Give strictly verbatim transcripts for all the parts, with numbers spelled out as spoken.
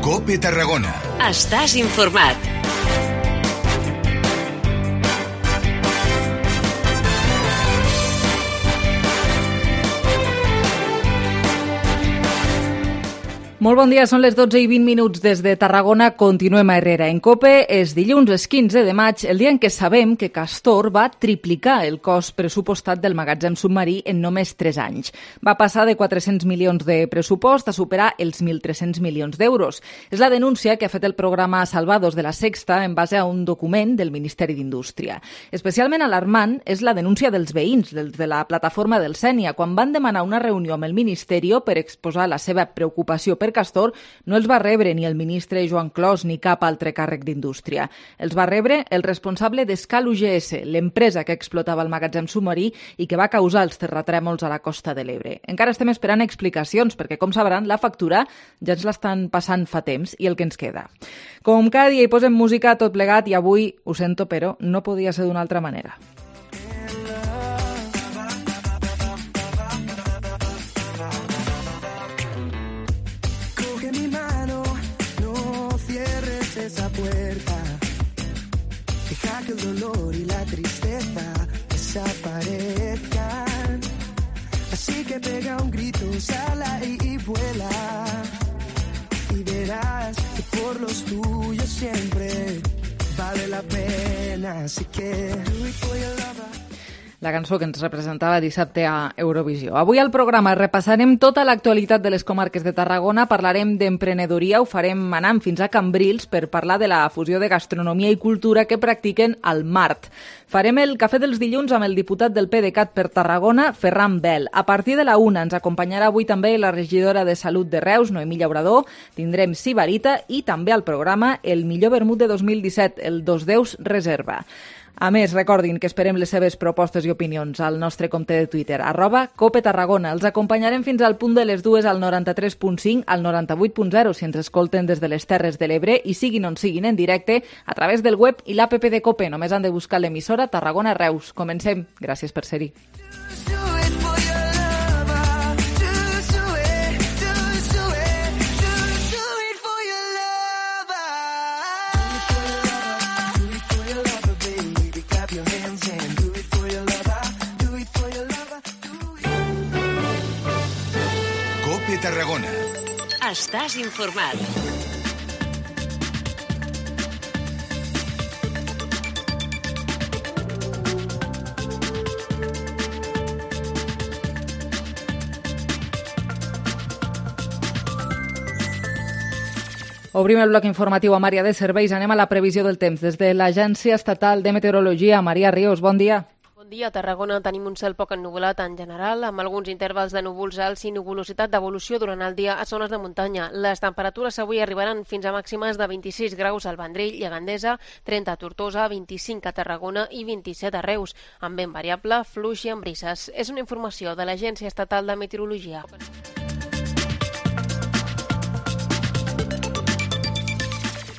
COPE Tarragona. Estàs informat. Molt bon dia, són les dotze i vint minuts des de Tarragona. Continuem a Herrera. En COPE és dilluns, és quinze de maig, el dia en què sabem que Castor va triplicar el cost pressupostat del magatzem submarí en només tres anys. Va passar de quatre-cents milions de pressupost a superar els mil tres-cents milions d'euros. És la denúncia que ha fet el programa Salvados de la Sexta en base a un document del Ministeri d'Indústria. Especialment alarmant és la denúncia dels veïns, dels de la plataforma del Sénia, quan van demanar una reunió amb el Ministeri per exposar la seva preocupació per Castor, no els va rebre ni el ministre Joan Clos ni cap altre càrrec d'Indústria. Els va rebre el responsable d'Escal U G S, l'empresa que explotava el magatzem submarí i que va causar els terratrèmols a la Costa de l'Ebre. Encara estem esperant explicacions, perquè, com sabran, la factura ja ens l'estan passant fa temps i el que ens queda. Com cada dia hi posem música a tot plegat i avui, ho sento, però no podia ser d'una altra manera. Esa puerta, deja que el dolor y la tristeza desaparezcan. Así que pega un grito, sala y, y vuela, y verás que por los tuyos siempre vale la pena. Así que do it for your lover. La cançó que ens representava dissabte a Eurovisió. Avui al programa repassarem tota l'actualitat de les comarques de Tarragona, parlarem d'emprenedoria, ho farem anant fins a Cambrils per parlar de la fusió de gastronomia i cultura que practiquen al Mart. Farem el cafè dels dilluns amb el diputat del PDeCAT per Tarragona, Ferran Bel. A partir de la una ens acompanyarà avui també la regidora de Salut de Reus, Noemí Llaurador. Tindrem Sibarita i també al programa el millor vermut de dos mil disset, el Dos Deus Reserva. A més, recordin que esperem les seves propostes i opinions al nostre compte de Twitter, arroba Cope Tarragona. Els acompanyarem fins al punt de les dues al noranta-tres punt cinc, al noranta-vuit punt zero, si ens escolten des de les Terres de l'Ebre i siguin on siguin en directe a través del web i l'app de Cope. Només han de buscar l'emissora Tarragona Reus. Comencem. Gràcies per ser-hi. Tarragona. Estàs informat. Obrim el bloc informatiu amb àrea de serveis. Anem a la previsió del temps. Des de l'Agència Estatal de Meteorologia, Maria Ríos, bon dia. Bon dia. A Tarragona tenim un cel poc ennuvolat en general, amb alguns intervals de núvols alts i nuvolositat d'evolució durant el dia a zones de muntanya. Les temperatures avui arribaran fins a màximes de vint-i-sis graus al Vendrell i a Gandesa, trenta a Tortosa, vint-i-cinc a Tarragona i vint-i-set a Reus, amb vent variable, fluix i amb brises. És una informació de l'Agència Estatal de Meteorologia.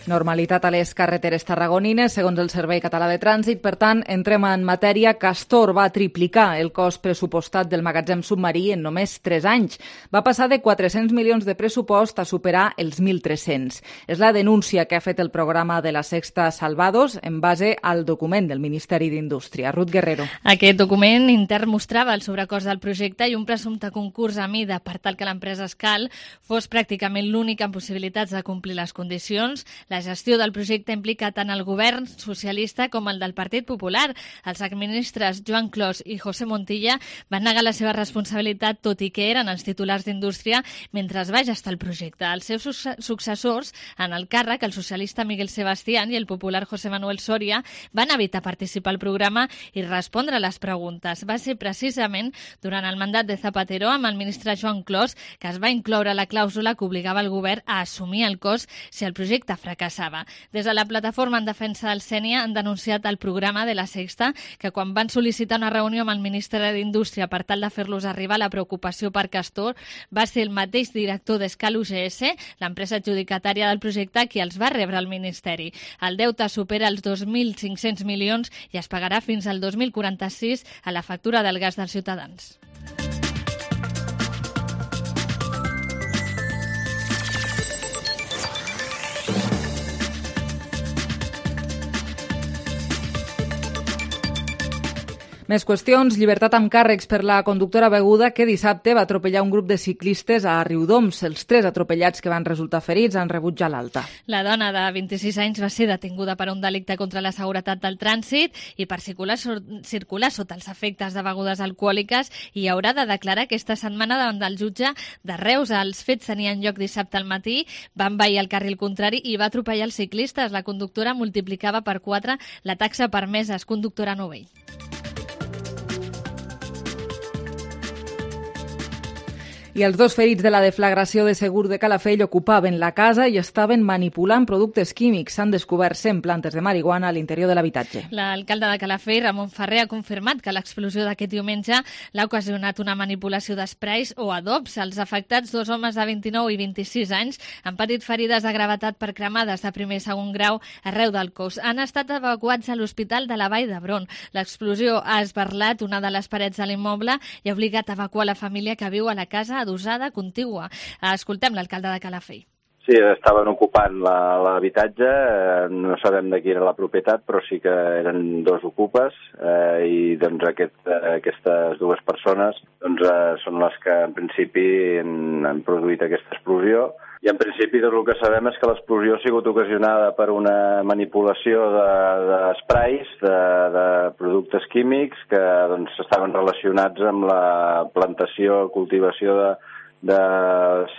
Normalitat a les carreteres tarragonines, segons el Servei Català de Trànsit. Per tant, entrem en matèria. Castor va triplicar el cost pressupostat del magatzem submarí en només tres anys. Va passar de quatre-cents milions de pressupost a superar els mil tres-cents. És la denúncia que ha fet el programa de la Sexta Salvados en base al document del Ministeri d'Indústria. Ruth Guerrero. Aquest document intern mostrava el sobrecost del projecte i un presumpte concurs a mida per tal que l'empresa Escal fos pràcticament l'únic amb possibilitats de complir les condicions. La gestió del projecte implica tant el govern socialista com el del Partit Popular. Els exministres Joan Clos i José Montilla van negar la seva responsabilitat, tot i que eren els titulars d'Indústria mentre es va gestar el projecte. Els seus successors en el càrrec, el socialista Miguel Sebastián i el popular José Manuel Soria, van evitar participar al programa i respondre a les preguntes. Va ser precisament durant el mandat de Zapatero amb el ministre Joan Clos que es va incloure la clàusula que obligava el govern a assumir el cost si el projecte fracassava. Des de la plataforma en defensa del Sénia han denunciat el programa de la Sexta que quan van sol·licitar una reunió amb el ministre d'Indústria per tal de fer-los arribar la preocupació per Castor, va ser el mateix director d'Escal U G S, l'empresa adjudicatària del projecte, qui els va rebre al Ministeri. El deute supera els dos mil cinc-cents milions i es pagarà fins al dos mil quaranta-sis a la factura del gas dels ciutadans. Més qüestions. Llibertat amb càrrecs per la conductora beguda que dissabte va atropellar un grup de ciclistes a Riudoms. Els tres atropellats que van resultar ferits han rebut ja l'alta. La dona de vint-i-sis anys va ser detinguda per un delicte contra la seguretat del trànsit i per circular, circular sota els efectes de begudes alcohòliques i haurà de declarar aquesta setmana davant del jutge de Reus. Els fets tenien lloc dissabte al matí, va envair el carril contrari i va atropellar els ciclistes. La conductora multiplicava per quatre la taxa permesa. És conductora novell. I els dos ferits de la deflagració de Segur de Calafell ocupaven la casa i estaven manipulant productes químics. S'han descobert cent plantes de marihuana a l'interior de l'habitatge. L'alcalde de Calafell, Ramon Ferrer, ha confirmat que l'explosió d'aquest diumenge l'ha ocasionat una manipulació d'esprais o adobs. Els afectats, dos homes de vint-i-nou i vint-i-sis anys, han patit ferides de gravetat per cremades de primer i segon grau arreu del cos. Han estat evacuats a l'Hospital de la Vall d'Hebron. L'explosió ha esberlat una de les parets de l'immoble i ha obligat a evacuar la família que viu a la casa adosada contigua. Escoltem l'alcalde de Calafell. Sí, estaven ocupant l'habitatge, no sabem de qui era la propietat, però sí que eren dos ocupes eh, i doncs aquest, aquestes dues persones doncs, eh, són les que en principi han, han produït aquesta explosió. I en principi tot el que sabem és que l'explosió ha sigut ocasionada per una manipulació d'esprais, de, de, de productes químics que doncs, estaven relacionats amb la plantació, cultivació de, de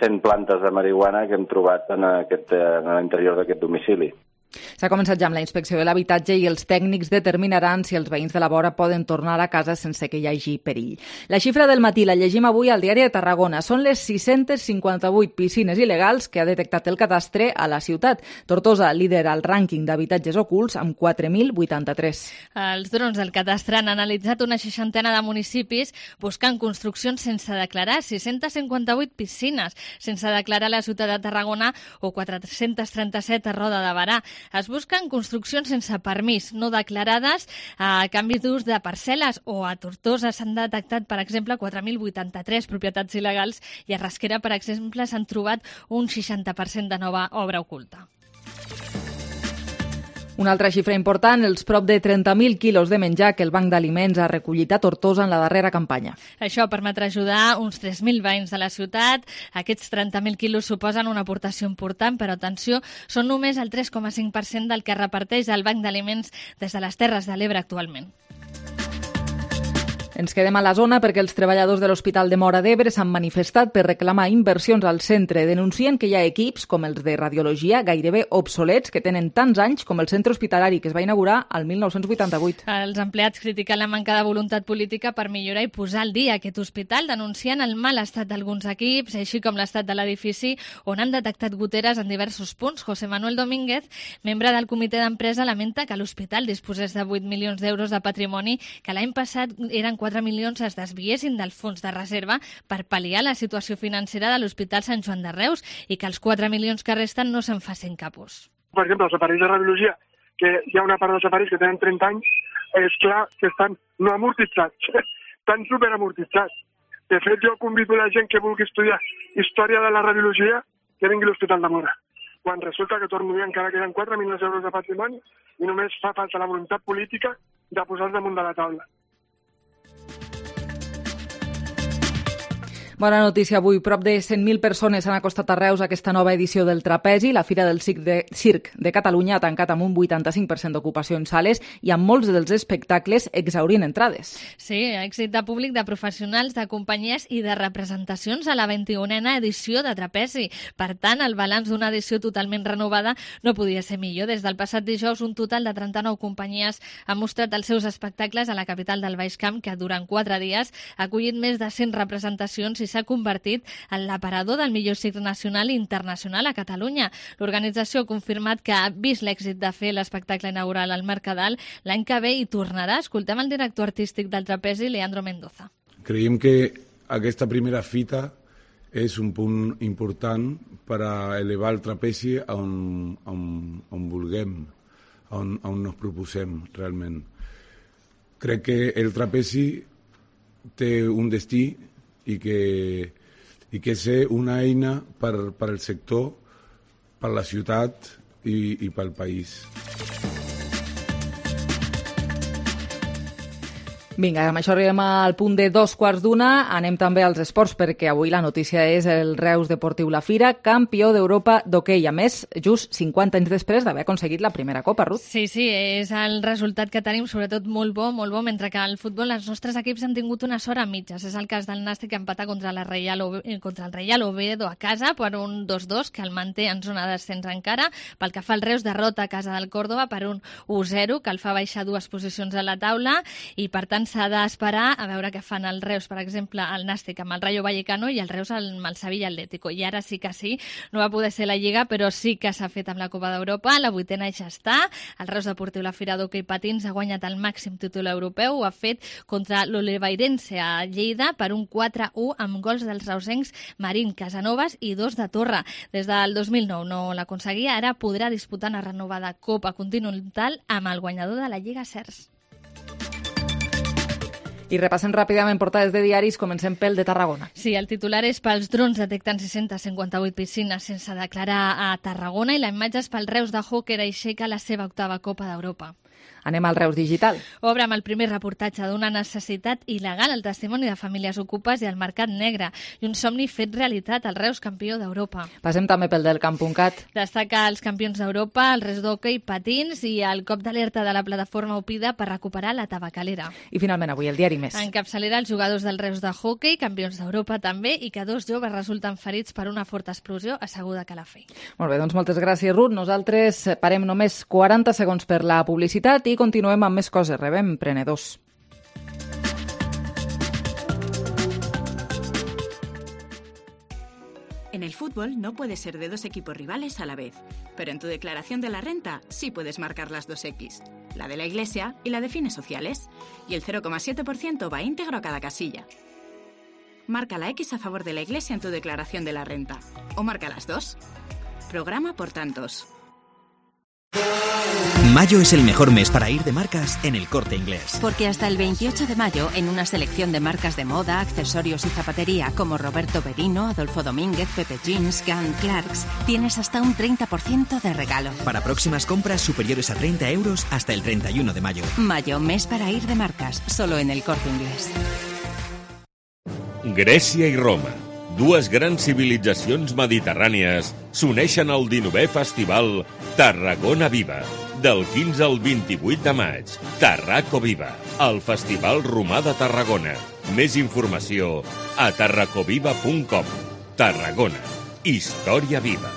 cent plantes de marihuana que hem trobat en, aquest, en l'interior d'aquest domicili. S'ha començat ja amb la inspecció de l'habitatge i els tècnics determinaran si els veïns de la vora poden tornar a casa sense que hi hagi perill. La xifra del matí la llegim avui al Diari de Tarragona. Són les sis-centes cinquanta-vuit piscines il·legals que ha detectat el cadastre a la ciutat. Tortosa lidera el rànquing d'habitatges ocults amb quatre mil vuitanta-tres. Els drons del cadastre han analitzat una seixantena de municipis buscant construccions sense declarar, sis-centes cinquanta-vuit piscines sense declarar a la ciutat de Tarragona o quatre-centes trenta-set a Roda de Barà. Es busquen construccions sense permís, no declarades, a canvi d'ús de parcel·les o a Tortosa s'han detectat, per exemple, quatre mil vuitanta-tres propietats il·legals i a Rasquera, per exemple, s'han trobat un seixanta per cent de nova obra oculta. Una altra xifra important, els prop de trenta mil quilos de menjar que el Banc d'Aliments ha recollit a Tortosa en la darrera campanya. Això permetrà ajudar uns tres mil veïns de la ciutat. Aquests trenta mil quilos suposen una aportació important, però atenció, són només el tres coma cinc per cent del que reparteix el Banc d'Aliments des de les Terres de l'Ebre actualment. Ens quedem a la zona perquè els treballadors de l'Hospital de Móra d'Ebre s'han manifestat per reclamar inversions al centre. Denuncien que hi ha equips, com els de radiologia, gairebé obsolets, que tenen tants anys com el centre hospitalari, que es va inaugurar al mil nou-cents vuitanta-vuit. Els empleats critiquen la manca de voluntat política per millorar i posar al dia aquest hospital, denunciant el mal estat d'alguns equips, així com l'estat de l'edifici, on han detectat goteres en diversos punts. José Manuel Domínguez, membre del comitè d'empresa, lamenta que l'hospital disposés de vuit milions d'euros de patrimoni, que l'any passat eren quatre milions es desviessin del fons de reserva per pal·liar la situació financera de l'Hospital Sant Joan de Reus i que els quatre milions que resten no se'n facin cap ús. Per exemple, els aparells de radiologia, que hi ha una part dels aparells que tenen trenta anys, és clar que estan no amortitzats, estan superamortitzats. De fet, jo convido la gent que vulgui estudiar història de la radiologia que vingui a l'Hospital de Móra. Quan resulta que torno a dir encara queden quatre milions d'euros de patrimoni i només fa falta la voluntat política de posar-los damunt de la taula. Bona notícia avui. Prop de cent mil persones han acostat a Reus a aquesta nova edició del Trapezi. La Fira del Circ de, Circ de Catalunya ha tancat amb un vuitanta-cinc per cent d'ocupació en sales i amb molts dels espectacles exhaurint entrades. Sí, èxit de públic, de professionals, de companyies i de representacions a la vint-i-unena edició de Trapezi. Per tant, el balanç d'una edició totalment renovada no podia ser millor. Des del passat dijous, un total de trenta-nou companyies han mostrat els seus espectacles a la capital del Baix Camp, que durant quatre dies ha acollit més de cent representacions i s'ha convertit en l'aparador del millor circ nacional i internacional a Catalunya. L'organització ha confirmat que ha vist l'èxit de fer l'espectacle inaugural al Mercadal. L'any que ve hi tornarà. Escoltem el director artístic del Trapezi, Leandro Mendoza. Creiem que aquesta primera fita és un punt important per a elevar el trapezi on, on, on vulguem, on, on nos proposem realment. Crec que el trapezi té un destí i que, i que és una eina per, per al sector, per la ciutat i, i pel país. Vinga, amb això arribem al punt de dos quarts d'una. Anem també als esports, perquè avui la notícia és el Reus Deportiu La Fira, campió d'Europa d'hoquei. A més, just cinquanta anys després d'haver aconseguit la primera copa, Ruth. Sí, sí, és el resultat que tenim, sobretot molt bo, molt bo, mentre que al futbol els nostres equips han tingut una sort a mitges. És el cas del Nàstic, que empata contra, la Reial Ove... contra el Reial Oviedo a casa per un dos dos, que el manté en zona d'ascens encara. Pel que fa al Reus, derrota a casa del Córdoba per un u zero, que el fa baixar dues posicions a la taula, i per tant s'ha d'esperar a veure què fan el Reus, per exemple, el Nàstic amb el Rayo Vallecano i el Reus amb el Sevilla Atlético. I ara sí que sí, no va poder ser la Lliga, però sí que s'ha fet amb la Copa d'Europa. La vuitena ja està. El Reus Deportiu La Fira d'hoquei patins ha guanyat el màxim títol europeu. Ho ha fet contra l'Oliveirense a Lleida per un quatre u amb gols dels reusencs Marín Casanovas i dos de Torre. Des del dos mil nou no l'aconseguia, ara podrà disputar una renovada Copa Continental amb el guanyador de la Lliga Cers. I repassem ràpidament portades de diaris, comencem pel de Tarragona. Sí, el titular és pels drons detecten sis-centes cinquanta-vuit piscines sense declarar a Tarragona i la imatge és pel Reus de Hockey aixeca la seva octava Copa d'Europa. Anem al Reus Digital. Obre amb el primer reportatge d'una necessitat il·legal, el testimoni de famílies ocupes i el mercat negre, i un somni fet realitat, el Reus campió d'Europa. Passem també pel del camp punt cat. Destaca els campions d'Europa, el Reus d'hoquei, patins i el cop d'alerta de la plataforma Opida per recuperar la tabacalera. I finalment avui el diari Més. En capçalera els jugadors del Reus de hoquei, campions d'Europa també, i que dos joves resulten ferits per una forta explosió asseguda a Calafell. Molt bé, doncs moltes gràcies, Ruth. Nosaltres parem només quaranta segons per la publicitat i continuem amb més coses. Rebem prenedors. En el fútbol no puedes ser de dos equipos rivales a la vez, pero en tu declaración de la renta sí puedes marcar las dos X, la de la Iglesia y la de fines sociales, y el cero coma siete por ciento va íntegro a cada casilla. Marca la X a favor de la Iglesia en tu declaración de la renta, o marca las dos. Programa por tantos. Mayo es el mejor mes para ir de marcas en El Corte Inglés. Porque hasta el veintiocho de mayo, en una selección de marcas de moda, accesorios y zapatería como Roberto Berino, Adolfo Domínguez, Pepe Jeans, Gunn Clarks, tienes hasta un treinta por ciento de regalo. Para próximas compras superiores a treinta euros hasta el treinta y uno de mayo. Mayo, mes para ir de marcas, solo en El Corte Inglés. Grècia i Roma, dues grans civilitzacions mediterrànies, s'uneixen al dinovè festival Tarragona Viva. Del quinze al vint-i-vuit de maig, Tarraco Viva, el Festival Romà de Tarragona. Més informació a tarracoviva punt com. Tarragona, història viva.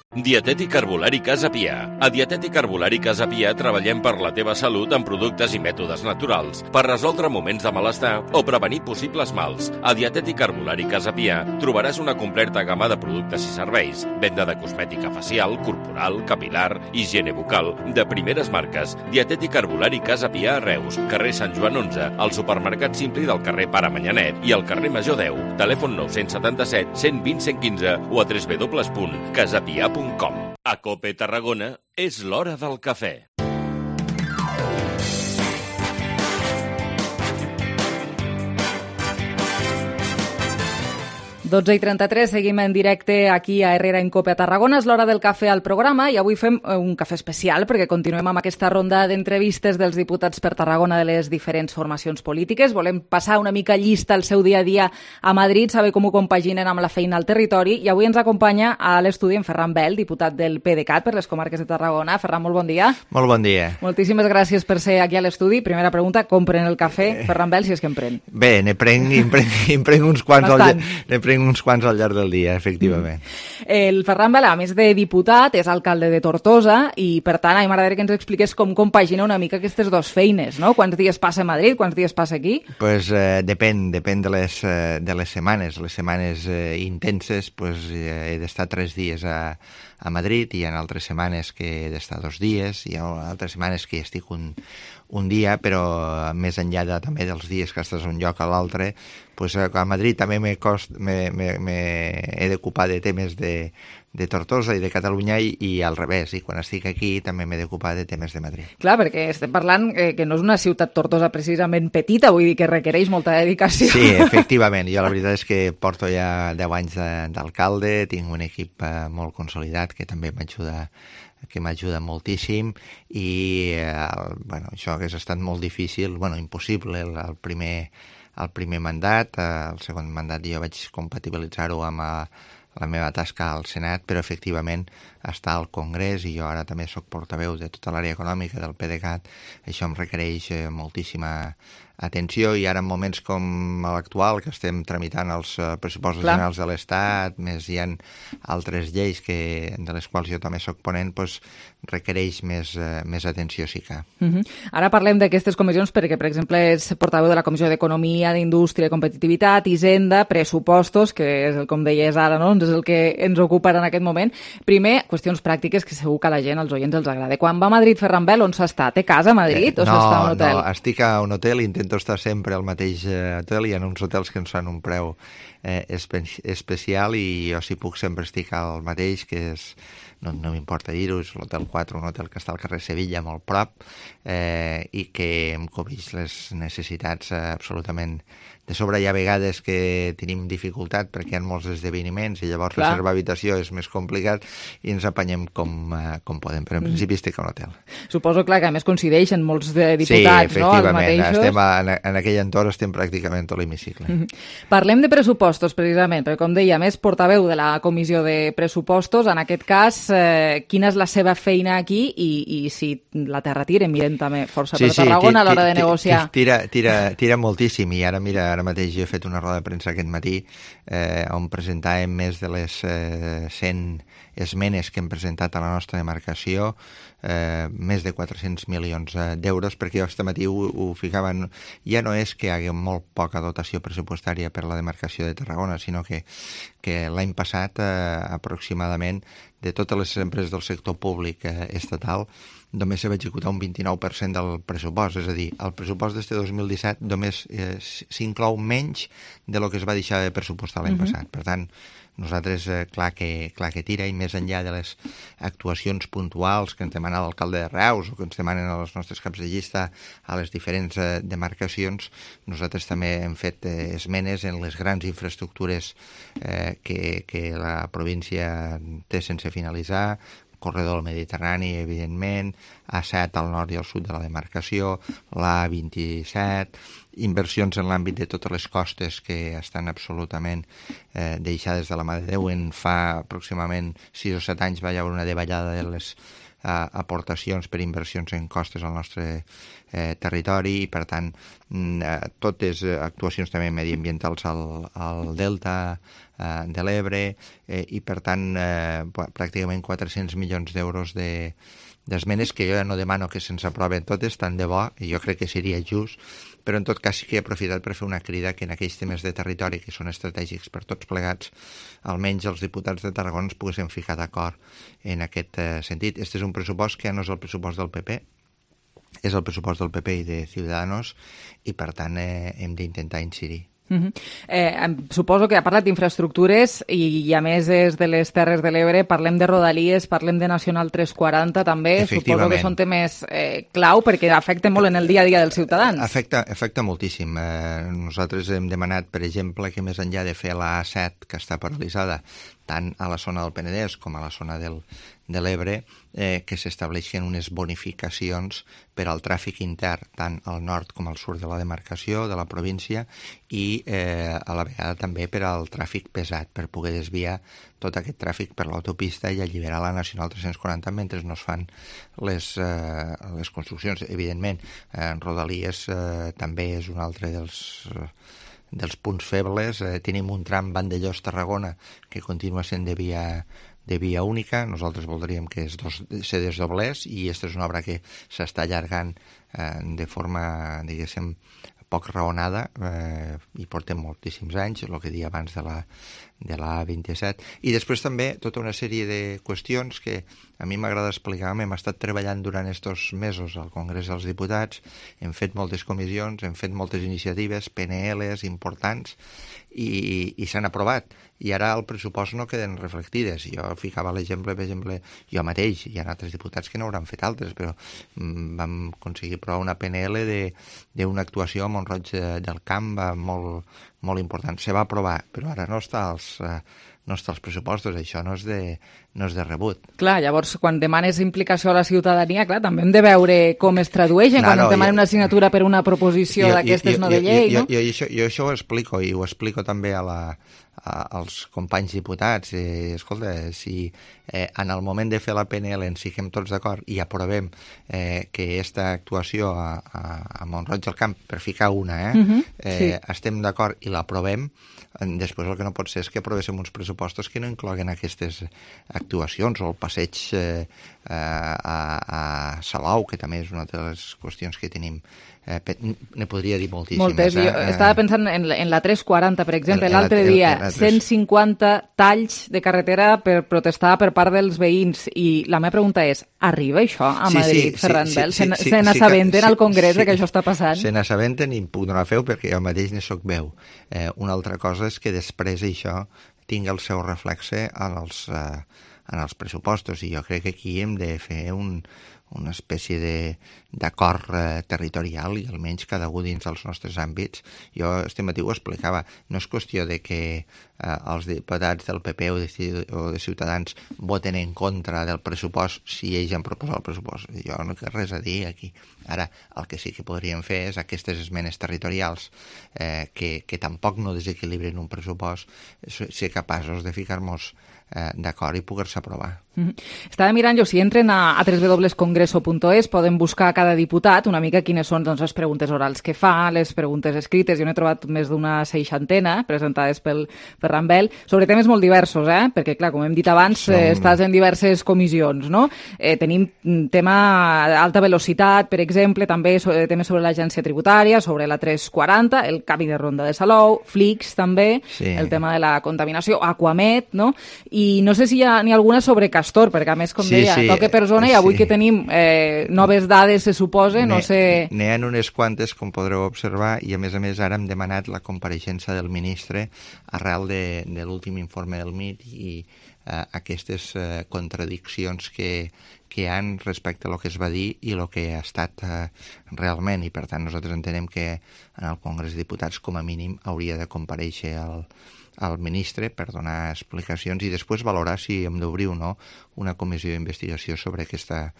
Dietètic Herbolari Casa Pià. A Dietètic Herbolari Casa Pià treballem per la teva salut amb productes i mètodes naturals per resoldre moments de malestar o prevenir possibles mals. A Dietètic Herbolari Casa Pià trobaràs una completa gamma de productes i serveis, venda de cosmètica facial, corporal, capilar, higiene bucal, de primeres marques. Dietètic Herbolari Casa Pià a Reus, carrer Sant Joan onze, al supermercat Simpli del carrer Pare Manyanet i al carrer Major deu. Telèfon nou set set, cent vint, cent quinze o a w w w punt casapia punt com. A Cope Tarragona és l'hora del cafè. dotze i trenta-tres, seguim en directe aquí a Herrera en Cope a Tarragona. És l'hora del cafè al programa i avui fem un cafè especial perquè continuem amb aquesta ronda d'entrevistes dels diputats per Tarragona de les diferents formacions polítiques. Volem passar una mica llista el seu dia a dia a Madrid, saber com ho compaginen amb la feina al territori, i avui ens acompanya a l'estudi en Ferran Bel, diputat del PDeCAT per les comarques de Tarragona. Ferran, molt bon dia. Molt bon dia. Moltíssimes gràcies per ser aquí a l'estudi. Primera pregunta, com pren el cafè Ferran Bel, si és que en pren? Bé, ne prenc, en prenc, en prenc uns quants al llarg, ne prenc uns quants al llarg del dia, efectivament. Mm. El Ferran Bel, a més de diputat, és alcalde de Tortosa i, per tant, a mi m'agradaria que ens expliqués com compagina una mica aquestes dues feines, no? Quants dies passa a Madrid, quants dies passa aquí? Pues eh, depèn, depèn de les, eh, de les setmanes. Les setmanes eh, intenses, pues, eh, he d'estar tres dies a, a Madrid, i hi ha altres setmanes que he d'estar dos dies, hi ha altres setmanes que estic un, un dia, però més enllà de, també dels dies que estàs d'un lloc a l'altre, pues, a Madrid també me cost, me, me, me he d'ocupar de temes de, de Tortosa i de Catalunya i, i al revés, i quan estic aquí també m'he d'ocupar de temes de Madrid. Clar, perquè estem parlant eh, que no és una ciutat Tortosa precisament petita, vull dir que requereix molta dedicació. Sí, efectivament. Jo la veritat és que porto ja deu anys d'alcalde, tinc un equip eh, molt consolidat que també m'ajuda que m'ajuda moltíssim i eh, bueno, això hagués estat molt difícil, bueno, impossible el, el, primer, el primer mandat, eh, el segon mandat jo vaig compatibilitzar-ho amb eh, la meva tasca al Senat, però efectivament està al Congrés i jo ara també sóc portaveu de tota l'àrea econòmica del PDeCAT, això em requereix eh, moltíssima atenció i ara en moments com l'actual, que estem tramitant els uh, pressupostos Clar. generals de l'Estat, més hi ha altres lleis que, de les quals jo també soc ponent, doncs requereix més, uh, més atenció, sí que. Uh -huh. Ara parlem d'aquestes comissions perquè, per exemple, és portaveu de la Comissió d'Economia, d'Indústria, Competitivitat, Hisenda, Pressupostos, que és, el, com deies ara, no? És el que ens ocupa en aquest moment. Primer, qüestions pràctiques que segur que a la gent, als oients, els agrada. Quan va a Madrid, Ferran Bel, on s'està? Té casa a Madrid eh, o no, s'està a un hotel? No, estic a un hotel i intento estar sempre al mateix hotel. Hi ha uns hotels que ens fan un preu eh, espe especial i jo si puc sempre estic al mateix, que és, no, no m'importa dir-ho, és l'Hotel quatre, un hotel que està al carrer Sevilla, molt prop, eh, i que em cobreix les necessitats eh, absolutament de sobre. Hi ha vegades que tenim dificultat perquè hi ha molts esdeveniments i llavors Clar. reservar habitació és més complicat i ens apanyem com, uh, com podem, però en principi estic a un hotel. Suposo, clar, que a més coincideixen molts de diputats, sí, no?, els mateixos. Estem a, en, en aquell entorn estem pràcticament tot l'hemicicle. Mm -hmm. Parlem de pressupostos, precisament, perquè, com deia, més portaveu de la Comissió de Pressupostos, en aquest cas, eh, quina és la seva feina aquí i, i si la terra tira, miren també força sí, per Tarragona sí, a l'hora de negociar. Tira, tira, tira moltíssim i ara, mira, ara mateix jo he fet una roda de premsa aquest matí eh, on presentàvem més de les eh, cent esmenes que hem presentat a la nostra demarcació, eh, més de quatre-cents milions d'euros, perquè jo aquest matí ho, ho ficava, ja no és que hi hagi molt poca dotació pressupostària per la demarcació de Tarragona, sinó que, que l'any passat eh, aproximadament de totes les empreses del sector públic eh, estatal només se va executar un vint-i-nou per cent del pressupost, és a dir, el pressupost d'este dos mil disset només eh, s'inclou menys de lo que es va deixar de pressupostar l'any uh -huh. passat. Per tant, nosaltres, eh, clar, que, clar que tira, i més enllà de les actuacions puntuals que ens demana l'alcalde de Reus o que ens demanen els nostres caps de llista a les diferents eh, demarcacions, nosaltres també hem fet eh, esmenes en les grans infraestructures eh, que, que la província té sense finalitzar, corredor del Mediterrani, evidentment, A set al nord i al sud de la demarcació, l'A vint-i-set, inversions en l'àmbit de totes les costes que estan absolutament eh, deixades de la mà de Déu. En fa aproximadament sis o set anys va haver una davallada de les eh, aportacions per inversions en costes al nostre eh, territori i, per tant, eh, totes actuacions també mediambientals al, al Delta eh, de l'Ebre eh, i, per tant, eh, pràcticament quatre-cents milions d'euros de d'esmenes que jo ja no demano que se'ns aproven totes, tant de bo, i jo crec que seria just, però en tot cas sí que he aprofitat per fer una crida que en aquells temes de territori que són estratègics per tots plegats, almenys els diputats de Tarragona ens poguéssim ficar d'acord en aquest eh, sentit. Este és un pressupost que ja no és el pressupost del P P, és el pressupost del P P i de Ciudadanos i, per tant, eh, hem d'intentar incidir. Uh -huh. eh, suposo que ha parlat d'infraestructures i, i a més és de les Terres de l'Ebre, parlem de Rodalies, parlem de Nacional tres quaranta també, suposo que són temes eh, clau perquè afecten molt en el dia a dia dels ciutadans. Afecta, afecta moltíssim. Eh, nosaltres hem demanat, per exemple, que més enllà de fer la A set, que està paralitzada, tant a la zona del Penedès com a la zona del, de l'Ebre, eh, que s'estableixen unes bonificacions per al tràfic intern, tant al nord com al sud de la demarcació, de la província, i eh, a la vegada també per al tràfic pesat, per poder desviar tot aquest tràfic per l'autopista i alliberar la Nacional tres quaranta mentre no es fan les, eh, les construccions. Evidentment, eh, Rodalies eh, també és un altre dels... Eh, dels punts febles. Eh, tenim un tram Vandellós-Tarragona que continua sent de via, de via única. Nosaltres voldríem que es dos, se desdoblés i aquesta és una obra que s'està allargant eh, de forma, diguéssim, poc raonada eh, i portem moltíssims anys, el que deia abans de la, de l'A vint-i-set. I després també tota una sèrie de qüestions que a mi m'agrada explicar. Hem estat treballant durant estos mesos al Congrés dels Diputats, hem fet moltes comissions, hem fet moltes iniciatives, P N Ls importants, i, i s'han aprovat. I ara al pressupost no queden reflectides. Jo ficava l'exemple, per exemple, jo mateix, hi ha altres diputats que no hauran fet altres, però mm, vam aconseguir aprovar una P N L d'una actuació a Mont-roig del Camp molt, molt important. Se va aprovar, però ara no està als... Eh, no està als pressupostos, això no és de, no és de rebut. Clar, llavors, quan demanes implicació a la ciutadania, clar, també hem de veure com es tradueixen, no, quan no, es demana jo, una assignatura per una proposició d'aquestes no de llei, jo, no? Jo, jo, jo, jo això ho explico, i ho explico també a la, a, als companys diputats. Eh, escolta, si eh, en el moment de fer la P N L ens fiquem tots d'acord i aprovem eh, que aquesta actuació a, a, a Mont-roig del Camp, per ficar una, eh, uh-huh, eh, sí. estem d'acord i l'aprovem, després el que no pot ser és que aprovéssim uns pressupostos que no incloguen aquestes actuacions, o el passeig eh, a, a Salou, que també és una de les qüestions que tenim. Eh, ne podria dir moltíssimes. Moltes. Eh? Jo estava pensant en, en la tres quaranta, per exemple, l'altre dia, el, el, el cent cinquanta talls de carretera per protestar per part dels veïns, i la meva pregunta és, arriba això a Madrid, sí, sí, Ferran Bel? Sí, sí, sí, se n'assabenten sí, sí, al Congrés sí, que això està passant? Se n'assabenten i puc donar feu perquè jo mateix ne soc veu. Eh, una altra cosa és que després això tingui el seu reflexe en els, eh, en els pressupostos, i jo crec que aquí hem de fer un, una espècie d'acord eh, territorial, i almenys cada un dins dels nostres àmbits. Jo este matí ho explicava, no és qüestió de que eh, els diputats del P P o de, o de Ciutadans voten en contra del pressupost si ells han proposat el pressupost. Jo no té res a dir aquí. Ara, el que sí que podríem fer és aquestes esmenes territorials eh, que, que tampoc no desequilibren un pressupost, ser capaços de ficar-nos eh, d'acord i poder-se aprovar. Mm-hmm. Estava mirant jo, si entren a, a w w w punt congreso punt es poden buscar a cada diputat una mica quines són, doncs, les preguntes orals que fa, les preguntes escrites. Jo n'he trobat més d'una seixantena presentades pel Ferran Bel, sobre temes molt diversos, eh? Perquè, clar, com hem dit abans, Som... eh, estàs en diverses comissions, no? Eh, tenim tema alta velocitat, per exemple, també so, temes sobre l'agència tributària, sobre la tres quaranta, el canvi de ronda de Salou, Flix també, sí. El tema de la contaminació, Aquamed, no? I no sé si hi ha ni alguna sobre Castor, perquè a més, com sí, deia, sí, toque per zona, i avui sí. que tenim eh, noves dades, se suposa, no sé... N'hi ha unes quantes, com podreu observar, i a més a més ara hem demanat la compareixença del ministre arrel de, de l'últim informe del M I T i eh, aquestes eh, contradiccions que, que hi han respecte a lo que es va dir i el que ha estat eh, realment, i per tant nosaltres entenem que en el Congrés de Diputats com a mínim hauria de comparèixer el al ministre per donar explicacions i després valorar si hem d'obrir o no una comissió d'investigació sobre aquesta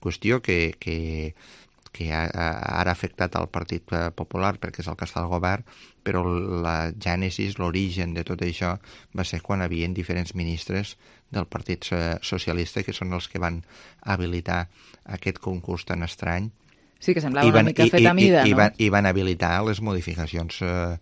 qüestió que, que, que ha, ara ha afectat al Partit Popular perquè és el que està al govern, però la gènesis, l'origen de tot això va ser quan hi havia diferents ministres del Partit Socialista que són els que van habilitar aquest concurs tan estrany. Sí, que semblava van, una mica fet a mida, i, i, no? I van, I van habilitar les modificacions eh,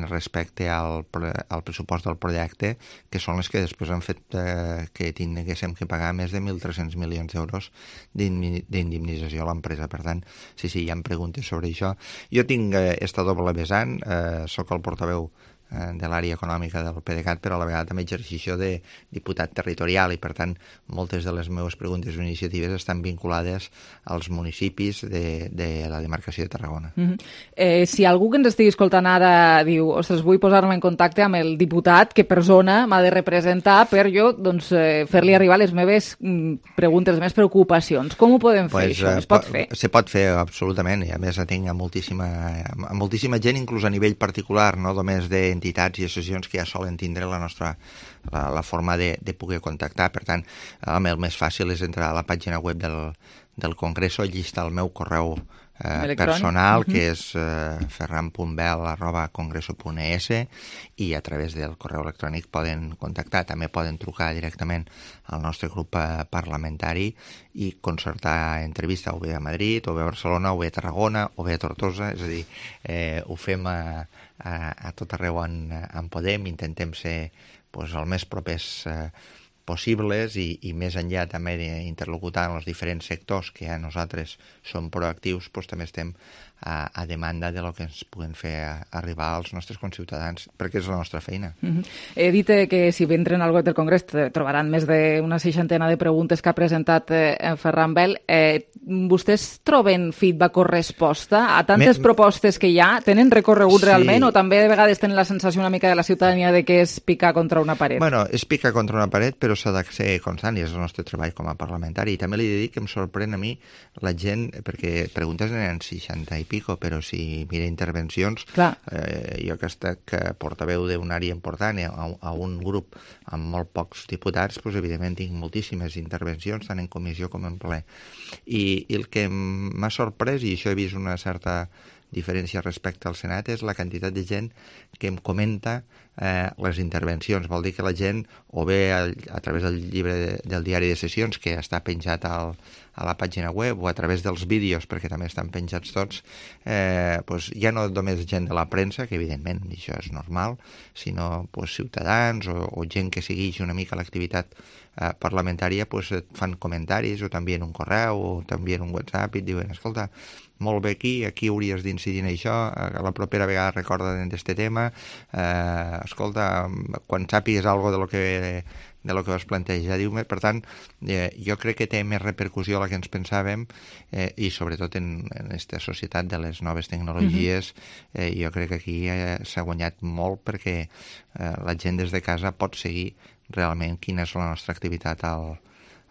respecte al, al pressupost del projecte, que són les que després han fet eh, que tinguéssim que pagar més de mil tres-cents milions d'euros d'indemnització a l'empresa. Per tant, sí, sí, hi ha preguntes sobre això. Jo tinc eh, esta doble vessant, eh, soc el portaveu de l'àrea econòmica del PDeCAT, però a la vegada també exercició de diputat territorial i, per tant, moltes de les meves preguntes o iniciatives estan vinculades als municipis de, de la demarcació de Tarragona. Mm-hmm. eh, si algú que ens estigui escoltant ara diu, ostres, vull posar-me en contacte amb el diputat que per zona m'ha de representar per jo doncs, eh, fer-li arribar les meves mm, preguntes, les meves preocupacions, com ho podem fer, pues, això? Es pot fer? Se pot fer, absolutament, i a més tinc a moltíssima, a moltíssima gent, inclús a nivell particular, no només de entitats i associacions que ja solen tindre la nostra la, la forma de, de poder contactar. Per tant, el més fàcil és entrar a la pàgina web del, del Congreso, allí està el meu correu eh, personal, uh-huh. que és eh, ferran punt bel arroba congreso punt es, i a través del correu electrònic poden contactar. També poden trucar directament al nostre grup eh, parlamentari i concertar entrevista o bé a Madrid, o bé a Barcelona, o bé a Tarragona, o bé a Tortosa. És a dir, eh, ho fem a a, a tot arreu on, on podem, intentem ser pues, el més propers eh, possibles i, i més enllà també d'interlocutar amb els diferents sectors que a nosaltres som proactius, doncs també estem a, a demanda de lo que ens puguen fer a, arribar als nostres conciutadans, perquè és la nostra feina. Mm-hmm. He dit eh, que si entren al web del Congrés trobaran més d'una seixantena de preguntes que ha presentat eh, Ferran Bel. Eh, vostès troben feedback o resposta a tantes Me... propostes que hi ha? Tenen recorregut sí. realment o també de vegades tenen la sensació una mica de la ciutadania de que és picar contra una paret? Bueno, és picar contra una paret, però s'ha de ser constant i és el nostre treball com a parlamentari. I també li he de dir que em sorprèn a mi la gent, perquè preguntes eren seixanta i pico, però si mira intervencions, eh, jo que he estat portaveu d'una àrea important a, a un grup amb molt pocs diputats, doncs, evidentment tinc moltíssimes intervencions, tant en comissió com en ple. I, i el que m'ha sorprès, i això he vist una certa diferència respecte al Senat, és la quantitat de gent que em comenta eh, les intervencions. Vol dir que la gent, o bé a, a través del llibre de, del diari de sessions, que està penjat al, a la pàgina web, o a través dels vídeos, perquè també estan penjats tots, eh, pues, ja no només gent de la premsa, que evidentment això és normal, sinó pues, ciutadans o, o gent que segueix una mica l'activitat eh, parlamentària, pues, fan comentaris, o t'envien un correu, o t'envien un WhatsApp, i et diuen, escolta, molt bé aquí, aquí hauries d'incidir en això, a la propera vegada recorda d'aquest tema, eh, escolta, quan sàpigues alguna de lo que de lo que vas plantejar, diu-me. Per tant, eh, jo crec que té més repercussió la que ens pensàvem eh, i sobretot en aquesta societat de les noves tecnologies, eh, jo crec que aquí eh, s'ha guanyat molt perquè eh, la gent des de casa pot seguir realment quina és la nostra activitat al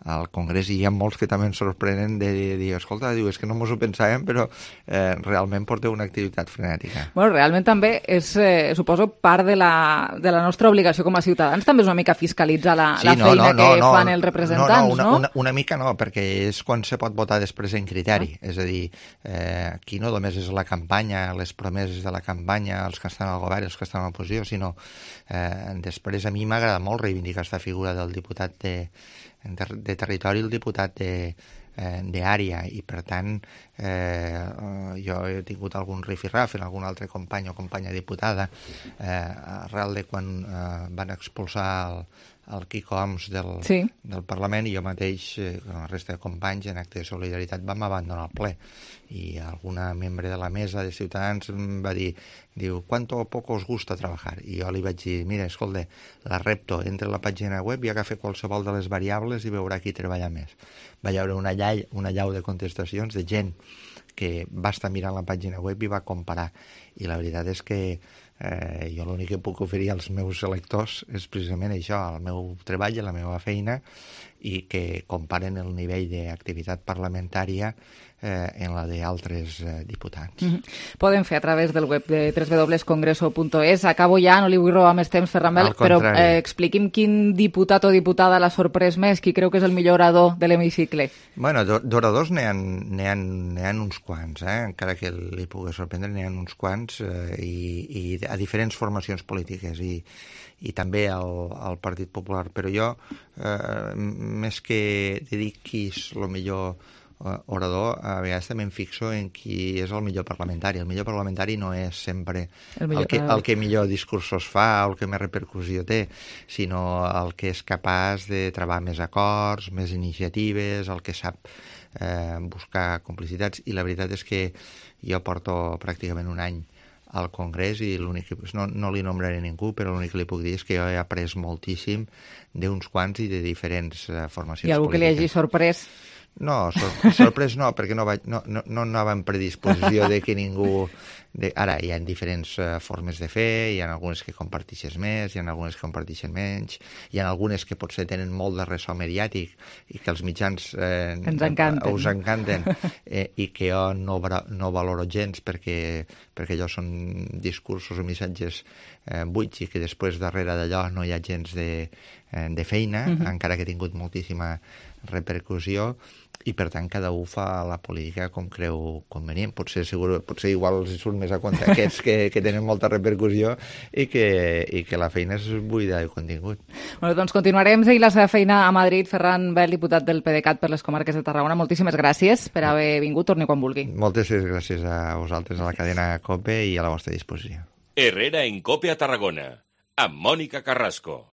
al Congrés, i hi ha molts que també ens sorprenen de dir, escolta, diu, és que no mos ho pensàvem, però eh, realment porteu una activitat frenètica. Bueno, realment també és, eh, suposo, part de la, de la nostra obligació com a ciutadans, també és una mica fiscalitzar la, sí, la no, feina no, no, que no, fan els representants, no? No, una, no? Una, una mica no, perquè és quan se pot votar després en criteri, ah. és a dir, eh, aquí no només és la campanya, les promeses de la campanya, els que estan al govern, els que estan a l'oposició, sinó eh, després a mi m'agrada molt reivindicar aquesta figura del diputat de De, de territori, el diputat de, eh, d'àrea, i per tant eh, jo he tingut algun rifirraf en algun altre company o companya diputada eh, arrel de quan eh, van expulsar el, el Quico Homs del, sí. del Parlament, i jo mateix, eh, amb la resta de companys, en acte de solidaritat vam abandonar el ple, i alguna membre de la mesa de Ciutadans em va dir, diu, ¿cuánto o poco os gusta trabajar? I jo li vaig dir, mira, escolta, la repto, entra a la pàgina web i agafa qualsevol de les variables i veurà qui treballa més. Va hi haure una llau, una llau de contestacions de gent que va estar mirant la pàgina web i va comparar, i la veritat és que eh, jo l'únic que puc oferir als meus electors és precisament això, el meu treball i la meva feina, i que comparen el nivell d'activitat parlamentària eh, en la d'altres eh, diputats. Mm-hmm. Poden fer a través del web de w w w punt congreso punt es. Acabo ja, no li vull robar més temps, Ferran Bel, però eh, expliqui'm quin diputat o diputada l'ha sorprès més, qui creu que és el millor orador de l'hemicicle. Bueno, d'oradors n'hi ha, n'hi ha, n'hi ha uns quants, eh? Encara que li pugui sorprendre, n'hi ha uns quants, eh, i, i a diferents formacions polítiques, i i també al, al Partit Popular, però jo, eh, més que de dir qui és el millor eh, orador, a vegades també em fixo en qui és el millor parlamentari. El millor parlamentari no és sempre el, el, que, el que millor discursos fa o el que més repercussió té, sinó el que és capaç de trobar més acords, més iniciatives, el que sap eh, buscar complicitats, i la veritat és que jo porto pràcticament un any al Congrés i l'únic que, no, no li nombraré ningú, però l'únic que li puc dir és que jo he après moltíssim d'uns quants i de diferents uh, formacions polítiques. I algú que li hagi sorprès? No, sor sorprès no, perquè no, vaig, no, no, no anava en predisposició de que ningú... De... Ara, hi ha diferents uh, formes de fer, hi ha algunes que compartixes més, hi ha algunes que compartixen menys, hi ha algunes que potser tenen molt de ressò mediàtic i que els mitjans eh, ens encanten. us encanten eh, i que jo no, no valoro gens perquè, perquè allò són discursos o missatges eh, buits i que després darrere d'allò no hi ha gens de, eh, de feina, uh-huh. encara que ha tingut moltíssima repercussió, i per tant cada un fa la política com creu convenient. Potser, segur, potser igual els surt més a compte aquests que, que tenen molta repercussió i que, i que la feina és buida de contingut. Bueno, doncs continuarem seguint la seva feina a Madrid. Ferran Bel, diputat del PDeCAT per les comarques de Tarragona, moltíssimes gràcies per haver vingut. Torni quan vulgui. Moltes gràcies a vosaltres, a la cadena COPE, i a la vostra disposició. Herrera en COPE a Tarragona, amb Mònica Carrasco.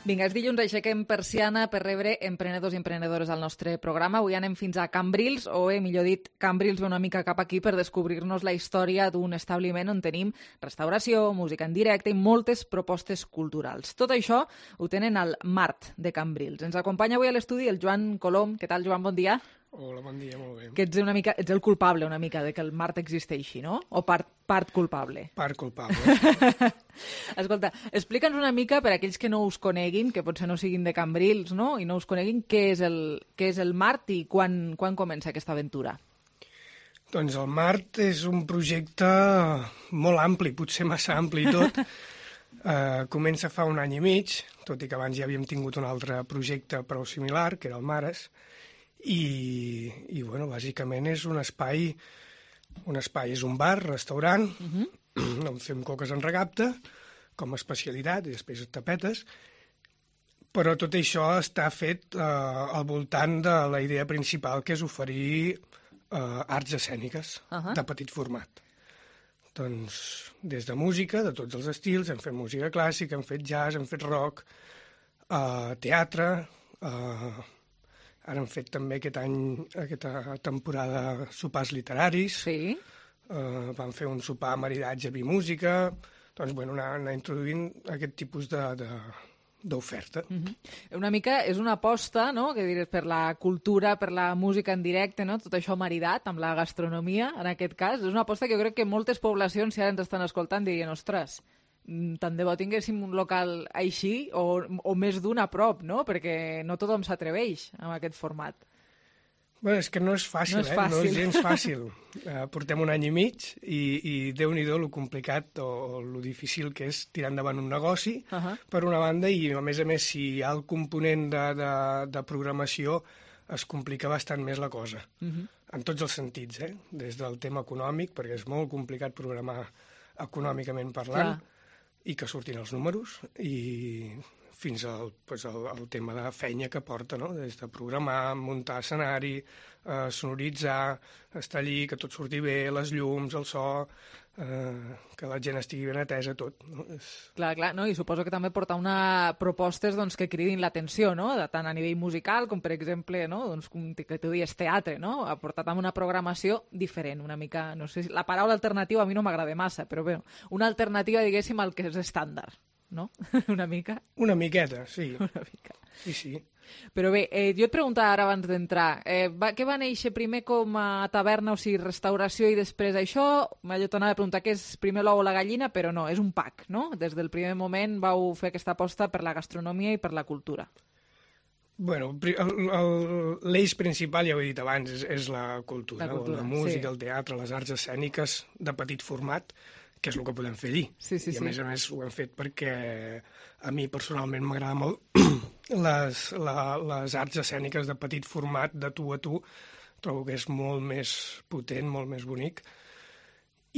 Vinga, és dilluns, aixequem persiana per rebre emprenedors i emprenedores al nostre programa. Avui anem fins a Cambrils, o eh, millor dit, Cambrils ve una mica cap aquí per descobrir-nos la història d'un establiment on tenim restauració, música en directe i moltes propostes culturals. Tot això ho tenen al Mart de Cambrils. Ens acompanya avui a l'estudi el Joan Colom. Què tal, Joan? Bon dia. Hola, bon dia, molt bé. Que ets, una mica, ets el culpable una mica de que el Mart existeixi, no? O part, part culpable? Part culpable. Escolta, explica'ns una mica, per a aquells que no us coneguin, que potser no siguin de Cambrils, no?, i no us coneguin, què és el, què és el Mart i quan, quan comença aquesta aventura? Doncs el Mart és un projecte molt ampli, potser massa ampli i tot. uh, comença fa un any i mig, tot i que abans ja havíem tingut un altre projecte prou similar, que era el Mares, i, i bueno, bàsicament és un espai, un espai és un bar, restaurant, uh-huh. on fem coques en recapte, com a especialitat, i després tapetes, però tot això està fet eh, al voltant de la idea principal, que és oferir eh, arts escèniques uh-huh. de petit format. Doncs des de música, de tots els estils, hem fet música clàssica, hem fet jazz, hem fet rock, eh, teatre, eh, ara hem fet també aquest any, aquesta temporada, sopars literaris. Sí. Uh, vam fer un sopar maridatge vi música. Doncs, bueno, anar, anar introduint aquest tipus de, de, d'oferta. Uh-huh. Una mica és una aposta, no?, que diré, per la cultura, per la música en directe, no?, tot això maridat amb la gastronomia, en aquest cas. És una aposta que jo crec que moltes poblacions, si ara ens estan escoltant, dirien, ostres, tant de bo tinguéssim un local així o, o més d'un a prop, no? Perquè no tothom s'atreveix amb aquest format. Bé, és que no és fàcil, no és eh? fàcil. No és gens fàcil. Uh, portem un any i mig i, i déu-n'hi-do lo complicat o, o lo difícil que és tirar endavant un negoci, uh-huh. per una banda, i a més a més, si hi ha el component de, de, de programació, es complica bastant més la cosa. Uh-huh. En tots els sentits, eh? Des del tema econòmic, perquè és molt complicat programar econòmicament parlant, clar. I que surtin els números, i fins al, pues, al, al tema de feina que porta, no? Des de programar, muntar escenari, eh, sonoritzar, estar allí, que tot surti bé, les llums, el so, eh, que la gent estigui ben atesa, tot. No? És... Clar, clar, no? I suposo que també portar una propostes doncs, que cridin l'atenció, no? De, tant a nivell musical com, per exemple, no? Doncs, com que tu dius teatre, no? Portat amb una programació diferent, una mica, no sé, la paraula alternativa a mi no m'agrada massa, però bé, una alternativa, diguéssim, al que és estàndard. No? Una mica? Una miqueta, sí. Una mica. Sí, sí. Però bé, eh, jo et preguntava ara abans d'entrar, eh, va, què va néixer primer com a taverna, o sigui, restauració i després això? Jo t'anava a preguntar què és primer l'ou o la gallina, però no, és un pack, no? Des del primer moment vau fer aquesta aposta per la gastronomia i per la cultura. Bueno, l'eix principal, ja ho he dit abans, és, és la cultura, la, cultura, la música, sí. El teatre, les arts escèniques de petit format, que és el que podem fer allí. Sí, sí, I a sí. més a més ho hem fet perquè a mi personalment m'agrada molt les, la, les arts escèniques de petit format, de tu a tu. Trobo que és molt més potent, molt més bonic.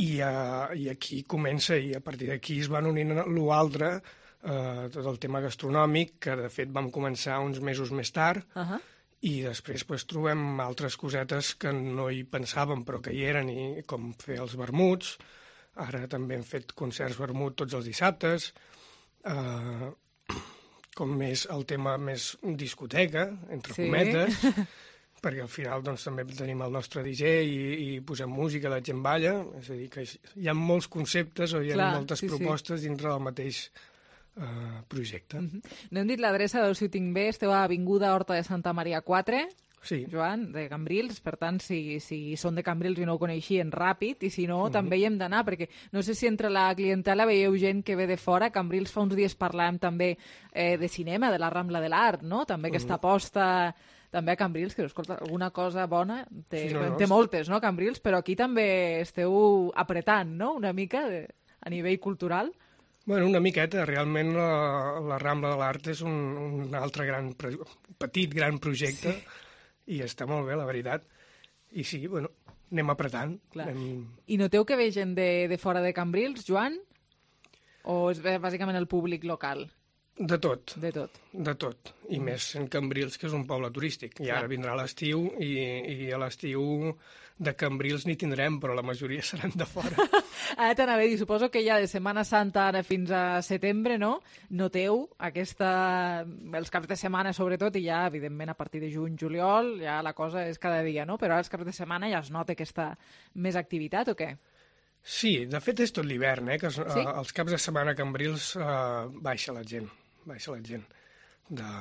I, uh, i aquí comença, i a partir d'aquí es van unint l'altre, uh, tot el tema gastronòmic, que de fet vam començar uns mesos més tard, uh-huh. i després pues, trobem altres cosetes que no hi pensàvem però que hi eren, i com fer els vermuts. Ara també hem fet concerts vermut tots els dissabtes, eh, com més el tema més discoteca, entre sí. cometes, perquè al final doncs, també tenim el nostre D J i, i posem música, la gent balla, és a dir, que hi ha molts conceptes o hi ha Clar, moltes sí, propostes sí. dintre del mateix eh, projecte. Mm-hmm. No hem dit l'adreça, a veure si ho tinc bé, esteu a Avinguda Horta de Santa Maria quatre, sí. Joan, de Cambrils, per tant, si, si són de Cambrils i no ho coneixien, ràpid, i si no, mm-hmm. també hi hem d'anar, perquè no sé si entre la clientela veieu gent que ve de fora. Cambrils fa uns dies parlàvem també eh, de cinema, de la Rambla de l'Art, no? També aquesta mm-hmm. aposta també a Cambrils, que escolta, alguna cosa bona, té, sí, no, no, té moltes, no, Cambrils, però aquí també esteu apretant, no?, una mica de, a nivell cultural. Bueno, una miqueta. Realment la, la Rambla de l'Art és un, un altre gran, petit, gran projecte, sí. I està molt bé, la veritat. I sí, bueno, anem apretant. Anem... I noteu que ve gent de, de fora de Cambrils, Joan? O és bàsicament el públic local? De tot. De tot. De tot. I mm. més en Cambrils, que és un poble turístic. I ara vindrà l'estiu i, i a l'estiu de Cambrils n'hi tindrem, però la majoria seran de fora. Ara t'anava a dir, suposo que ja de Setmana Santa ara fins a setembre, no? Noteu aquesta... els caps de setmana, sobretot, i ja, evidentment, a partir de juny, juliol, ja la cosa és cada dia, no? Però ara els caps de setmana ja es nota aquesta més activitat, o què? Sí, de fet és tot l'hivern, eh? Que es, sí? eh, els caps de setmana a Cambrils eh, baixa la gent, baixa la gent. De,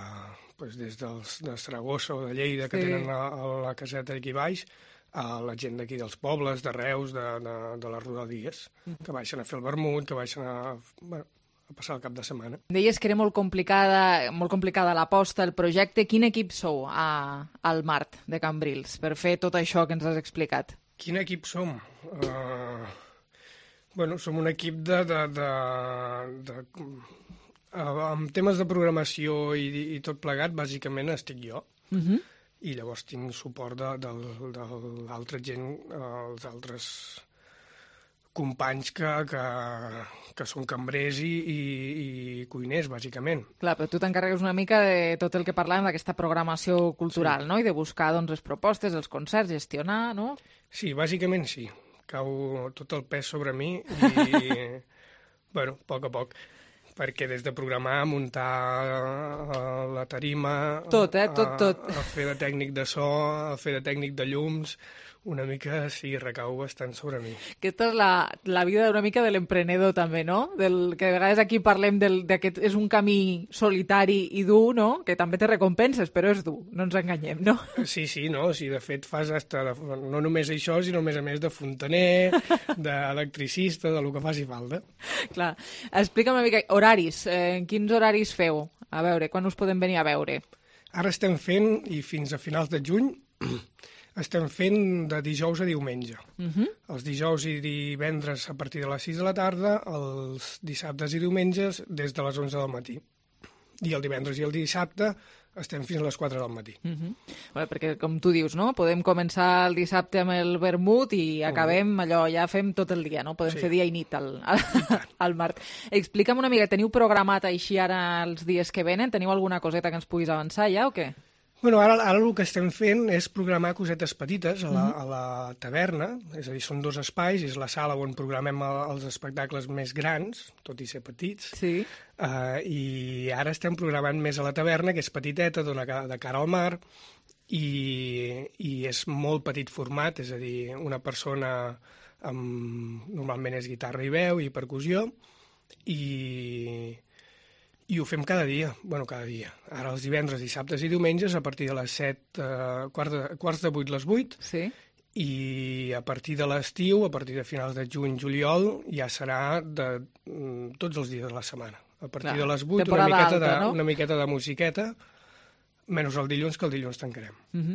pues, des dels, de Saragossa o de Lleida, que sí. tenen la, la caseta aquí baix, a la gent d'aquí dels pobles, de Reus, de, de, de les rodalies, que baixen a fer el vermut, que baixen a, bueno, a passar el cap de setmana. Deies que era molt complicada, molt complicada l'aposta, el projecte. Quin equip sou a, al Mart de Cambrils per fer tot això que ens has explicat? Quin equip som? Uh, bueno, som un equip de... de, de, de uh, amb temes de programació i, i tot plegat, bàsicament estic jo. Uh-huh. I llavors tinc suport de, de, de l'altra gent, els altres companys que, que, que són cambrers i, i, i cuiners, bàsicament. Clar, però tu t'encarregues una mica de tot el que parlàvem d'aquesta programació cultural, sí. no? I de buscar doncs, les propostes, els concerts, gestionar, no? Sí, bàsicament sí. Cau tot el pes sobre mi i, bueno, a poc a poc. Perquè des de programar, muntar la tarima... Tot, eh? Tot, tot. A, a fer de tècnic de so, a fer de tècnic de llums, una mica, sí, recau bastant sobre mi. Aquesta és la, la vida una mica de l'emprenedor, també, no? Del, que de vegades aquí parlem del, de que és un camí solitari i dur, no? Que també té recompenses, però és dur, no ens enganyem, no? Sí, sí, no? Sí, de fet, fas hasta de, no només això, sinó a més a més de fontaner, d'electricista, de lo que faci falta. Clar. Explica'm una mica, horaris, eh, quins horaris feu? A veure, quan us podem venir a veure? Ara estem fent, i fins a finals de juny, estem fent de dijous a diumenge. Uh-huh. Els dijous i divendres a partir de les sis de la tarda, els dissabtes i diumenges des de les onze del matí. I el divendres i el dissabte estem fins a les quatre del matí. Uh-huh. Bueno, perquè, com tu dius, no? Podem començar el dissabte amb el vermut i acabem allò, ja fem tot el dia, no? Podem sí. fer dia i nit al, al, al Mart. Explica'm una mica, teniu programat així ara els dies que venen? Teniu alguna coseta que ens puguis avançar ja o què? Bueno, ara, ara el que estem fent és programar cosetes petites a la, a la taverna, és a dir, són dos espais, és la sala on programem els espectacles més grans, tot i ser petits, sí. uh, i ara estem programant més a la taverna, que és petiteta, dona de cara al mar, i, i és molt petit format, és a dir, una persona amb, normalment és guitarra i veu i percussió, i... I ho fem cada dia, bueno, cada dia. Ara els divendres, dissabtes i diumenges a partir de les set, eh, quarts, de, quarts de vuit, les vuit. Sí. I a partir de l'estiu, a partir de finals de juny, juliol, ja serà de mm, tots els dies de la setmana. A partir Clar, de les vuit, una miqueta, alta, de, no? una miqueta de musiqueta, menys el dilluns, que el dilluns tancarem. Uh-huh.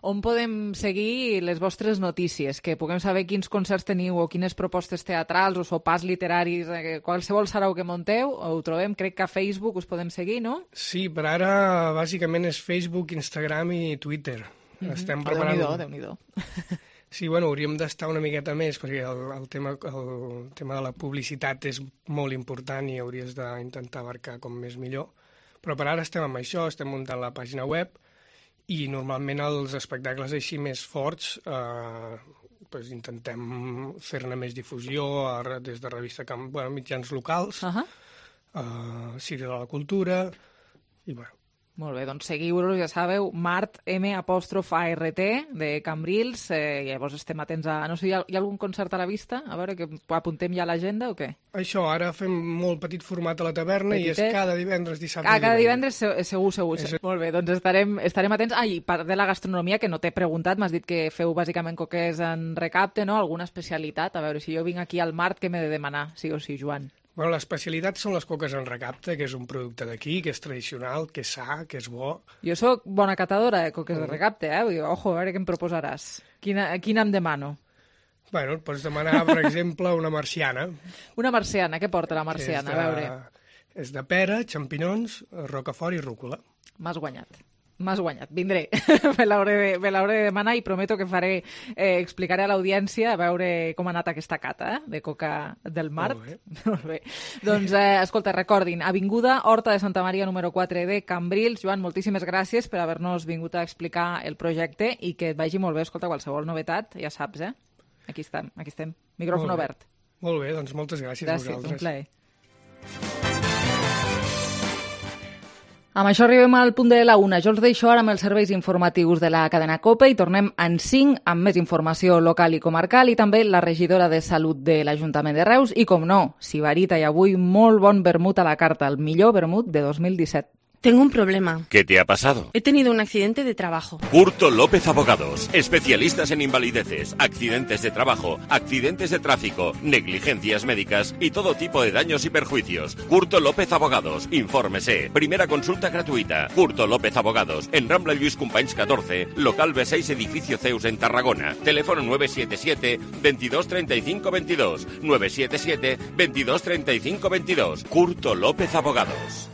On podem seguir les vostres notícies? Que puguem saber quins concerts teniu o quines propostes teatrals o sopars literaris, eh, qualsevol sarau que monteu, ho trobem, crec que a Facebook us podem seguir, no? Sí, per ara bàsicament és Facebook, Instagram i Twitter. Uh-huh. Estem preparant... Oh, Déu-n'hi-do, Déu-n'hi-do. Sí, bueno, hauríem d'estar una miqueta més, perquè el, el, tema, el tema de la publicitat és molt important i hauries d'intentar abarcar com més millor. Però per ara estem amb això, estem muntant la pàgina web i normalment els espectacles així més forts eh, pues intentem fer-ne més difusió a, des de revista Camp, bueno, mitjans locals, uh-huh. eh, Ciri de la Cultura i bueno. Molt bé, doncs seguiu-los, ja sabeu, Mart, M, apòstrof, A, R, T, de Cambrils, eh, llavors estem atents a... No sé, hi ha, hi ha algun concert a la vista? A veure, que apuntem ja a l'agenda o què? Això, ara fem molt petit format a la taverna Petitet. I és cada divendres, dissabte ah, cada divendres. Cada divendres segur, segur. És... Molt bé, doncs estarem, estarem atents. Ah, i part de la gastronomia, que no t'he preguntat, m'has dit que feu bàsicament coques en recapte, no? Alguna especialitat? A veure, si jo vinc aquí al Mart, què m'he de demanar? Sí o sí, Joan? Bueno, l'especialitat són les coques en recapte, que és un producte d'aquí, que és tradicional, que és sa, que és bo. Jo sóc bona catadora de coques mm. de recapte, eh? Vull dir, ojo, a veure què em proposaràs. Quina, quina em demano? Bueno, et pots demanar, per exemple, una marciana. Una marciana, què porta la marciana? De, a veure. És de pera, xampinons, rocafort i rúcula. M'has guanyat. m'has guanyat, vindré. me l'hauré de, me l'hauré de demanar i prometo que faré, eh, explicaré a l'audiència a veure com ha anat aquesta cata eh, de coca del Mart. Molt bé. Molt bé. Doncs, eh, escolta, recordin, Avinguda Horta de Santa Maria número quatre de Cambrils. Joan, moltíssimes gràcies per haver-nos vingut a explicar el projecte i que et vagi molt bé. Escolta, qualsevol novetat, ja saps, eh? Aquí estem, aquí estem. Micròfon obert. Molt bé, doncs moltes gràcies, gràcies a vosaltres. Un plaer. Amb això arribem al punt de la una. Jo els deixo ara amb els serveis informatius de la cadena COPE i tornem en cinc amb més informació local i comarcal i també la regidora de Salut de l'Ajuntament de Reus i, com no, Sibarita i avui molt bon vermut a la carta, el millor vermut de dos mil disset. Tengo un problema. ¿Qué te ha pasado? He tenido un accidente de trabajo. Curto López Abogados, especialistas en invalideces, accidentes de trabajo, accidentes de tráfico, negligencias médicas y todo tipo de daños y perjuicios. Curto López Abogados, infórmese. Primera consulta gratuita. Curto López Abogados, en Rambla Lluís Companys catorce, local B seis, edificio Zeus en Tarragona. Teléfono nueve siete siete, veintidós treinta y cinco veintidós. nueve siete siete, veintidós treinta y cinco veintidós. Curto López Abogados.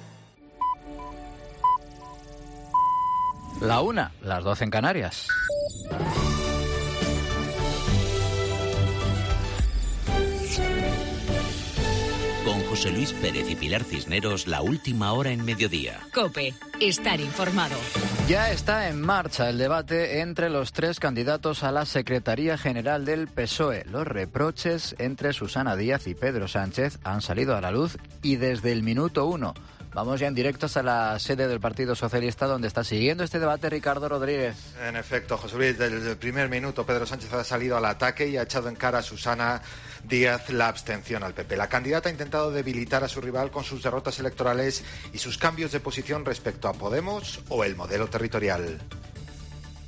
La una, las doce en Canarias. Con José Luis Pérez y Pilar Cisneros, la última hora en mediodía. COPE, estar informado. Ya está en marcha el debate entre los tres candidatos a la Secretaría General del P S O E. Los reproches entre Susana Díaz y Pedro Sánchez han salido a la luz y desde el minuto uno. Vamos ya en directo hasta la sede del Partido Socialista, donde está siguiendo este debate Ricardo Rodríguez. En efecto, José Luis, desde el primer minuto Pedro Sánchez ha salido al ataque y ha echado en cara a Susana Díaz la abstención al P P. La candidata ha intentado debilitar a su rival con sus derrotas electorales y sus cambios de posición respecto a Podemos o el modelo territorial.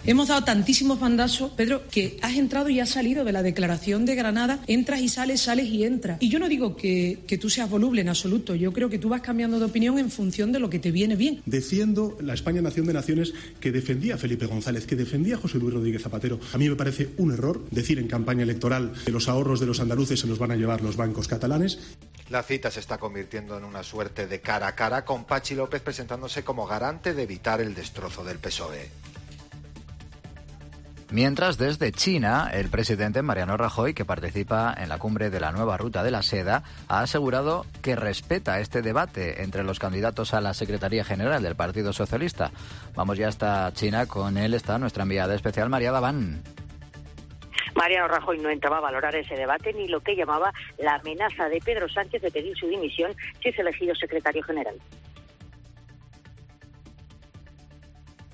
Hemos dado tantísimos bandazos, Pedro, que has entrado y has salido de la declaración de Granada, entras y sales, sales y entras. Y yo no digo que, que tú seas voluble en absoluto, yo creo que tú vas cambiando de opinión en función de lo que te viene bien. Defiendo la España Nación de Naciones que defendía a Felipe González, que defendía a José Luis Rodríguez Zapatero. A mí me parece un error decir en campaña electoral que los ahorros de los andaluces se los van a llevar los bancos catalanes. La cita se está convirtiendo en una suerte de cara a cara, con Pachi López presentándose como garante de evitar el destrozo del P S O E. Mientras, desde China, el presidente Mariano Rajoy, que participa en la cumbre de la nueva ruta de la seda, ha asegurado que respeta este debate entre los candidatos a la Secretaría General del Partido Socialista. Vamos ya hasta China, con él está nuestra enviada especial María Daván. Mariano Rajoy no entraba a valorar ese debate ni lo que llamaba la amenaza de Pedro Sánchez de pedir su dimisión si es elegido secretario general.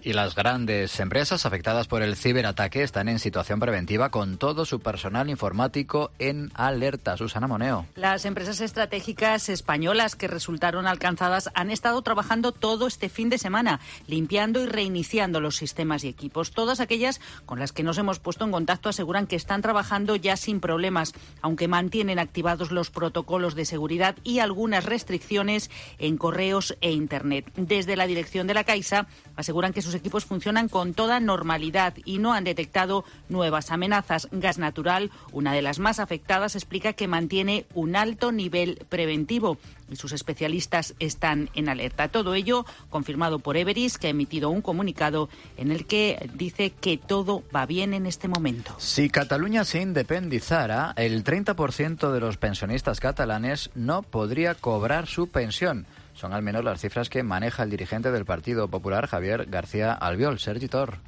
Y las grandes empresas afectadas por el ciberataque están en situación preventiva con todo su personal informático en alerta. Susana Moneo. Las empresas estratégicas españolas que resultaron alcanzadas han estado trabajando todo este fin de semana, limpiando y reiniciando los sistemas y equipos. Todas aquellas con las que nos hemos puesto en contacto aseguran que están trabajando ya sin problemas, aunque mantienen activados los protocolos de seguridad y algunas restricciones en correos e Internet. Desde la dirección de la Caixa aseguran que sus equipos funcionan con toda normalidad y no han detectado nuevas amenazas. Gas Natural, una de las más afectadas, explica que mantiene un alto nivel preventivo y sus especialistas están en alerta. Todo ello confirmado por Everis, que ha emitido un comunicado en el que dice que todo va bien en este momento. Si Cataluña se independizara, el treinta por ciento de los pensionistas catalanes no podría cobrar su pensión. Son al menos las cifras que maneja el dirigente del Partido Popular, Javier García Albiol. Sergi Tor.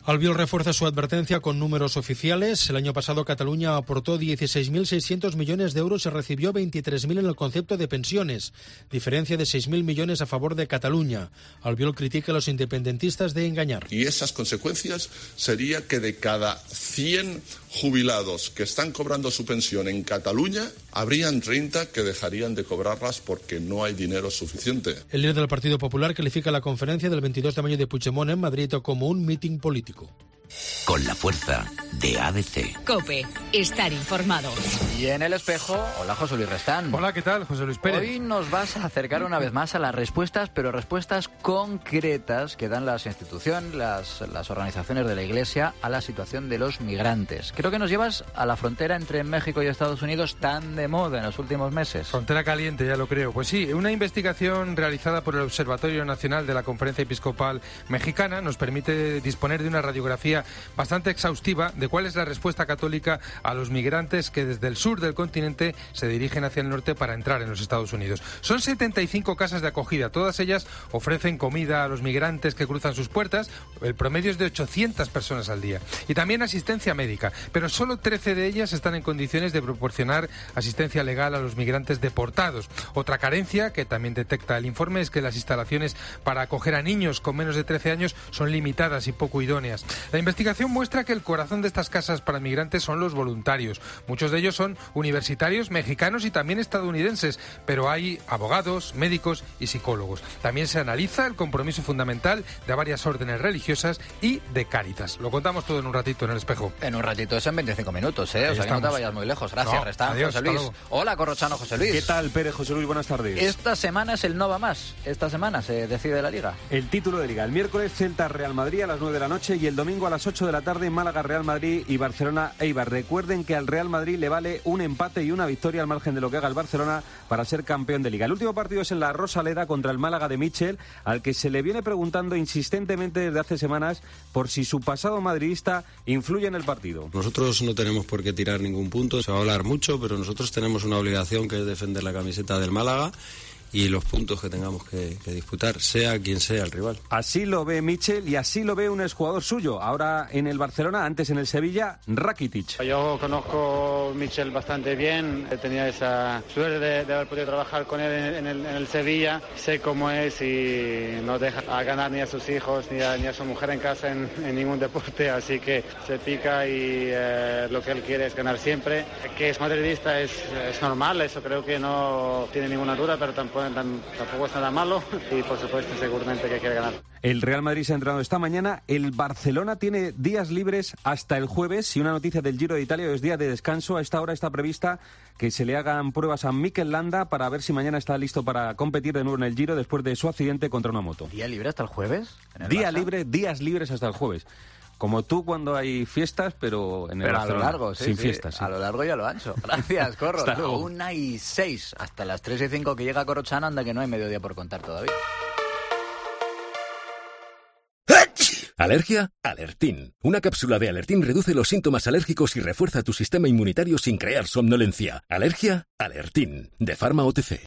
Albiol refuerza su advertencia con números oficiales. El año pasado Cataluña aportó dieciséis mil seiscientos millones de euros y recibió veintitrés mil en el concepto de pensiones, diferencia de seis mil millones a favor de Cataluña. Albiol critica a los independentistas de engañar. Y esas consecuencias sería que de cada cien jubilados que están cobrando su pensión en Cataluña, habrían treinta que dejarían de cobrarlas porque no hay dinero suficiente. El líder del Partido Popular califica la conferencia del veintidós de mayo de Puigdemont en Madrid como un mitin político. Con la fuerza de A B C. COPE. Estar informado. Y en el espejo, hola José Luis Restán. Hola, ¿qué tal? José Luis Pérez. Hoy nos vas a acercar una vez más a las respuestas, pero respuestas concretas que dan las instituciones, las, las organizaciones de la Iglesia a la situación de los migrantes. Creo que nos llevas a la frontera entre México y Estados Unidos tan de moda en los últimos meses. Frontera caliente, ya lo creo. Pues sí, una investigación realizada por el Observatorio Nacional de la Conferencia Episcopal Mexicana nos permite disponer de una radiografía bastante exhaustiva de cuál es la respuesta católica a los migrantes que desde el sur del continente se dirigen hacia el norte para entrar en los Estados Unidos. Son setenta y cinco casas de acogida, todas ellas ofrecen comida a los migrantes que cruzan sus puertas, el promedio es de ochocientas personas al día, y también asistencia médica, pero solo trece de ellas están en condiciones de proporcionar asistencia legal a los migrantes deportados. Otra carencia que también detecta el informe es que las instalaciones para acoger a niños con menos de trece años son limitadas y poco idóneas. La investigación muestra que el corazón de estas casas para migrantes son los voluntarios. Muchos de ellos son universitarios mexicanos y también estadounidenses, pero hay abogados, médicos y psicólogos. También se analiza el compromiso fundamental de varias órdenes religiosas y de Cáritas. Lo contamos todo en un ratito en el espejo. En un ratito, eso en veinticinco minutos, ¿eh? O sea que no te vayas muy lejos. Gracias, no, Restán. Adiós, José Luis. Hola, Corrochano, José Luis. ¿Qué tal, Pérez? José Luis, buenas tardes. Esta semana es el no va más. Esta semana se decide la Liga. El título de Liga. El miércoles Celta-Real Madrid a las nueve de la noche y el domingo a las ocho de la tarde Málaga-Real Madrid y Barcelona-Eibar. Recuerden que al Real Madrid le vale un empate y una victoria al margen de lo que haga el Barcelona para ser campeón de Liga. El último partido es en la Rosaleda contra el Málaga de Michel, al que se le viene preguntando insistentemente desde hace semanas por si su pasado madridista influye en el partido. Nosotros no tenemos por qué tirar ningún punto, se va a hablar mucho, pero nosotros tenemos una obligación que es defender la camiseta del Málaga y los puntos que tengamos que, que disputar, sea quien sea el rival. Así lo ve Michel y así lo ve un exjugador suyo, ahora en el Barcelona, antes en el Sevilla, Rakitic. Yo conozco a Michel bastante bien, he tenido esa suerte de, de haber podido trabajar con él en, en, el, en el Sevilla, sé cómo es y no deja a ganar ni a sus hijos ni a, ni a su mujer en casa en, en ningún deporte, así que se pica y eh, lo que él quiere es ganar siempre. Que es madridista es, es normal, eso creo que no tiene ninguna duda, pero tampoco tampoco es nada malo y por supuesto seguramente que quiere ganar. El Real Madrid se ha entrenado esta mañana, el Barcelona tiene días libres hasta el jueves y una noticia del Giro de Italia, es día de descanso. A esta hora está prevista que se le hagan pruebas a Mikel Landa para ver si mañana está listo para competir de nuevo en el Giro después de su accidente contra una moto. ¿Día libre hasta el jueves? Día Barça? libre, días libres hasta el jueves. Como tú cuando hay fiestas, pero en el pero Barcelona, a lo largo, sí, sin sí, fiestas. Sí. A lo largo y a lo ancho. Gracias, Corro. Hasta luego. Una y seis, hasta las tres y cinco que llega Corrochano, anda que no hay mediodía por contar todavía. ¿Alergia? Alertín. Una cápsula de Alertín reduce los síntomas alérgicos y refuerza tu sistema inmunitario sin crear somnolencia. ¿Alergia? Alertín. De Pharma O T C.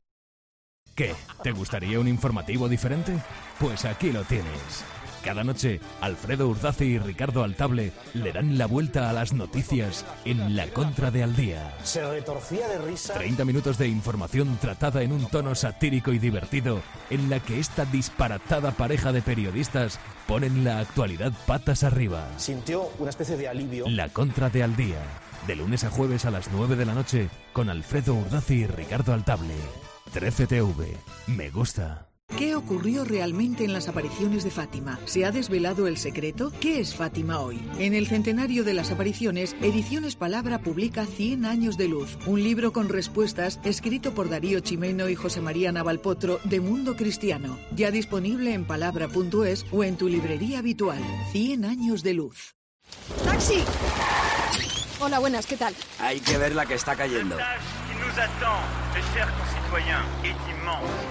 ¿Qué? ¿Te gustaría un informativo diferente? Pues aquí lo tienes. Cada noche, Alfredo Urdazi y Ricardo Altable le dan la vuelta a las noticias en La Contra de Al Día. Se retorcía de risa. treinta minutos de información tratada en un tono satírico y divertido, en la que esta disparatada pareja de periodistas ponen la actualidad patas arriba. Sintió una especie de alivio. La Contra de Al Día, de lunes a jueves a las nueve de la noche, con Alfredo Urdazi y Ricardo Altable. trece T V. Me gusta. ¿Qué ocurrió realmente en las apariciones de Fátima? ¿Se ha desvelado el secreto? ¿Qué es Fátima hoy? En el centenario de las apariciones, Ediciones Palabra publica Cien años de luz, un libro con respuestas escrito por Darío Chimeno y José María Navalpotro de Mundo Cristiano. Ya disponible en palabra punto es o en tu librería habitual. Cien años de luz. ¡Taxi! Hola, buenas, ¿qué tal? Hay que ver la que está cayendo.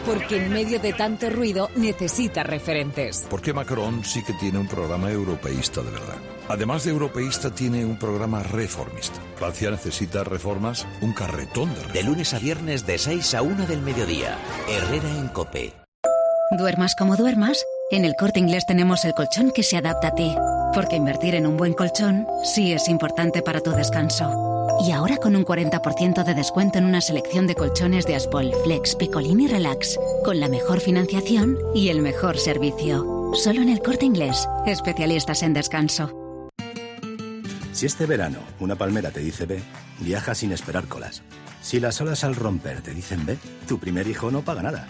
Porque en medio de tanto ruido necesita referentes. Porque Macron sí que tiene un programa europeísta de verdad. Además de europeísta, tiene un programa reformista. Francia necesita reformas, un carretón de reformas. De lunes a viernes de seis a una del mediodía. Herrera en COPE. Duermas como duermas, en el Corte Inglés tenemos el colchón que se adapta a ti. Porque invertir en un buen colchón sí es importante para tu descanso. Y ahora con un cuarenta por ciento de descuento en una selección de colchones de Aspol, Flex, Picolín y Relax, con la mejor financiación y el mejor servicio. Solo en el Corte Inglés, especialistas en descanso. Si este verano una palmera te dice ve, viaja sin esperar colas. Si las olas al romper te dicen ve, tu primer hijo no paga nada.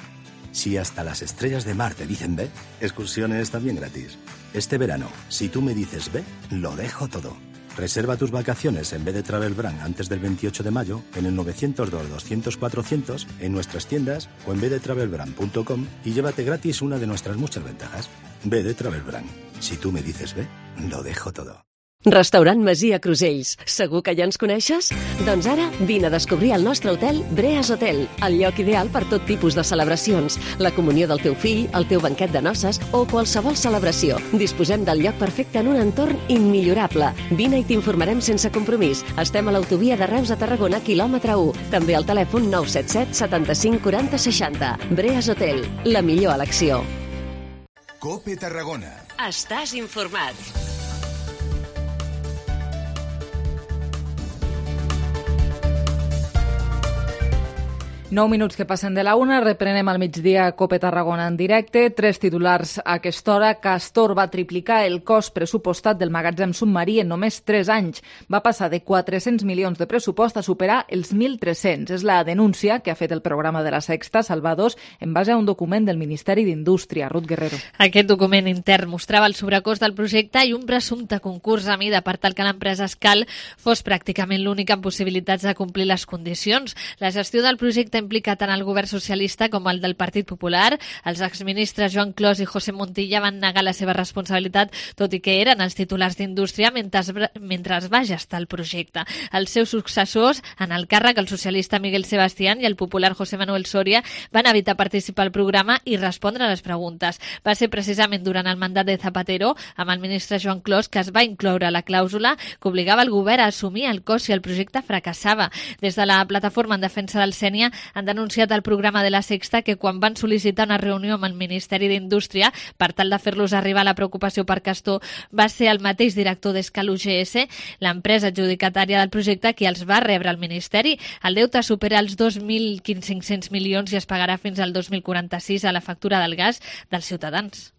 Si hasta las estrellas de mar te dicen ve, excursiones también gratis. Este verano, si tú me dices ve, lo dejo todo. Reserva tus vacaciones en B de Travel Brand antes del veintiocho de mayo en el nueve cero dos, doscientos, cuatrocientos, en nuestras tiendas o en b de travel brand punto com y llévate gratis una de nuestras muchas ventajas. B de Travel Brand. Si tú me dices ve, lo dejo todo. Restaurant Masia Crusells. Segur que ja ens coneixes? Doncs ara vine a descobrir el nostre hotel Breas Hotel, el lloc ideal per tot tipus de celebracions, la comunió del teu fill, el teu banquet de noces o qualsevol celebració. Disposem del lloc perfecte en un entorn immillorable. Vine i t'informarem sense compromís. Estem a l'autovia de Reus a Tarragona, quilòmetre u. També al telèfon nou set set, setanta-cinc, quaranta, seixanta. Breas Hotel, la millor elecció. COPE Tarragona. Estàs informat. Nou minuts que passen de la una, reprenem al migdia COPE Tarragona en directe. Tres titulars a aquesta hora. Castor va triplicar el cost pressupostat del magatzem submarí en només tres anys. Va passar de quatre-cents milions de pressupost a superar els mil tres-cents. És la denúncia que ha fet el programa de la Sexta, Salvadors, en base a un document del Ministeri d'Indústria. Ruth Guerrero. Aquest document intern mostrava el sobrecost del projecte i un presumpte concurs a mida per tal que l'empresa Escal fos pràcticament l'única amb possibilitats de complir les condicions. La gestió del projecte implica tant el govern socialista com el del Partit Popular. Els exministres Joan Clos i José Montilla van negar la seva responsabilitat, tot i que eren els titulars d'Indústria mentre, mentre es va gestar el projecte. Els seus successors, en el càrrec, el socialista Miguel Sebastián i el popular José Manuel Soria, van evitar participar al programa i respondre a les preguntes. Va ser precisament durant el mandat de Zapatero, amb el ministre Joan Clos, que es va incloure la clàusula que obligava el govern a assumir el cost si el projecte fracassava. Des de la plataforma en defensa del Sénia han denunciat al programa de la Sexta que quan van sol·licitar una reunió amb el Ministeri d'Indústria per tal de fer-los arribar la preocupació per Castor, va ser el mateix director d'Escal U G S, l'empresa adjudicatària del projecte, qui els va rebre al Ministeri. El deute supera els dos mil cinc-cents milions i es pagarà fins al dos mil quaranta-sis a la factura del gas dels ciutadans.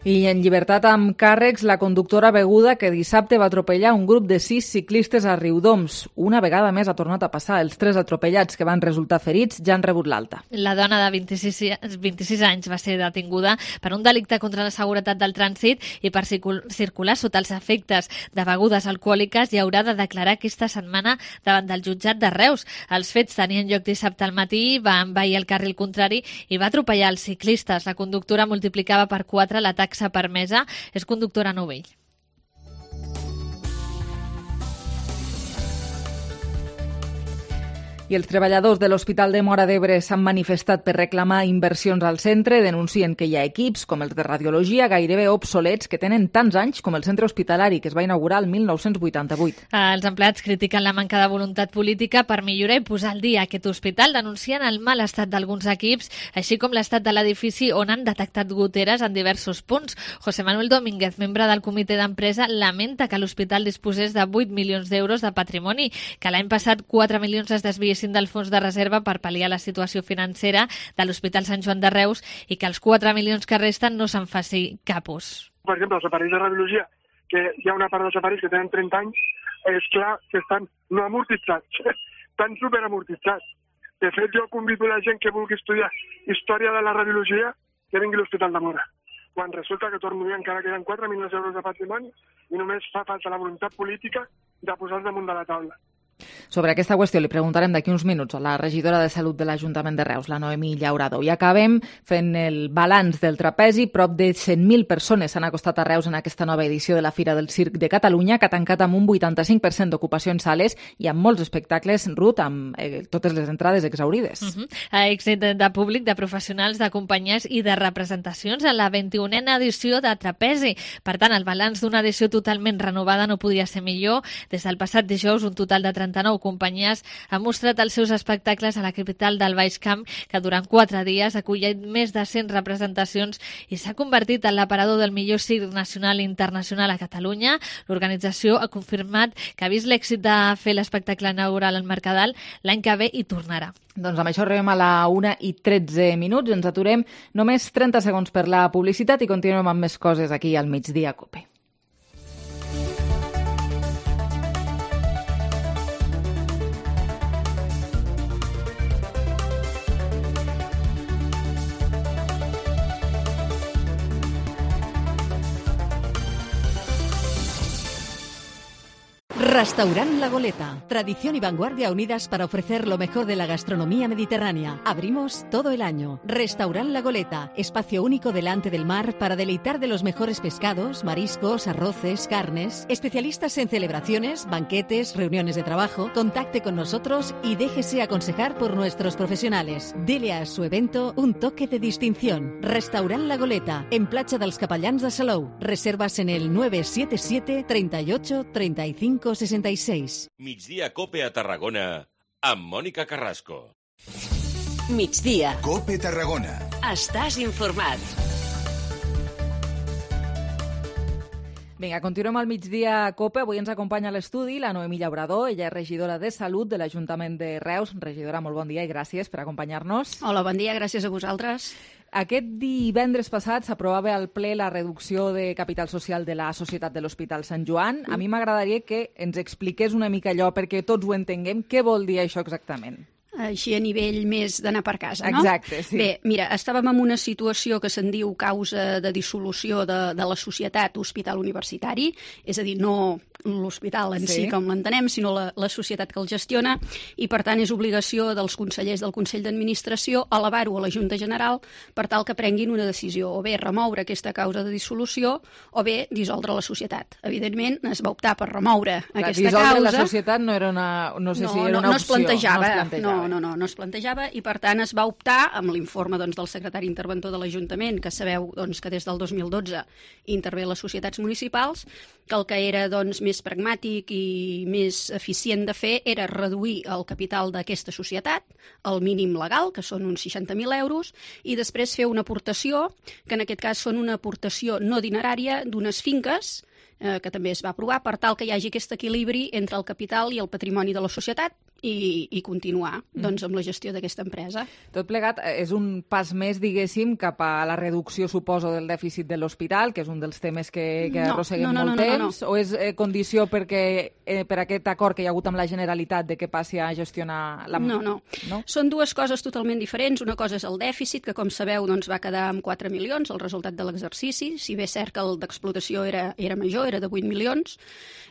I en llibertat amb càrrecs, la conductora beguda que dissabte va atropellar un grup de sis ciclistes a Riudoms. Una vegada més ha tornat a passar. Els tres atropellats que van resultar ferits ja han rebut l'alta. La dona de vint-i-sis anys va ser detinguda per un delicte contra la seguretat del trànsit i per circular sota els efectes de begudes alcohòliques i haurà de declarar aquesta setmana davant del jutjat de Reus. Els fets tenien lloc dissabte al matí, va envair el carril contrari i va atropellar els ciclistes. La conductora multiplicava per quatre l'atac permesa, és conductora novell. I els treballadors de l'Hospital de Móra d'Ebre s'han manifestat per reclamar inversions al centre. Denuncien que hi ha equips, com els de radiologia, gairebé obsolets, que tenen tants anys com el centre hospitalari, que es va inaugurar el mil nou-cents vuitanta-vuit. Els empleats critiquen la manca de voluntat política per millorar i posar al dia aquest hospital. Denuncien el mal estat d'alguns equips, així com l'estat de l'edifici on han detectat goteres en diversos punts. José Manuel Domínguez, membre del comitè d'empresa, lamenta que l'hospital disposés de vuit milions d'euros de patrimoni, que l'any passat quatre milions es desviessin del fons de reserva per pal·liar la situació financera de l'Hospital Sant Joan de Reus i que els quatre milions que resten no se'n faci cap ús. Per exemple, els aparells de radiologia, que hi ha una part dels aparells que tenen trenta anys, és clar que estan no amortitzats, estan superamortitzats. De fet, jo convido la gent que vulgui estudiar història de la radiologia que vingui a l'Hospital de Móra. Quan resulta que torno a dir encara queden quatre milions d'euros de patrimoni i només fa falta la voluntat política de posar-los damunt de la taula. Sobre aquesta qüestió li preguntarem d'aquí uns minuts a la regidora de Salut de l'Ajuntament de Reus, la Noemí Llaurado. I acabem fent el balanç del trapezi. Prop de cent mil persones s'han acostat a Reus en aquesta nova edició de la Fira del Circ de Catalunya, que ha tancat amb un vuitanta-cinc per cent d'ocupació en sales i amb molts espectacles, Ruth, amb eh, totes les entrades exaurides. Uh-huh. Èxit de públic, de professionals, de companyies i de representacions en la vint-i-unena edició de trapezi. Per tant, el balanç d'una edició totalment renovada no podia ser millor. Des del passat dijous, un total de trenta-nou companyies han mostrat els seus espectacles a la capital del Baix Camp, que durant quatre dies ha acollit més de cent representacions i s'ha convertit en l'aparador del millor circ nacional i internacional a Catalunya. L'organització ha confirmat que ha vist l'èxit de fer l'espectacle inaugural al Mercadal, l'any que ve hi tornarà. Doncs amb això arribem a la una i tretze minuts. Ens aturem només trenta segons per la publicitat i continuem amb més coses aquí al Migdia COPE. Restaurant La Goleta. Tradición y vanguardia unidas para ofrecer lo mejor de la gastronomía mediterránea. Abrimos todo el año. Restaurant La Goleta. Espacio único delante del mar para deleitar de los mejores pescados, mariscos, arroces, carnes. Especialistas en celebraciones, banquetes, reuniones de trabajo. Contacte con nosotros y déjese aconsejar por nuestros profesionales. Dele a su evento un toque de distinción. Restaurant La Goleta. En Platja dels Capellans de Salou. Reservas en el nueve siete siete, treinta y ocho, treinta y cinco, sesenta y seis. Migdia Cope a Tarragona amb Mònica Carrasco. Migdia. Cope Tarragona. Estàs informat. Vinga, continuem al migdia a Cope. Avui ens acompanya a l'estudi la Noemí Llaurador. Ella és regidora de Salut de l'Ajuntament de Reus. Regidora, molt bon dia i gràcies per acompanyar-nos. Hola, bon dia, gràcies a vosaltres. Aquest divendres passat s'aprovava al ple la reducció de capital social de la Societat de l'Hospital Sant Joan. A mi m'agradaria que ens expliqués una mica allò perquè tots ho entenguem. Què vol dir això exactament? Així a nivell més d'anar per casa, no? Exacte, sí. Bé, mira, estàvem en una situació que se'n diu causa de dissolució de, de la societat hospital universitari, és a dir, no l'hospital en sí, sí com l'entenem, sinó la, la societat que el gestiona, i per tant és obligació dels consellers del Consell d'Administració elevar-ho a la Junta General per tal que prenguin una decisió, o bé remoure aquesta causa de dissolució o bé dissoldre la societat. Evidentment, es va optar per remoure Clar, aquesta dissoldre causa. La societat no era una, no sé no, si era no, una no opció. Es plantejava, no es plantejava. No, no, no, no es plantejava i per tant es va optar amb l'informe doncs, del secretari interventor de l'Ajuntament, que sabeu doncs, que des del dos mil dotze intervé les societats municipals, que el que era doncs, més pragmàtic i més eficient de fer era reduir el capital d'aquesta societat al mínim legal, que són uns seixanta mil euros, i després fer una aportació, que en aquest cas són una aportació no dinerària d'unes finques, eh, que també es va aprovar, per tal que hi hagi aquest equilibri entre el capital i el patrimoni de la societat, i, i continuar doncs, amb la gestió d'aquesta empresa. Tot plegat és un pas més, diguéssim, cap a la reducció, suposo, del dèficit de l'hospital, que és un dels temes que, que no, arrosseguem no, no, molt no, temps, no, no. o és eh, condició perquè, eh, per aquest acord que hi ha hagut amb la Generalitat de que passi a gestionar la... No, no, no. Són dues coses totalment diferents. Una cosa és el dèficit, que com sabeu doncs, va quedar amb quatre milions, el resultat de l'exercici, si bé és cert que el d'explotació era, era major, era de vuit milions.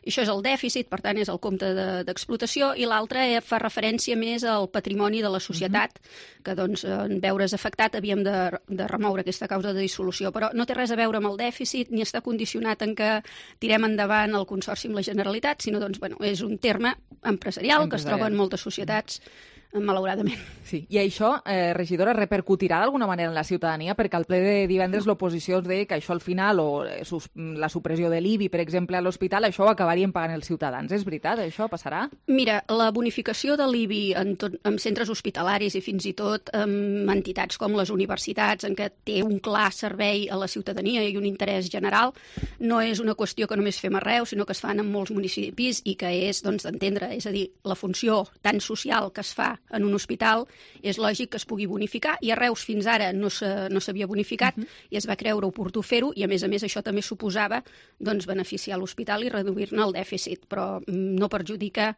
I això és el dèficit, per tant és el compte d'explotació, de, i l'altre fa referència més al patrimoni de la societat, uh-huh. que doncs, en veure's afectat havíem de, de remoure aquesta causa de dissolució, però no té res a veure amb el dèficit ni està condicionat en que tirem endavant el Consorci amb la Generalitat, sinó doncs, bueno, és un terme empresarial, empresarial que es troba en moltes societats, malauradament. Sí. I això, eh, regidora, repercutirà d'alguna manera en la ciutadania? Perquè al ple de divendres l'oposició ens deia que això al final, o eh, sus, la supressió de l'I B I, per exemple, a l'hospital, això ho acabarien pagant els ciutadans. És veritat? Això passarà? Mira, la bonificació de l'I B I en, tot, en centres hospitalaris i fins i tot en entitats com les universitats, en què té un clar servei a la ciutadania i un interès general, no és una qüestió que només fem a Reus, sinó que es fan en molts municipis i que és doncs, d'entendre, és a dir, la funció tan social que es fa en un hospital, és lògic que es pugui bonificar, i a Reus fins ara no s'havia bonificat, uh-huh. i es va creure oportú fer-ho, i a més a més això també suposava doncs, beneficiar l'hospital i reduir-ne el dèficit, però no perjudica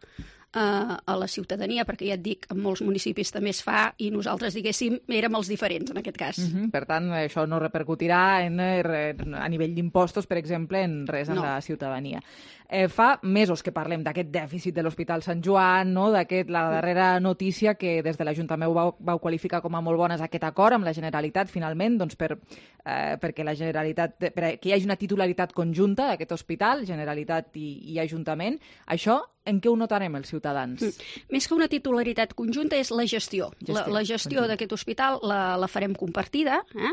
a la ciutadania, perquè ja et dic, en molts municipis també es fa i nosaltres, diguéssim, érem els diferents en aquest cas. Uh-huh. Per tant, això no repercutirà en, a nivell d'impostos, per exemple, en res en no. la ciutadania. Eh, fa mesos que parlem d'aquest dèficit de l'Hospital Sant Joan, no? D'aquest, la darrera notícia que des de l'Ajuntament vau, vau qualificar com a molt bones aquest acord amb la Generalitat, finalment, doncs per, eh, perquè la Generalitat, per que hi hagi una titularitat conjunta d'aquest hospital, Generalitat i, i Ajuntament. Això en què ho notarem els ciutadans? Mm. Més que una titularitat conjunta és la gestió. gestió. La, la gestió d'aquest hospital la, la farem compartida. Eh?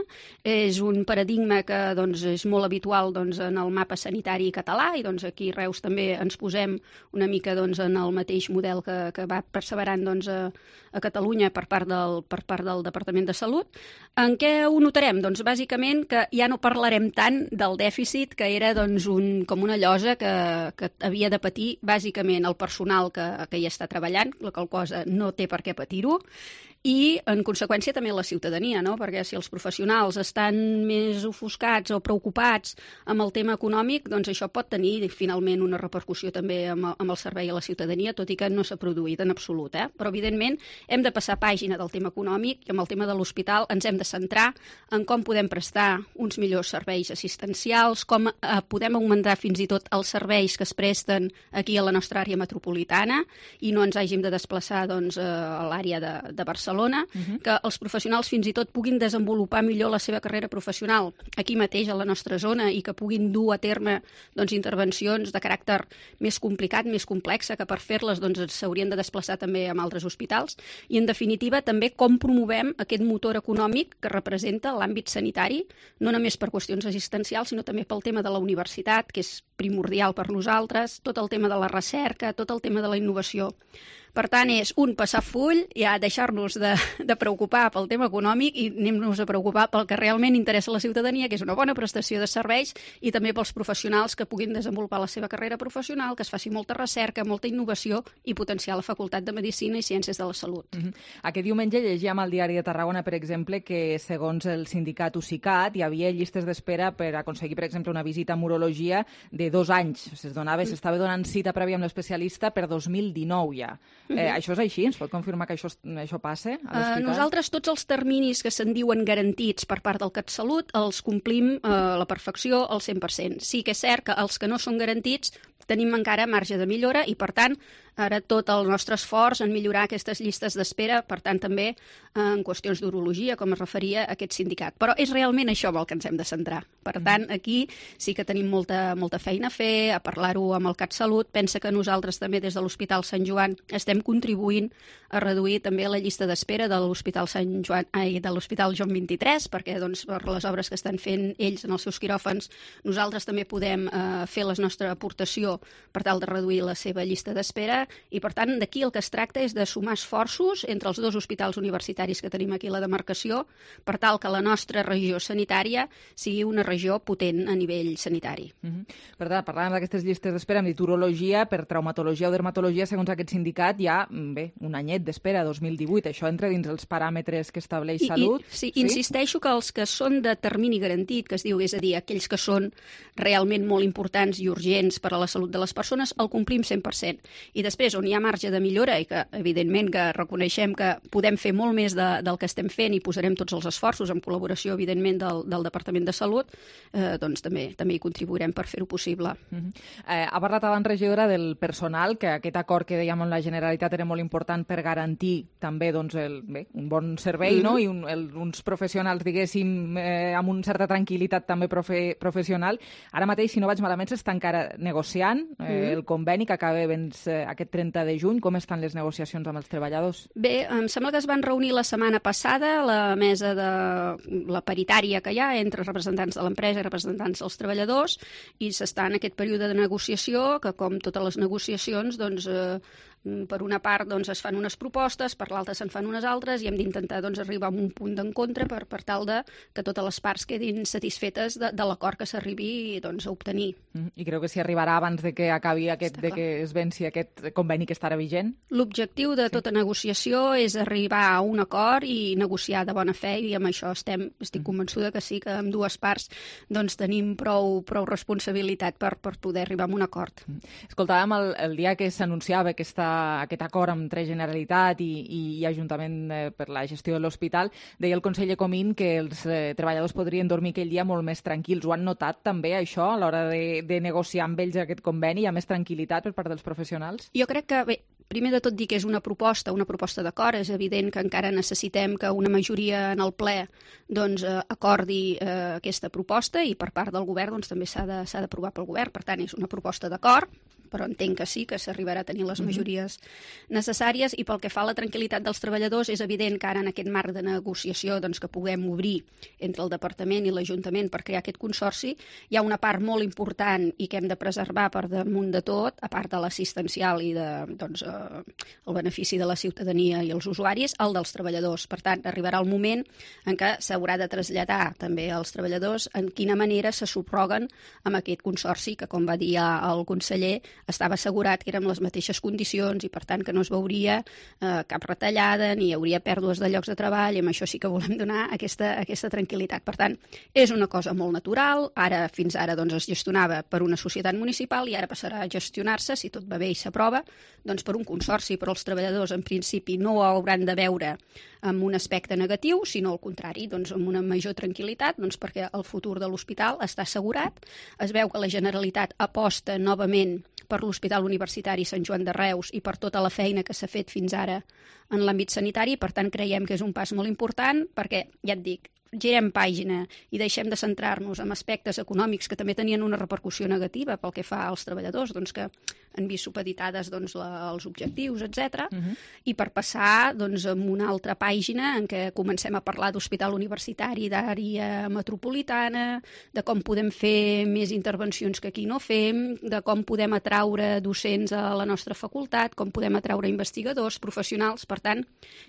És un paradigma que doncs, és molt habitual doncs, en el mapa sanitari català, i doncs, aquí a Reus també ens posem una mica doncs, en el mateix model que, que va perseverant doncs, a, a Catalunya per part, del, per part del Departament de Salut. En què ho notarem? Doncs bàsicament que ja no parlarem tant del dèficit, que era doncs, un, com una llosa que, que havia de patir bàsicament el personal que, que hi està treballant, la qual cosa no té per què patir-ho, i, en conseqüència, també la ciutadania, no? Perquè si els professionals estan més ofuscats o preocupats amb el tema econòmic, doncs això pot tenir, finalment, una repercussió també amb, amb el servei a la ciutadania, tot i que no s'ha produït en absolut, eh? Però, evidentment, hem de passar pàgina del tema econòmic i amb el tema de l'hospital ens hem de centrar en com podem prestar uns millors serveis assistencials, com eh, podem augmentar fins i tot els serveis que es presten aquí a la nostra àrea metropolitana i no ens hàgim de desplaçar doncs, a l'àrea de, de Barcelona, uh-huh. que els professionals fins i tot puguin desenvolupar millor la seva carrera professional aquí mateix a la nostra zona i que puguin dur a terme doncs, intervencions de caràcter més complicat, més complexa, que per fer-les doncs, s'haurien de desplaçar també amb altres hospitals i, en definitiva, també com promovem aquest motor econòmic que representa l'àmbit sanitari, no només per qüestions assistencials, sinó també pel tema de la universitat, que és primordial per nosaltres, tot el tema de la recerca, tot el tema de la innovació. Per tant, és un passar full, ja deixar-nos de, de preocupar pel tema econòmic i anem-nos a preocupar pel que realment interessa a la ciutadania, que és una bona prestació de serveis, i també pels professionals que puguin desenvolupar la seva carrera professional, que es faci molta recerca, molta innovació i potenciar la Facultat de Medicina i Ciències de la Salut. Uh-huh. Aquest diumenge llegíem al Diari de Tarragona, per exemple, que segons el sindicat USICAT hi havia llistes d'espera per aconseguir, per exemple, una visita a urologia de dos anys. Es donava, s'estava donant cita prèvia amb l'especialista per dos mil dinou ja. Eh, uh-huh. Això és així? Ens pot confirmar que això, això passa a l'hospital? Uh, nosaltres tots els terminis que se'n diuen garantits per part del CatSalut els complim uh, a la perfecció al cent per cent. Sí que és cert que els que no són garantits tenim encara marge de millora i, per tant, ara tot el nostre esforç en millorar aquestes llistes d'espera, per tant, també en qüestions d'urologia, com es referia a aquest sindicat. Però és realment això amb el que ens hem de centrar. Per tant, aquí sí que tenim molta, molta feina a fer, a parlar-ho amb el CatSalut. Pensa que nosaltres també des de l'Hospital Sant Joan estem contribuint a reduir també la llista d'espera de l'Hospital Sant Joan, ai, de l'Hospital Joan vint-i-tres, perquè doncs, per les obres que estan fent ells en els seus quiròfans, nosaltres també podem eh, fer la nostra aportació per tal de reduir la seva llista d'espera. I, per tant, d'aquí el que es tracta és de sumar esforços entre els dos hospitals universitaris que tenim aquí a la demarcació per tal que la nostra regió sanitària sigui una regió potent a nivell sanitari. Uh-huh. Per tant, parlàvem d'aquestes llistes d'espera, hem dit urologia, per traumatologia o dermatologia, segons aquest sindicat, hi ha, bé, un anyet d'espera, dos mil divuit. Això entra dins els paràmetres que estableix I, Salut? I, sí, sí, insisteixo que els que són de termini garantit, que es diu, és a dir, aquells que són realment molt importants i urgents per a la salut de les persones, el complim cent per cent. I després, on hi ha marge de millora i que, evidentment, que reconeixem que podem fer molt més de, del que estem fent i posarem tots els esforços en col·laboració, evidentment, del, del Departament de Salut, eh, doncs també també hi contribuirem per fer-ho possible. Uh-huh. eh, ha parlat abans, regidora, del personal, que aquest acord que dèiem amb la Generalitat era molt important per garantir també doncs, el, bé, un bon servei, uh-huh. no? I un, el, uns professionals, diguéssim, eh, amb una certa tranquil·litat també profe, professional. Ara mateix, si no vaig malament, s'està encara negociant eh, uh-huh. el conveni que acaba doncs, eh, aquest trenta de juny. Com estan les negociacions amb els treballadors? Bé, em sembla que es van reunir la setmana passada la mesa de la paritària que hi ha entre representants de l'empresa i representants dels treballadors i s'està en aquest període de negociació que, com totes les negociacions, doncs, eh, per una part doncs, es fan unes propostes, per l'altra se'n fan unes altres i hem d'intentar doncs, arribar a un punt d'encontre per, per tal de que totes les parts quedin satisfetes de, de l'acord que s'arribi doncs, a obtenir. Mm, I creu que s'hi arribarà abans de que acabi aquest, de que es venci aquest conveni que estarà vigent? L'objectiu de tota sí. negociació és arribar a un acord i negociar de bona fe i amb això estem, estic convençuda que sí, que amb dues parts doncs, tenim prou, prou responsabilitat per, per poder arribar a un acord. Escoltàvem el, el dia que s'anunciava aquesta aquest acord entre Generalitat i, i Ajuntament eh, per la gestió de l'hospital, deia el conseller Comín que els eh, treballadors podrien dormir aquell dia molt més tranquils. Ho han notat també, això, a l'hora de, de negociar amb ells aquest conveni? Hi ha més tranquil·litat per part dels professionals? Jo crec que, bé, primer de tot dir que és una proposta, una proposta d'acord. És evident que encara necessitem que una majoria en el ple doncs, eh, acordi eh, aquesta proposta i per part del govern doncs, també s'ha de, s'ha d'aprovar pel govern. Per tant, és una proposta d'acord, però entenc que sí, que s'arribarà a tenir les majories necessàries. I pel que fa a la tranquil·litat dels treballadors, és evident que ara en aquest marc de negociació doncs, que puguem obrir entre el Departament i l'Ajuntament per crear aquest consorci, hi ha una part molt important i que hem de preservar per damunt de tot, a part de l'assistencial i de, doncs, eh, el benefici de la ciutadania i els usuaris, el dels treballadors. Per tant, arribarà el moment en què s'haurà de traslladar també als treballadors en quina manera se subroguen amb aquest consorci que, com va dir el conseller, estava assegurat que érem les mateixes condicions i, per tant, que no es veuria eh, cap retallada ni hi hauria pèrdues de llocs de treball, i amb això sí que volem donar aquesta, aquesta tranquil·litat. Per tant, és una cosa molt natural. Ara, fins ara, doncs, es gestionava per una societat municipal i ara passarà a gestionar-se, si tot va bé i s'aprova, doncs per un consorci, però els treballadors, en principi, no ho hauran de veure amb un aspecte negatiu, sinó al contrari, doncs amb una major tranquil·litat, doncs perquè el futur de l'hospital està assegurat. Es veu que la Generalitat aposta novament per l'Hospital Universitari Sant Joan de Reus i per tota la feina que s'ha fet fins ara en l'àmbit sanitari, per tant creiem que és un pas molt important perquè, ja et dic, girem pàgina i deixem de centrar-nos en aspectes econòmics que també tenien una repercussió negativa pel que fa als treballadors, doncs que han vist supeditades doncs, la, els objectius, etcètera. Uh-huh. I per passar doncs, a una altra pàgina en què comencem a parlar d'hospital universitari, d'àrea metropolitana, de com podem fer més intervencions que aquí no fem, de com podem atraure docents a la nostra facultat, com podem atraure investigadors, professionals. Per tant,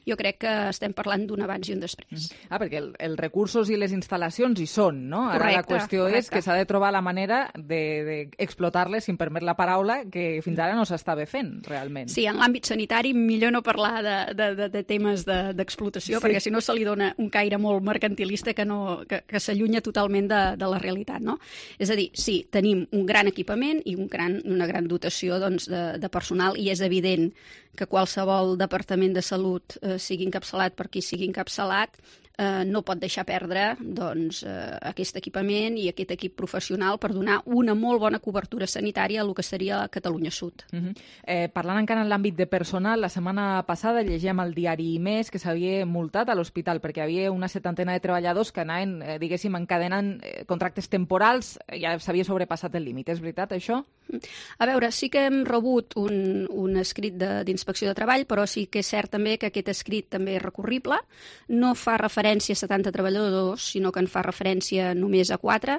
jo crec que estem parlant d'un abans i un després. Uh-huh. Ah, perquè el, el recursos i les instal·lacions hi són, no? Ara correcte, la qüestió correcte. és que s'ha de trobar la manera d'explotar-les, si em permet la paraula, que fins ara no s'estava fent, realment. Sí, en l'àmbit sanitari millor no parlar de, de, de, de temes d'explotació, de, sí. perquè si no se li dona un caire molt mercantilista que, no, que, que s'allunya totalment de, de la realitat, no? És a dir, sí, tenim un gran equipament i un gran, una gran dotació doncs, de, de personal, i és evident que qualsevol departament de salut eh, sigui encapçalat per qui sigui encapçalat, eh, no pot deixar perdre doncs, eh, aquest equipament i aquest equip professional per donar una molt bona cobertura sanitària a lo que seria Catalunya Sud. Uh-huh. eh, parlant encara en l'àmbit de personal, la setmana passada llegíem al diari Més que s'havia multat a l'hospital perquè hi havia una setantena de treballadors que anaven, eh, diguéssim, encadenant eh, contractes temporals, ja s'havia sobrepassat el límit. És veritat, això? A veure, sí que hem rebut un, un escrit d'inspecció de, de treball, però sí que és cert també que aquest escrit també és recurrible. No fa referència a setanta treballadors, sinó que en fa referència només a quatre,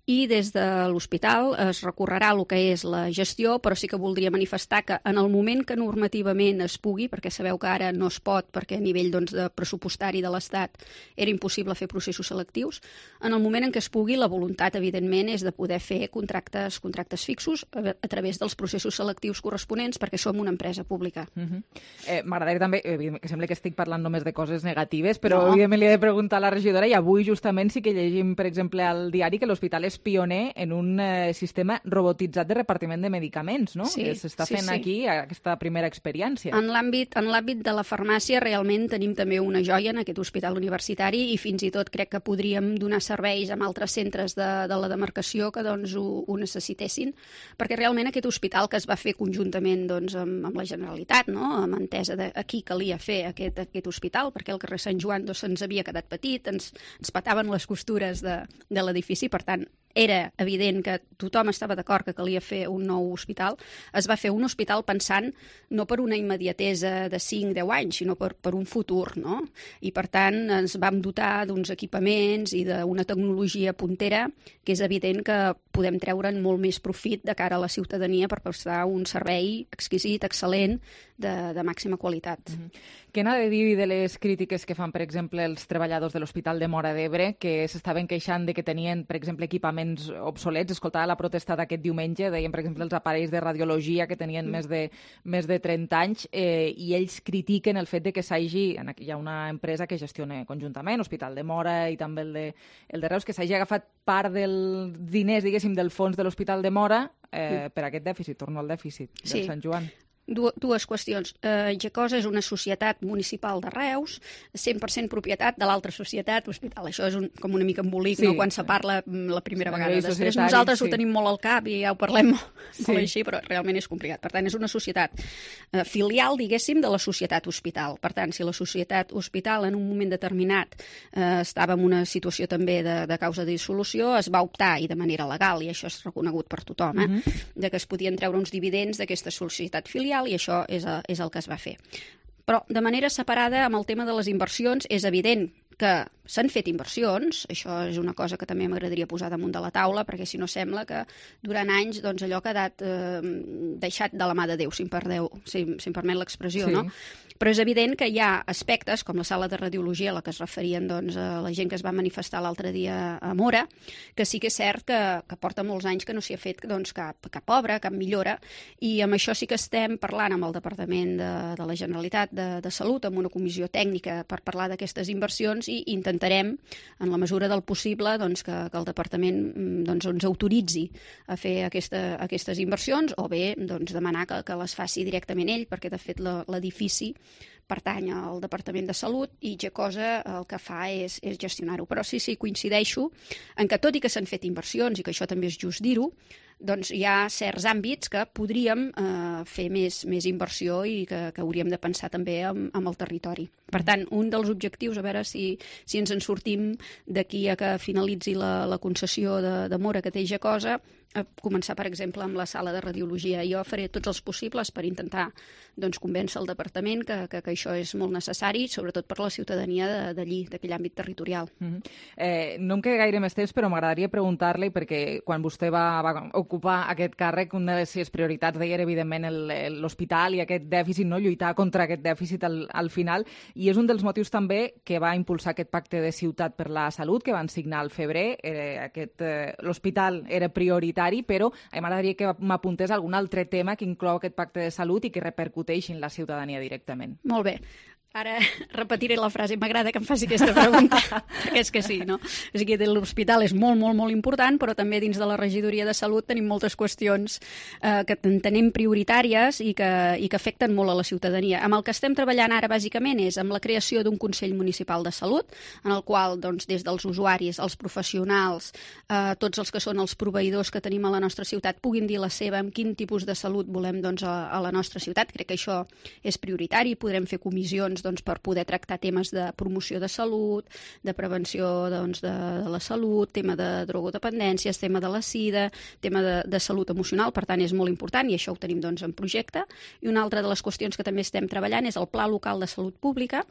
i des de l'hospital es recorrerà el que és la gestió, però sí que voldria manifestar que en el moment que normativament es pugui, perquè sabeu que ara no es pot, perquè a nivell doncs, de pressupostari de l'Estat era impossible fer processos selectius, en el moment en què es pugui, la voluntat, evidentment, és de poder fer contractes, contractes fixos a, a través dels processos selectius corresponents, perquè som una empresa pública. Uh-huh. eh, M'agradaria també, que sembla que estic parlant només de coses negatives, però no. evidentment li he de preguntar a la regidora, i avui justament sí que llegim, per exemple, al diari que l'hospital és pioner en un eh, sistema robotitzat de repartiment de medicaments, no? Sí, que s'està sí, fent sí. aquí aquesta primera experiència. En l'àmbit en l'àmbit de la farmàcia realment tenim també una joia en aquest hospital universitari, i fins i tot crec que podríem donar serveis amb altres centres de, de la demarcació que doncs, ho, ho necessitessin, perquè realment aquest hospital que es va fer conjuntament doncs, amb, amb la Generalitat, no? Amb entesa de a qui calia fer aquest, aquest hospital, perquè el carrer Sant Joan doncs, se'ns havia quedat petit, ens, ens pataven les costures de, de l'edifici, per tant, era evident que tothom estava d'acord que calia fer un nou hospital. Es va fer un hospital pensant no per una immediatesa de cinc a deu anys, sinó per, per un futur, no? I, per tant, ens vam dotar d'uns equipaments i d'una tecnologia puntera que és evident que podem treure'n molt més profit de cara a la ciutadania per prestar un servei exquisit, excel·lent, de, de màxima qualitat. Mm-hmm. Què n'ha de dir de les crítiques que fan, per exemple, els treballadors de l'Hospital de Móra d'Ebre, que s'estaven queixant de que tenien, per exemple, equipaments obsolets? Escoltava la protesta d'aquest diumenge, deien, per exemple, els aparells de radiologia que tenien mm. més, de, més de trenta anys, eh, i ells critiquen el fet de que s'hagi, hi ha una empresa que gestiona conjuntament, Hospital de Móra i també el de, el de Reus, que s'hagi agafat part dels diners, diguéssim, del fons de l'Hospital de Móra eh, per aquest dèficit, torno al dèficit del sí. Sant Joan. Dues qüestions. Eh, Gecosa és una societat municipal de Reus, cent per cent propietat de l'altra societat hospital. Això és un, com una mica embolic, sí. no? Quan se parla la primera sí, vegada. Després nosaltres sí. ho tenim molt al cap i ja ho parlem sí. molt així, però realment és complicat. Per tant, és una societat eh, filial, diguéssim, de la societat hospital. Per tant, si la societat hospital en un moment determinat eh, estava en una situació també de, de causa de dissolució, es va optar, i de manera legal, i això és reconegut per tothom, eh, uh-huh. de que es podien treure uns dividends d'aquesta societat filial, i això és, és el que es va fer. Però de manera separada, amb el tema de les inversions, és evident que s'han fet inversions, això és una cosa que també m'agradaria posar damunt de la taula, perquè si no sembla que durant anys doncs, allò ha quedat eh, deixat de la mà de Déu, si em, perdeu, si, si em permet l'expressió, Sí. no? Però és evident que hi ha aspectes, com la sala de radiologia, a la que es referien doncs, a la gent que es va manifestar l'altre dia a Mora, que sí que és cert que, que porta molts anys que no s'hi ha fet doncs, cap, cap obra, cap millora, i amb això sí que estem parlant amb el Departament de, de la Generalitat de, de Salut, amb una comissió tècnica per parlar d'aquestes inversions, i intentarem, en la mesura del possible, doncs, que, que el Departament doncs, ens autoritzi a fer aquesta, aquestes inversions, o bé doncs, demanar que, que les faci directament ell, perquè de fet la- l'edifici pertany al Departament de Salut i Gecosa el que fa és, és gestionar-ho. Però sí, sí, coincideixo en que tot i que s'han fet inversions, i que això també és just dir-ho, doncs hi ha certs àmbits que podríem eh, fer més, més inversió i que, que hauríem de pensar també amb, amb el territori. Per tant, un dels objectius, a veure si, si ens en sortim d'aquí a que finalitzi la, la concessió de, de Mora que té Gecosa, a començar, per exemple, amb la sala de radiologia. Jo faré tots els possibles per intentar doncs, convèncer el departament que, que, que això és molt necessari, sobretot per la ciutadania d'allí, d'aquell àmbit territorial. Mm-hmm. eh, no em queda gaire més temps, però m'agradaria preguntar-li, perquè quan vostè va, va ocupar aquest càrrec, una de les seves prioritats deia, evidentment, l'hospital i aquest dèficit, no? Lluitar contra aquest dèficit al, al final, i és un dels motius també que va impulsar aquest pacte de ciutat per la salut que van signar al febrer. Eh, aquest, eh, l'hospital era prioritari, però a mi m'agradaria que m'apuntés algun altre tema que inclou aquest pacte de salut i que repercuteixi en la ciutadania directament. Molt bé. Ara repetiré la frase, m'agrada que em faci aquesta pregunta, perquè és que sí, no? O sigui, l'hospital és molt, molt, molt important, però també dins de la regidoria de salut tenim moltes qüestions eh, que entenem prioritàries i que, i que afecten molt a la ciutadania. Amb el que estem treballant ara, bàsicament, és amb la creació d'un Consell Municipal de Salut, en el qual, doncs, des dels usuaris, els professionals, eh, tots els que són els proveïdors que tenim a la nostra ciutat, puguin dir la seva amb quin tipus de salut volem doncs, a, a la nostra ciutat. Crec que això és prioritari, podrem fer comissions doncs, per poder tractar temes de promoció de salut, de prevenció doncs, de, de la salut, tema de drogodependències, tema de la sida, tema de, de salut emocional, per tant és molt important i això ho tenim doncs, en projecte. I una altra de les qüestions que també estem treballant és el Pla Local de Salut Pública,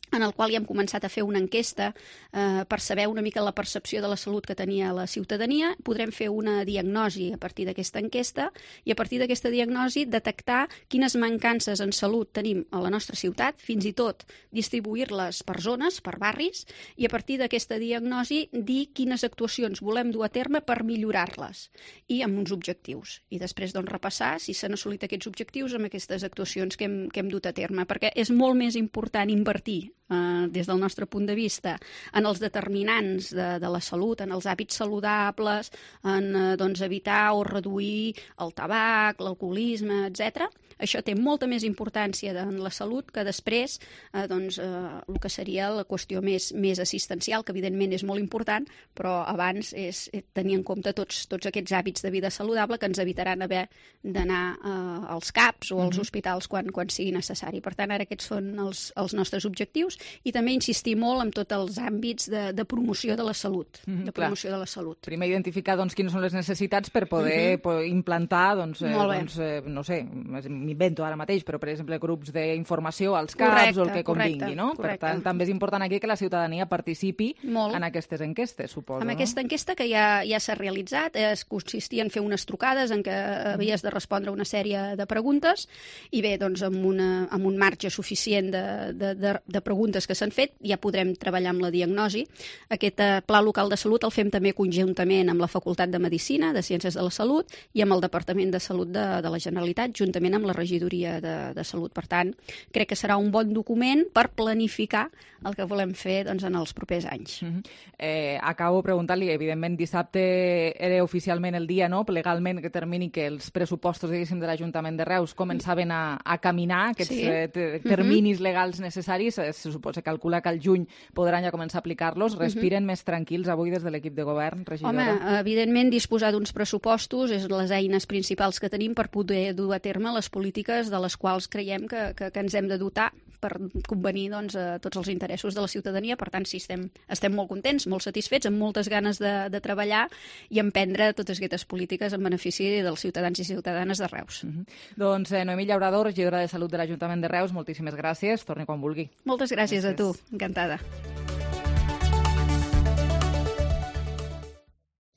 en el qual ja hem començat a fer una enquesta eh, per saber una mica la percepció de la salut que tenia la ciutadania. Podrem fer una diagnosi a partir d'aquesta enquesta i a partir d'aquesta diagnosi detectar quines mancances en salut tenim a la nostra ciutat, fins i tot distribuir-les per zones, per barris, i a partir d'aquesta diagnosi dir quines actuacions volem dur a terme per millorar-les i amb uns objectius. I després doncs, repassar si s'han assolit aquests objectius amb aquestes actuacions que hem, que hem dut a terme, perquè és molt més important invertir Eh, des del nostre punt de vista, en els determinants de, de la salut, en els hàbits saludables, en eh, doncs, evitar o reduir el tabac, l'alcoholisme, etcètera. Això té molta més importància en la salut que després eh, doncs, eh, el que seria la qüestió més, més assistencial, que evidentment és molt important, però abans és tenir en compte tots, tots aquests hàbits de vida saludable que ens evitaran haver d'anar eh, als CAPs o als Mhm. hospitals quan, quan sigui necessari. Per tant, ara aquests són els, els nostres objectius i també insistir molt en tots els àmbits de, de promoció de la salut. Mhm, de clar. promoció de la salut. Primer identificar doncs, quines són les necessitats per poder Mhm. po- implantar, doncs, eh, Molt bé. doncs, eh, no sé, m'invento ara mateix, però per exemple grups d'informació als CAPs Correcte, o el que convingui, correcte, no? correcte. Per tant, també és important aquí que la ciutadania participi Molt. en aquestes enquestes, suposo. Amb no? aquesta enquesta que ja, ja s'ha realitzat, es consistia en fer unes trucades en què havies de respondre una sèrie de preguntes i bé, doncs amb, una, amb un marge suficient de, de, de, de preguntes que s'han fet ja podrem treballar amb la diagnosi. Aquest eh, Pla Local de Salut el fem també conjuntament amb la Facultat de Medicina, de Ciències de la Salut i amb el Departament de Salut de, de la Generalitat, juntament amb la Regidoria de, de Salut. Per tant, crec que serà un bon document per planificar el que volem fer doncs, en els propers anys. Mhm. Eh, acabo preguntant-li, evidentment dissabte era oficialment el dia, no? Legalment que termini que els pressupostos diguéssim de l'Ajuntament de Reus començaven a, a caminar, aquests Sí. eh, te- terminis legals necessaris, eh, se suposa, calcula que al juny podran ja començar a aplicar-los. Respiren més tranquils avui des de l'equip de govern, regidora? Home, evidentment disposar d'uns pressupostos és les eines principals que tenim per poder dur a terme les polítiques de les quals creiem que, que, que ens hem de dotar per convenir doncs, a tots els interessos de la ciutadania. Per tant, sí, estem, estem molt contents, molt satisfets, amb moltes ganes de, de treballar i emprendre totes aquestes polítiques en benefici dels ciutadans i ciutadanes de Reus. Mm -hmm. Doncs eh, Noemí Llaurador, regidora de Salut de l'Ajuntament de Reus, moltíssimes gràcies. Torni quan vulgui. Moltes gràcies, gràcies a tu, encantada.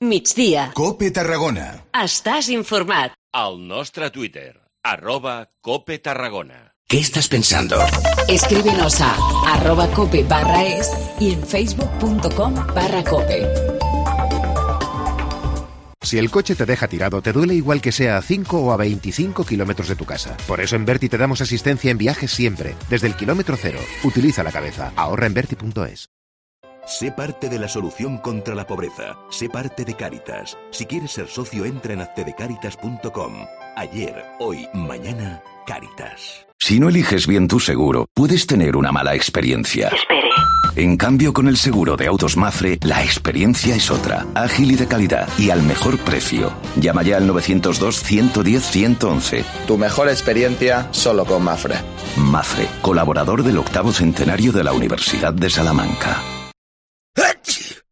Migdia. Cope Tarragona. Estàs informat. Al nostre Twitter, arroba Cope Tarragona. ¿Qué estás pensando? Escríbenos a arroba cope barra es y en facebook.com barra cope. Si el coche te deja tirado, te duele igual que sea a cinco o a veinticinco kilómetros de tu casa. Por eso en Berti te damos asistencia en viajes siempre, desde el kilómetro cero. Utiliza la cabeza. Ahorra en berti punto es. Sé parte de la solución contra la pobreza. Sé parte de Cáritas. Si quieres ser socio, entra en hazte de cáritas punto com. Ayer, hoy, mañana, Cáritas. Si no eliges bien tu seguro, puedes tener una mala experiencia. Espere. En cambio, con el seguro de autos Mafre, la experiencia es otra, ágil y de calidad, y al mejor precio. Llama ya al novecientos dos, ciento diez, ciento once. Tu mejor experiencia solo con Mafre. Mafre, colaborador del octavo centenario de la Universidad de Salamanca.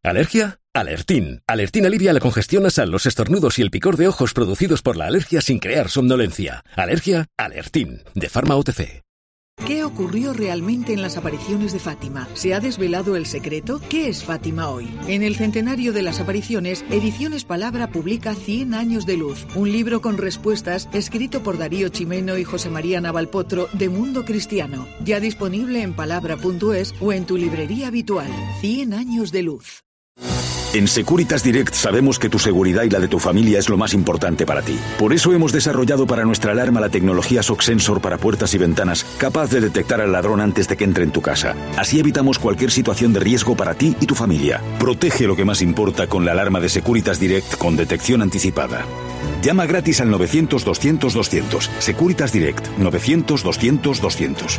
¿Alergia? Alertín. Alertín alivia la congestión nasal, los estornudos y el picor de ojos producidos por la alergia sin crear somnolencia. ¿Alergia? Alertín. De Pharma O T C. ¿Qué ocurrió realmente en las apariciones de Fátima? ¿Se ha desvelado el secreto? ¿Qué es Fátima hoy? En el centenario de las apariciones, Ediciones Palabra publica Cien años de luz, un libro con respuestas escrito por Darío Chimeno y José María Navalpotro de Mundo Cristiano. Ya disponible en palabra punto es o en tu librería habitual. Cien años de luz. En Securitas Direct sabemos que tu seguridad y la de tu familia es lo más importante para ti. Por eso hemos desarrollado para nuestra alarma la tecnología S O C Sensor para puertas y ventanas, capaz de detectar al ladrón antes de que entre en tu casa. Así evitamos cualquier situación de riesgo para ti y tu familia. Protege lo que más importa con la alarma de Securitas Direct con detección anticipada. Llama gratis al novecientos, doscientos, doscientos. Securitas Direct, novecientos, doscientos, doscientos.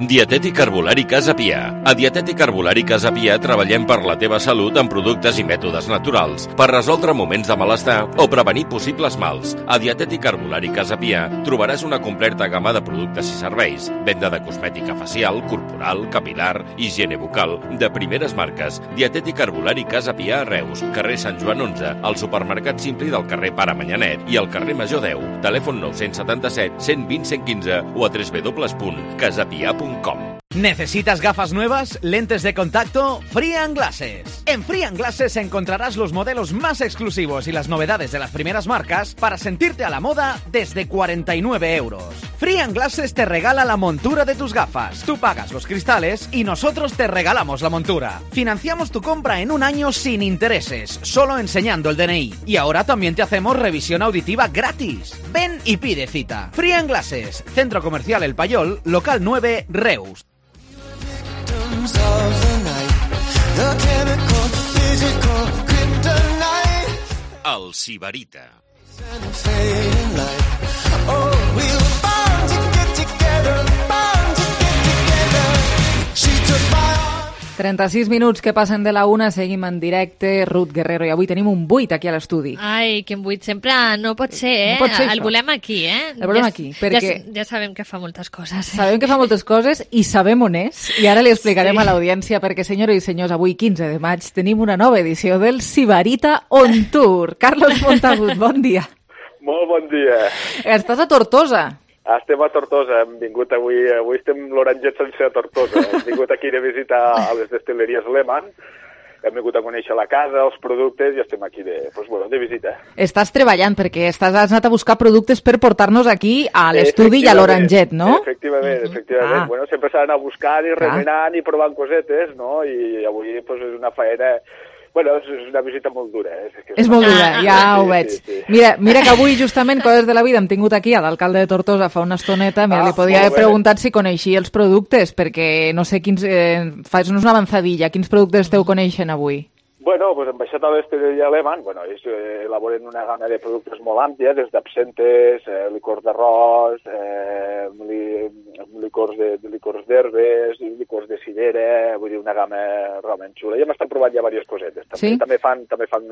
Dietètic Herbolari Casa Pia. A Dietètic Herbolari Casa Pia treballem per la teva salut amb productes i mètodes naturals, per resoldre moments de malestar o prevenir possibles mals. A Dietètic Herbolari Casa Pia trobaràs una completa gamma de productes i serveis, venda de cosmètica facial, corporal, capilar, higiene bucal, de primeres marques. Dietètic Herbolari Casa Pia a Reus, carrer Sant Joan onze, al supermercat Simpli del carrer Pare Manyanet i al carrer Major deu. Telèfon nou set set, cent vint, cent quinze o a w w w punt casapia punt com. ¿Necesitas gafas nuevas? ¿Lentes de contacto? Free and Glasses. En Free and Glasses encontrarás los modelos más exclusivos y las novedades de las primeras marcas para sentirte a la moda desde cuarenta y nueve euros. Free and Glasses te regala la montura de tus gafas. Tú pagas los cristales y nosotros te regalamos la montura. Financiamos tu compra en un año sin intereses, solo enseñando el D N I. Y ahora también te hacemos revisión auditiva gratis. Ven y pide cita. Free and Glasses, Centro Comercial El Payol, local nueve, Reus. El Sibarita. trenta-sis minuts que passen de la una, seguim en directe, Ruth Guerrero, i avui tenim un buit aquí a l'estudi. Ai, quin buit, sempre no pot ser, eh? No pot ser el això. volem aquí, eh? El volem ja, aquí, perquè... Ja, ja sabem que fa moltes coses. Eh? Sabem que fa moltes coses i sabem on és, i ara li explicarem sí. a l'audiència, perquè, senyores i senyors, avui, quinze de maig, tenim una nova edició del Sibarita On Tour. Carlos Montagut, bon dia. Molt bon dia. Estàs a Tortosa. Estem a Tortosa, hem vingut avui, avui estem l'Oranget sense a Tortosa, hem vingut aquí de visita a les destil·leries Lehmann, hem vingut a conèixer la casa, els productes i estem aquí de, pues, bueno, de visita. Estàs treballant perquè estàs, has anat a buscar productes per portar-nos aquí a l'estudi i a l'Oranget, no? Efectivament, efectivament. Ah. Bueno, sempre s'ha d'anar buscant i remenant i provant cosetes, no? I avui pues, és una faena... Bueno, és una visita molt dura. Eh? És, que és, és molt dura, ja sí, ho veig. Sí, sí. Mira, mira que avui, justament, coses de la vida, hem tingut aquí a l'alcalde de Tortosa fa una estoneta. Mira, ah, li podia haver preguntat si coneixia els productes, perquè no sé quins... Eh, fas-nos una avançadilla. Quins productes esteu coneixent avui? Bueno, pues hem baixat a l'Estella Lehmann, bueno, ells eh, elaboren una gamma de productes molt àmplia, des d'absentes, eh, licors d'arròs, eh, li, licors de, de licors d'herbes, licors de cillera, vull dir, una gamma realment xula. I hem estat provant ja diverses cosetes. També, sí? també fan, també fan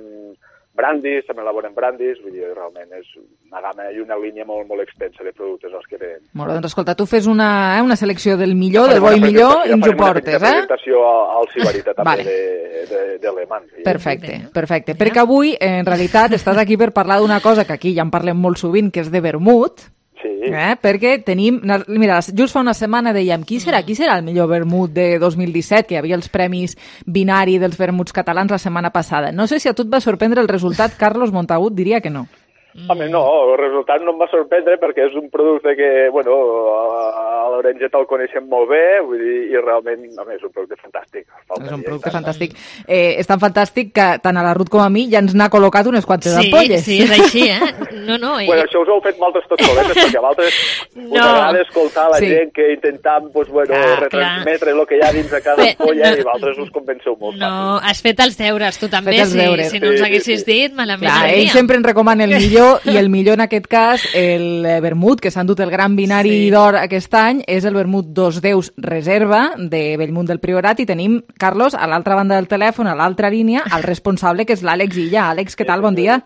brandis, també elaboren brandis, vull dir, realment és una gamma i una línia molt, molt extensa de productes els que tenen. Molt bé, doncs escolta, tu fes una, eh, una selecció del millor, del bo i millor, i ens ho portes, eh? Una presentació al Sibarita també vale. de, de, de Lehmann. Perfecte, perfecte. Perquè avui, en realitat, estàs aquí per parlar d'una cosa que aquí ja en parlem molt sovint, que és de vermut, Sí. Eh? Perquè tenim... Mira, just fa una setmana dèiem qui serà, qui serà el millor vermut de dos mil disset, que hi havia els premis binari dels vermuts catalans la setmana passada. No sé si a tu et va sorprendre el resultat, Carlos Montagut diria que no. Home, no, el resultat no em va sorprendre perquè és un producte que, bueno, a l'Orenge te'l coneixem molt bé, vull dir, i realment, home, és un producte fantàstic. És un producte fantàstic. Eh, és tan fantàstic que tant a la Ruth com a mi ja ens n'ha col·locat unes quantes sí, ampolles. Sí, és així, eh? No, no. Bueno, això us ho heu fet moltes tot soletes, perquè a vosaltres no. us agrada escoltar la sí. gent que intentam, pues, bueno, ah, retransmetre el que hi ha dins de cada ampolla no. i vosaltres us convenceu molt. No, fàcil. Has fet els deures, tu també, sí. Si no ens sí, haguessis sí, sí. dit, malament. Clar, ell sempre ens recomana el millor i el millor en aquest cas, el vermut, que s'ha endut el Gran Binari sí. d'Or aquest any, és el vermut Dos Déus Reserva de Bellmunt del Priorat, i tenim, Carlos, a l'altra banda del telèfon, a l'altra línia, el responsable, que és l'Àlex Illa. Àlex, què tal? Bon dia.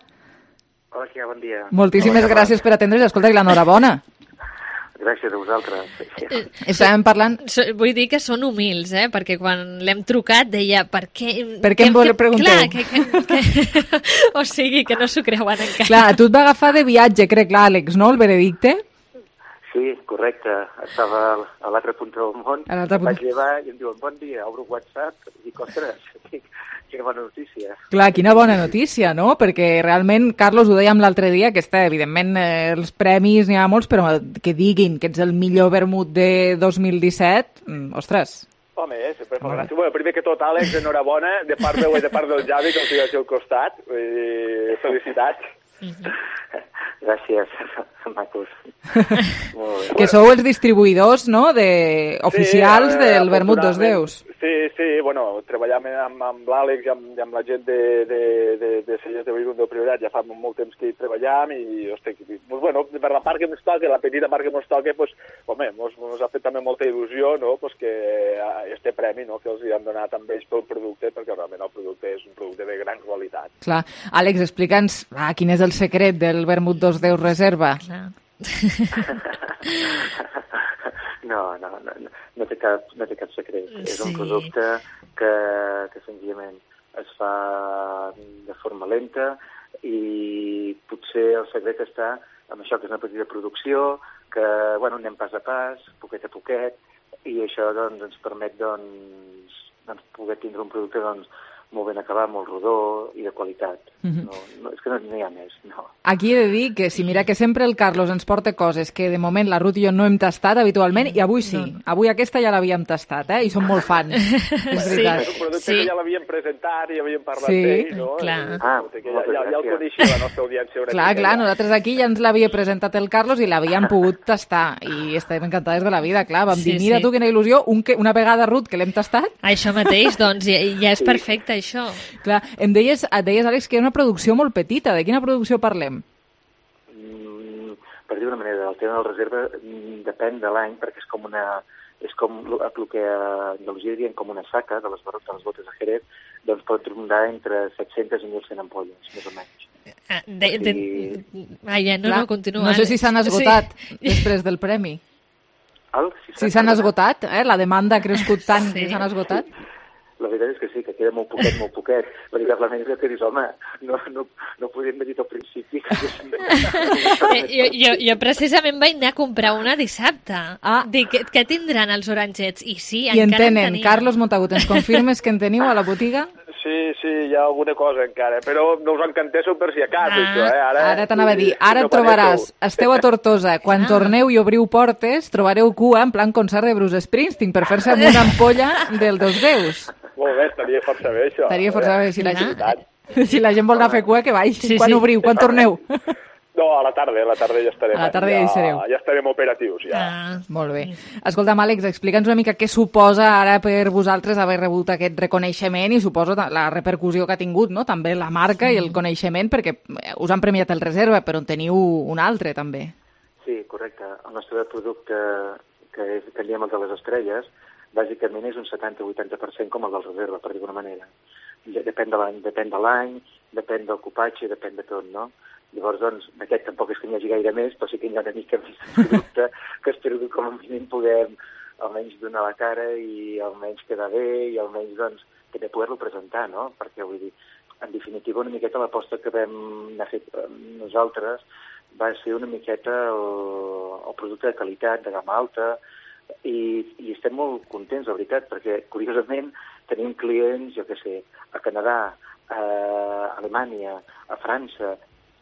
Hola, Kia, bon dia. Moltíssimes Hola, gràcies per atendre's. Escolta, i l'enhorabona. Gràcies a vosaltres. Eh, Estàvem parlant... Vull dir que són humils, eh? Perquè quan l'hem trucat deia per què... Per què em vol preguntar? Clar, que, que, que... o sigui, que no s'ho creuen encara. Clar, tu et va agafar de viatge, crec, l'Àlex, no? El veredicte? Sí, correcte. Estava a l'altre punt del món, em punt... vaig llevar i em diuen bon dia, obro WhatsApp i dic, ostres, quina bona notícia. Clar, quina bona notícia, no? Perquè realment, Carlos, ho dèiem l'altre dia, que està, evidentment, eh, els premis n'hi ha molts, però que diguin que ets el millor vermut de dos mil disset, mm, ostres... Home, eh, sempre fa gràcia. Bueno, primer que tot, Àlex, enhorabona, de part meu i de part del Javi, que el tinc aquí al costat. I felicitats. Gràcies, macos. Que sou els distribuïdors, no?, de... oficials sí, del vermut Dos Déus. Sí, sí, bueno, treballam amb, amb l'Àlex i amb, i amb la gent de, de, de, de cellers de Bellmunt del Priorat, ja fa molt temps que hi treballam i, hosti, pues, bueno, per la part que ens toca, la petita part que ens toca, pues, home, mos, mos ha fet també molta il·lusió, no?, pues que este premi, no?, que els hi han donat amb ells pel producte, perquè realment el producte és un producte de gran qualitat. Clar. Àlex, explica'ns ah, quin és el secret del vermut Dos Déus Reserva. Clar. No, no, no, no, té cap, no té cap secret. Sí. És un producte que, que senzillament es fa de forma lenta i potser el secret està en això, que és una petita producció, que bueno, anem pas a pas, poquet a poquet, i això doncs, ens permet doncs, doncs, poder tindre un producte doncs, molt ben acabat, molt rodó i de qualitat. Mm-hmm. no, no, és que no n'hi ha més, no. Aquí he de dir que si mira que sempre el Carlos ens porta coses que de moment la Ruth i jo no hem tastat habitualment, i avui sí. No. Avui aquesta ja l'havíem tastat, eh? I som molt fans. És veritat. Sí. És un producte sí. que ja l'havíem presentat i havíem parlat sí. d'ell, no? Clar. Ah, que ja, ja, ja el coneixia la nostra audiència. Clar, clar, ja. Nosaltres aquí ja ens l'havia presentat el Carlos i l'havíem pogut tastar i estem encantades de la vida, clar. Vam sí, dir, mira sí. tu, quina il·lusió, un que, una vegada, Ruth, que l'hem tastat. Això mateix, doncs, ja, ja és sí. perfecte, això. Clar, em deies, et deies, Àlex, que és una producció molt petita. De quina producció parlem? Mm, per dir una manera, el tema de la reserva mm, depèn de l'any, perquè és com una... és com el que a Andalusia dirien com una saca de les, de les botes de Jerez, doncs pot rondar entre set-centes i mil cent ampolles, més o menys. Ah, de, de... I... Ah, ja, no, Clar, no, continua. No sé si s'han esgotat sí. després del premi. El, si s'han si esgotat, eh? La demanda ha crescut tant sí. que s'han esgotat. La veritat és que sí, que queda molt poquet, molt poquet. Veritablement és que dius, home, no, no, no podíem haver dit al principi. jo, jo, jo precisament vaig anar a comprar una dissabte. Ah. Dic, què, què tindran els oranxets? I sí, I encara en tenen. En tenia. Carlos Montagut, ens confirmes que en teniu a la botiga? Sí, sí, hi ha alguna cosa encara, però no us encanteixo per si a cas, ah. això, eh? Ara, ara t'anava a dir, ara et trobaràs, esteu a Tortosa, quan ah. torneu i obriu portes, trobareu cua en plan concert de Bruce Springsteen per fer-se amb una ampolla del Dos Déus. Molt bé, estaria força bé, això. Estaria força bé, si la, gent, si la gent vol anar a fer cua, que baixi. Sí, quan sí. obriu, quan torneu? No, a la tarda, a la tarda ja estarem, a la tarda ja, ja, hi sereu. Ja estarem operatius, ja. Ah, molt bé. Escolta'm, Àlex, explica'ns una mica què suposa ara per vosaltres haver rebut aquest reconeixement i suposo la repercussió que ha tingut, no? També la marca sí. i el coneixement, perquè us han premiat el Reserva, però en teniu un altre, també. Sí, correcte. El nostre producte, que, és, que en diem el de les estrelles, bàsicament és un setanta a vuitanta per cent com el del Reserva, per dir-ho d'una manera. Depèn de l'any, depèn de l'any, depèn del copatge, depèn de tot, no? Llavors, doncs, d'aquest tampoc és que n'hi hagi gaire més, però sí que hi ha una mica més de producte que espero que com a mínim puguem almenys donar la cara i almenys quedar bé i almenys, doncs, també poder-lo presentar, no? Perquè, vull dir, en definitiva, una miqueta l'aposta que vam anar fet nosaltres va ser una miqueta el, el producte de qualitat, de gamma alta, i, i estem molt contents, la veritat, perquè, curiosament, tenim clients, jo què sé, a Canadà, a Alemanya, a França,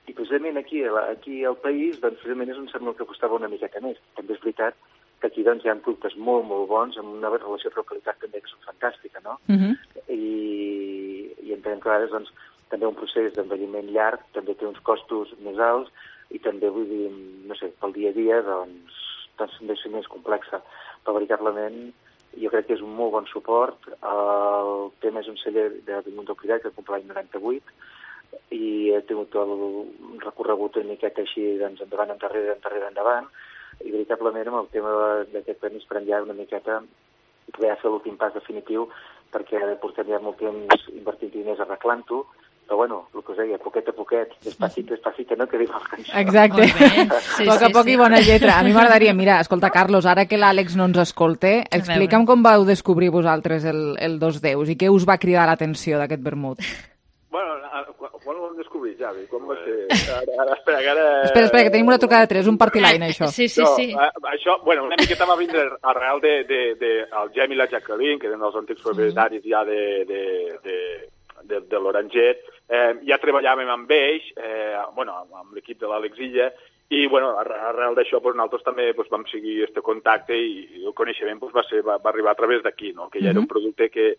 i precisament aquí, aquí al país, doncs, precisament és on sembla que costava una miqueta més. També és veritat que aquí doncs, hi ha productes molt, molt bons, amb una relació preu-qualitat també que són fantàstica, no? Uh-huh. I, i entenem que a vegades doncs, també un procés d'envelliment llarg també té uns costos més alts i també, vull dir, no sé, pel dia a dia, doncs, doncs també és més complexa. Però veritablement jo crec que és un molt bon suport. El tema és un celler de Bellmunt del Priorat que comprà l'any noranta-vuit i he tingut el recorregut una miqueta així, doncs, endavant, endarrere, endarrere, endavant, i veritablement amb el tema d'aquest premi esperem ja una miqueta poder fer l'últim pas definitiu, perquè portem ja molt temps invertint diners arreglant-ho, però bueno, el que us deia, poquet a poquet, despacito, despacito, no? Que diu el cançó. Exacte. Sí, poc a poc sí, i bona lletra. A mi m'agradaria, mira, escolta, Carlos, ara que l'Àlex no ens escolte, explica'm com vau descobrir vosaltres el, el Dos Déus i què us va cridar l'atenció d'aquest vermut. Bueno, quan ho vam descobrir, Javi? Com va ser? Ara, ara, espera, que ara... Espera, espera, que tenim una trucada de tres, un party-line, això. Sí, sí, sí. No, això, bueno, una miqueta va vindre arrel de, de, de el Gem i la Jacqueline, que eren els antics propietaris ja de, de, de, de, de l'Oranget. Eh, ja treballàvem amb ells, eh, bueno, amb l'equip de l'Àlex Illa, i bueno, arrel d'això pues, nosaltres també pues, vam seguir aquest contacte i el coneixement pues, va, ser, va, va arribar a través d'aquí, no? Que ja era un producte que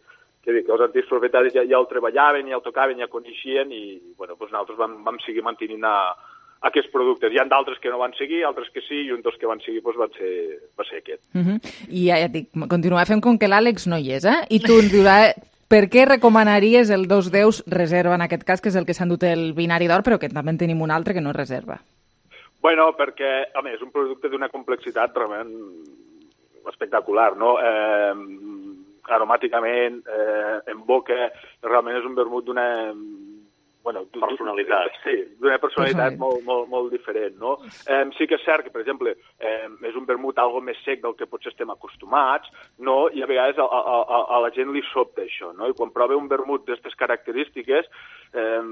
que els antics propietaris ja, ja el treballaven, ja el tocaven, ja coneixien i bueno, doncs nosaltres vam, vam seguir mantenint a, a aquests productes. Hi ha d'altres que no van seguir, altres que sí, i un dels que van seguir doncs, va, ser, va ser aquest. Uh -huh. I ja, ja et dic, continuar fent com que l'Àlex no hi és, eh? I tu ens diuràs per què recomanaries el Dos Déus reserva, en aquest cas, que és el que s'ha endut el binari d'or, però que també en tenim un altre que no és reserva? Bueno, perquè, a més, és un producte d'una complexitat realment espectacular, no? Eh, aromàticament, eh, en boca, realment és un vermut d'una... Bueno, personalitat. Sí, d'una personalitat molt, molt, molt diferent, no? Eh, sí que és cert que, per exemple, eh, és un vermut algo més sec del que potser estem acostumats, no? I a vegades a, a, a, a la gent li sobta això, no? I quan prova un vermut d'aquestes característiques, eh,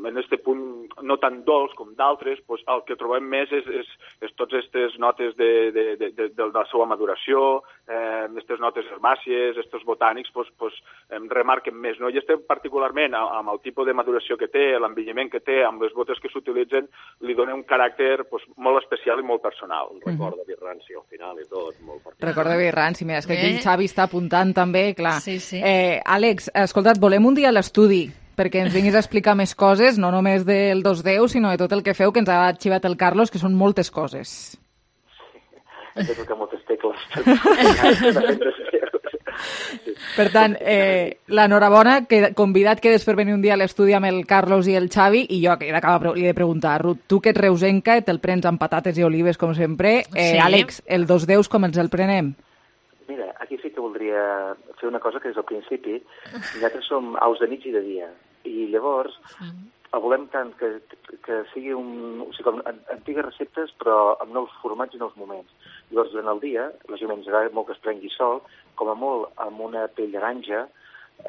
en este punt no tan dolç com d'altres, pues, el que trobem més és, és, és totes aquestes notes de, de, de, de, de la seva maduració, aquestes eh, notes herbàcies, aquests botànics, pues, pues, eh, remarquen més, no? I estem particularment amb el tipus de maduració que té, l'envelliment que té, amb les botes que s'utilitzen, li dona un caràcter pues, molt especial i molt personal. Recorda uh -huh. Birranci al final i tot, molt particular. Recorda Birranci, mira, és que aquí el Xavi està apuntant també, clar. Sí, sí. Eh, Àlex, escolta't, volem un dia a l'estudi perquè ens vinguis a explicar més coses, no només del Dos Déus, sinó de tot el que feu, que ens ha arxivat el Carlos, que són moltes coses. Sí, hem de tocar moltes tecles. Per tant, eh, l'enhorabona, que convidat quedes per venir un dia a l'estudi amb el Carlos i el Xavi, i jo que li he de preguntar, Ruth, tu que ets reusenca, te'l prens amb patates i olives, com sempre. Eh, sí. Àlex, el Dos Déus, com ens el prenem? Mira, aquí sí que voldria fer una cosa que des del principi, nosaltres som aus de nit i de dia, i llavors el volem tant que, que sigui un, o sigui, com antigues receptes, però amb nous formats i nous moments. Llavors, durant el dia, lògicament ens agrada molt que es prengui sol, com a molt amb una pell d'aranja,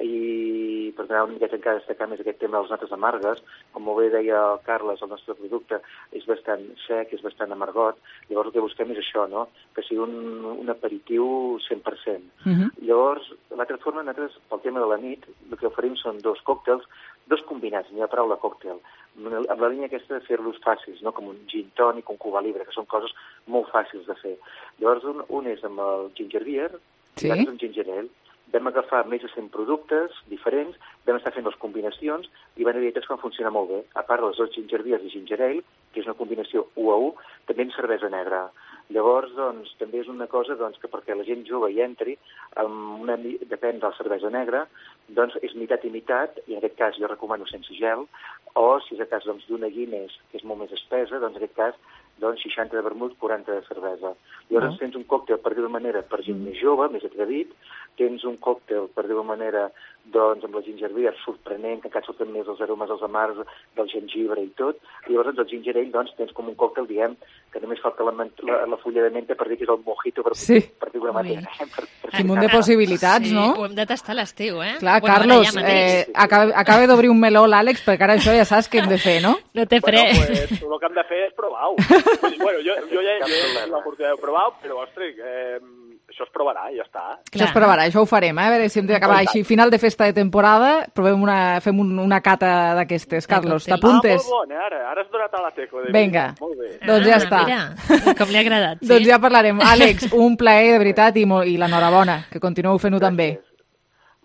i per donar una miqueta encara destacar més aquest tema de les notes amargues. Com molt bé deia el Carles, el nostre producte és bastant sec, és bastant amargot, llavors el que busquem és això, no? Que sigui un, un aperitiu cent per cent. Uh-huh. Llavors, l'altra forma, nosaltres, pel tema de la nit, el que oferim són dos còctels, dos combinats, n'hi ha paraula còctel, amb la línia aquesta de fer-los fàcils, no? Com un gin tònic, un Cuba Libre, que són coses molt fàcils de fer. Llavors, un, un és amb el ginger beer, sí? I l'altre és amb ginger ale. Vam agafar més de cent productes diferents, vam estar fent les combinacions i van haver que van funcionar molt bé. A part dels dos ginger beers i ginger ale, que és una combinació u a u, també en cervesa negra. Llavors, doncs, també és una cosa doncs, que perquè la gent jove hi entri, amb una, depèn de la cervesa negra, doncs és meitat i meitat, i en aquest cas jo recomano sense gel, o si és el cas doncs, d'una Guinness, que és molt més espesa, doncs en aquest cas doncs, seixanta de vermut, quaranta de cervesa. Llavors oh. tens un còctel, per dir-ho manera, per gent mm. més jove, més atrevit, tens un còctel, per dir-ho manera, doncs amb la gingerbia és sorprenent, que encara surten més els aromes dels amars del gengibre i tot, i llavors el gingerell, doncs, tens com un còctel, diem, que només falta la, la, la fulla de menta per dir que és el mojito, per, sí. per dir una manera. Eh? Per, per Quin munt de possibilitats, sí, no? Ho hem de tastar a l'estiu, eh? Clar, bueno, Carlos, ja eh, acaba, acaba d'obrir un meló l'Àlex, perquè ara això ja saps què hem de fer, no? No té fre. Bueno, pues, el que hem de fer és provar-ho. Pues, bueno, jo, jo ja he l'oportunitat de provar-ho, però, ostres, eh, això es provarà i ja està. Clar. Això es provarà, això ho farem, eh? A veure si hem d'acabar així. Final de festa de temporada, provem una, fem un, una cata d'aquestes. Carlos, t'apuntes? Ah, molt bon, eh? Ara, ara has donat a la tecla. Vinga, molt bé. doncs ja ah, està. Mira, com li ha agradat. Sí? Doncs ja parlarem. Àlex, un plaer, de veritat, i, i l'enhorabona, que continueu fent-ho també.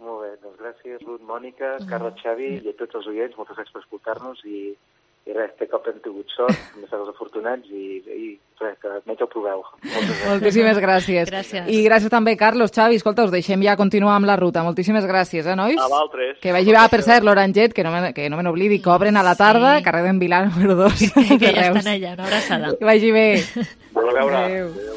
Molt bé, doncs gràcies, Ruth, Mònica, Carles, Xavi i a tots els oients. Moltes gràcies per escoltar-nos i i res, té cop hem tingut sort, hem estat els afortunats i, i res, que menys ho proveu. Gràcies. Moltíssimes gràcies. gràcies. I gràcies també, Carlos, Xavi, escolta, us deixem ja continuar amb la ruta. Moltíssimes gràcies, eh, nois? A vosaltres. Que vagi, ah, per cert, l'Oranget, que no me, que no me n'oblidi, que obren a la tarda, sí. Carrer d'en Vilar, número dos. Que, que ja estan allà, una abraçada. Que vagi bé. A veure. Adéu. Adéu.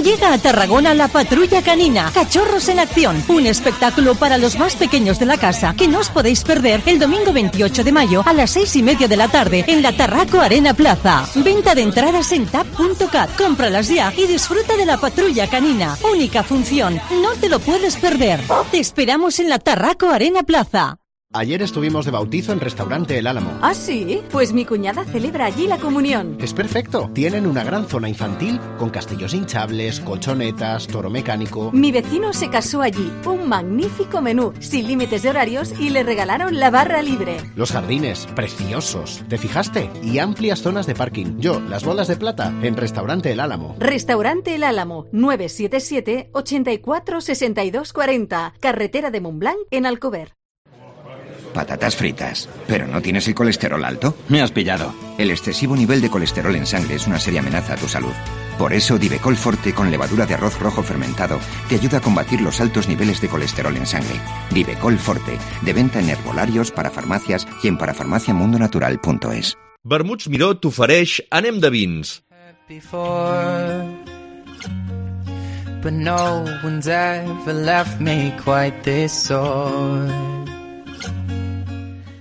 Llega a Tarragona la Patrulla Canina, Cachorros en Acción, un espectáculo para los más pequeños de la casa que no os podéis perder el domingo veintiocho de mayo a las seis y media de la tarde en la Tarraco Arena Plaza. Venta de entradas en tap punto cat. Cómpralas ya y disfruta de la Patrulla Canina. Única función, no te lo puedes perder. Te esperamos en la Tarraco Arena Plaza. Ayer estuvimos de bautizo en Restaurante El Álamo. ¿Ah, sí? Pues mi cuñada celebra allí la comunión. Es perfecto. Tienen una gran zona infantil con castillos hinchables, colchonetas, toro mecánico. Mi vecino se casó allí. Un magnífico menú, sin límites de horarios, y le regalaron la barra libre. Los jardines, preciosos. ¿Te fijaste? Y amplias zonas de parking. Yo, las bolas de plata, en Restaurante El Álamo. Restaurante El Álamo, nueve siete siete, ocho cuatro, seis dos cuatro cero. Carretera de Montblanc, en Alcover. Patatas fritas. ¿Pero no tienes el colesterol alto? Me has pillado. El excesivo nivel de colesterol en sangre es una seria amenaza a tu salud. Por eso Divecol Forte con levadura de arroz rojo fermentado te ayuda a combatir los altos niveles de colesterol en sangre. Divecol Forte, de venta en herbolarios, para farmacias y en parafarmacia mundo natural punto es. Vermuts Miró t'ofereix Anem de vins. Before, but no one's ever left me quite this sore.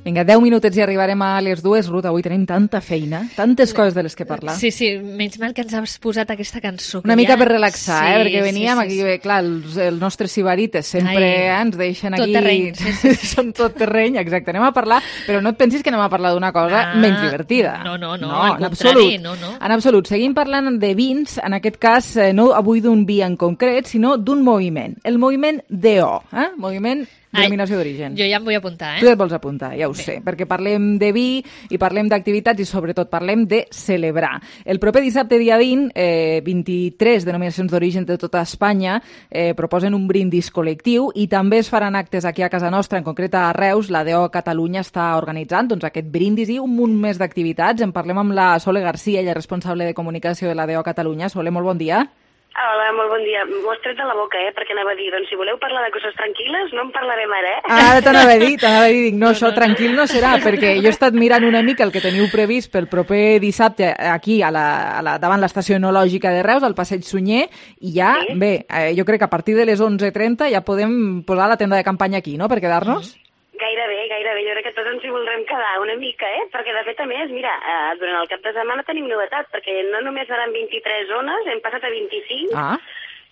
Vinga, deu minutets i arribarem a les dues. Ruth, avui tenim tanta feina, tantes coses de les que parlar. Sí, sí, menys mal que ens has posat aquesta cançó. Una mica ja... per relaxar, sí, eh? Perquè veníem sí, sí, aquí, sí. Bé, clar, els, els nostres sibarites sempre Ai, eh, ens deixen tot aquí... terreny, sí, sí, sí. Són tot terreny, exacte. Anem a parlar, però no et pensis que anem a parlar d'una cosa ah, menys divertida. No, no, no, no al en contrari, absolut. no, no. En absolut. Seguim parlant de vins, en aquest cas, eh, no avui d'un vi en concret, sinó d'un moviment. El moviment D O, eh? Moviment Denominació d'origen. Jo ja em vull apuntar, eh? Tu et vols apuntar, ja ho Bé. sé, perquè parlem de vi i parlem d'activitats i sobretot parlem de celebrar. El proper dissabte, dia vint, eh, vint-i-tres denominacions d'origen de tota Espanya eh, proposen un brindis col·lectiu i també es faran actes aquí a casa nostra, en concret a Reus. La D O Catalunya està organitzant doncs, aquest brindis i un munt més d'activitats. En parlem amb la Sole Garcia, ella és responsable de comunicació de la D O Catalunya. Sole, molt bon dia. Hola, molt bon dia. M'ho has tret de la boca, eh? Perquè anava a dir, doncs si voleu parlar de coses tranquil·les, no en parlarem ara, eh? Ara t'anava a dir, t'anava a dir, dic, no, no, això no, tranquil no serà, perquè jo he estat mirant una mica el que teniu previst pel proper dissabte aquí, a la, a la, davant l'estació enològica de Reus, al Passeig Sunyer, i ja, sí? bé, eh, jo crec que a partir de les onze trenta ja podem posar la tenda de campanya aquí, no?, per quedar-nos. Mm. Gairebé, gairebé. Jo crec que tots ens hi voldrem quedar una mica, eh? Perquè, de fet, a més, mira, eh, durant el cap de setmana tenim novetat, perquè no només seran vint-i-tres zones, hem passat a vint-i-cinc, ah.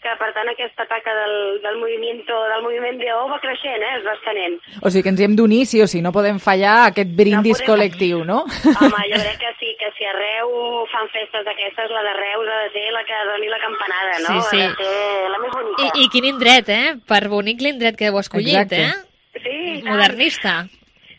que, per tant, aquesta taca del, del, moviment, del moviment D O va creixent, eh? Es va estenent. O sigui que ens hi hem d'unir, sí o sí, no podem fallar aquest brindis no podem... col·lectiu, no? Home, jo crec que sí, que si arreu fan festes d'aquestes, la de Reus ha de ser la que doni la campanada, no? Sí, sí. Ha de ser la més bonica. I, i quin indret, eh? Per bonic l'indret que heu escollit, Exacte. eh? Sí, modernista.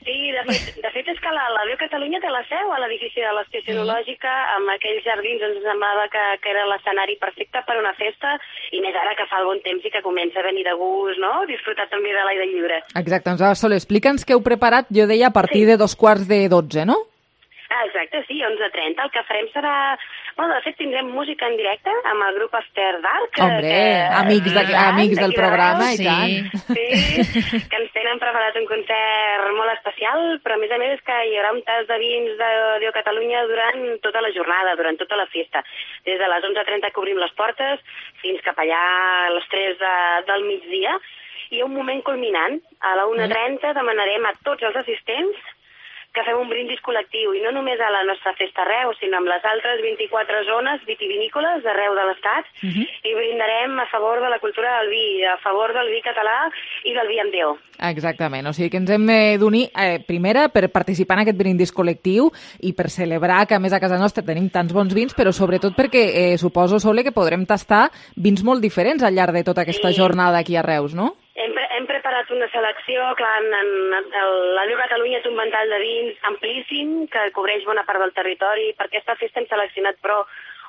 Sí, de fet, de fet és que la, la D O Catalunya té la seu a l'edifici de l'Estació Enològica, amb aquells jardins ens semblava que, que era l'escenari perfecte per una festa, i més ara que fa el bon temps i que comença a venir de gust, no? Disfrutar també de l'aire lliure. Exacte, doncs Sol, explica'ns què heu preparat, jo deia a partir sí. de dos quarts de dotze, no? Ah, exacte, sí, onze trenta. El que farem serà Bueno, de fet, tindrem música en directe amb el grup After Dark. Hombre, que, amics, de, amics del programa, de i tant. Sí, que ens tenen preparat un concert molt especial, però a més a més és que hi haurà un tas de vins de Déu Catalunya durant tota la jornada, durant tota la festa. Des de les onze trenta que obrim les portes fins cap allà a les tres de, del migdia. I hi ha un moment culminant. A la una trenta demanarem a tots els assistents que fem un brindis col·lectiu, i no només a la nostra festa a Reus, sinó amb les altres vint-i-quatre zones vitivinícoles d'arreu de l'Estat, uh-huh. i brindarem a favor de la cultura del vi, a favor del vi català i del vi amb D O. Exactament, o sigui que ens hem d'unir, eh, primera, per participar en aquest brindis col·lectiu i per celebrar que a més a casa nostra tenim tants bons vins, però sobretot perquè eh, suposo, Sole, que podrem tastar vins molt diferents al llarg de tota aquesta sí. jornada aquí a Reus, no? Hem, pre hem preparat una selecció, clar, en, en, en la Déu Catalunya té un ventall de vins amplíssim que cobreix bona part del territori. Per aquesta festa hem seleccionat, però,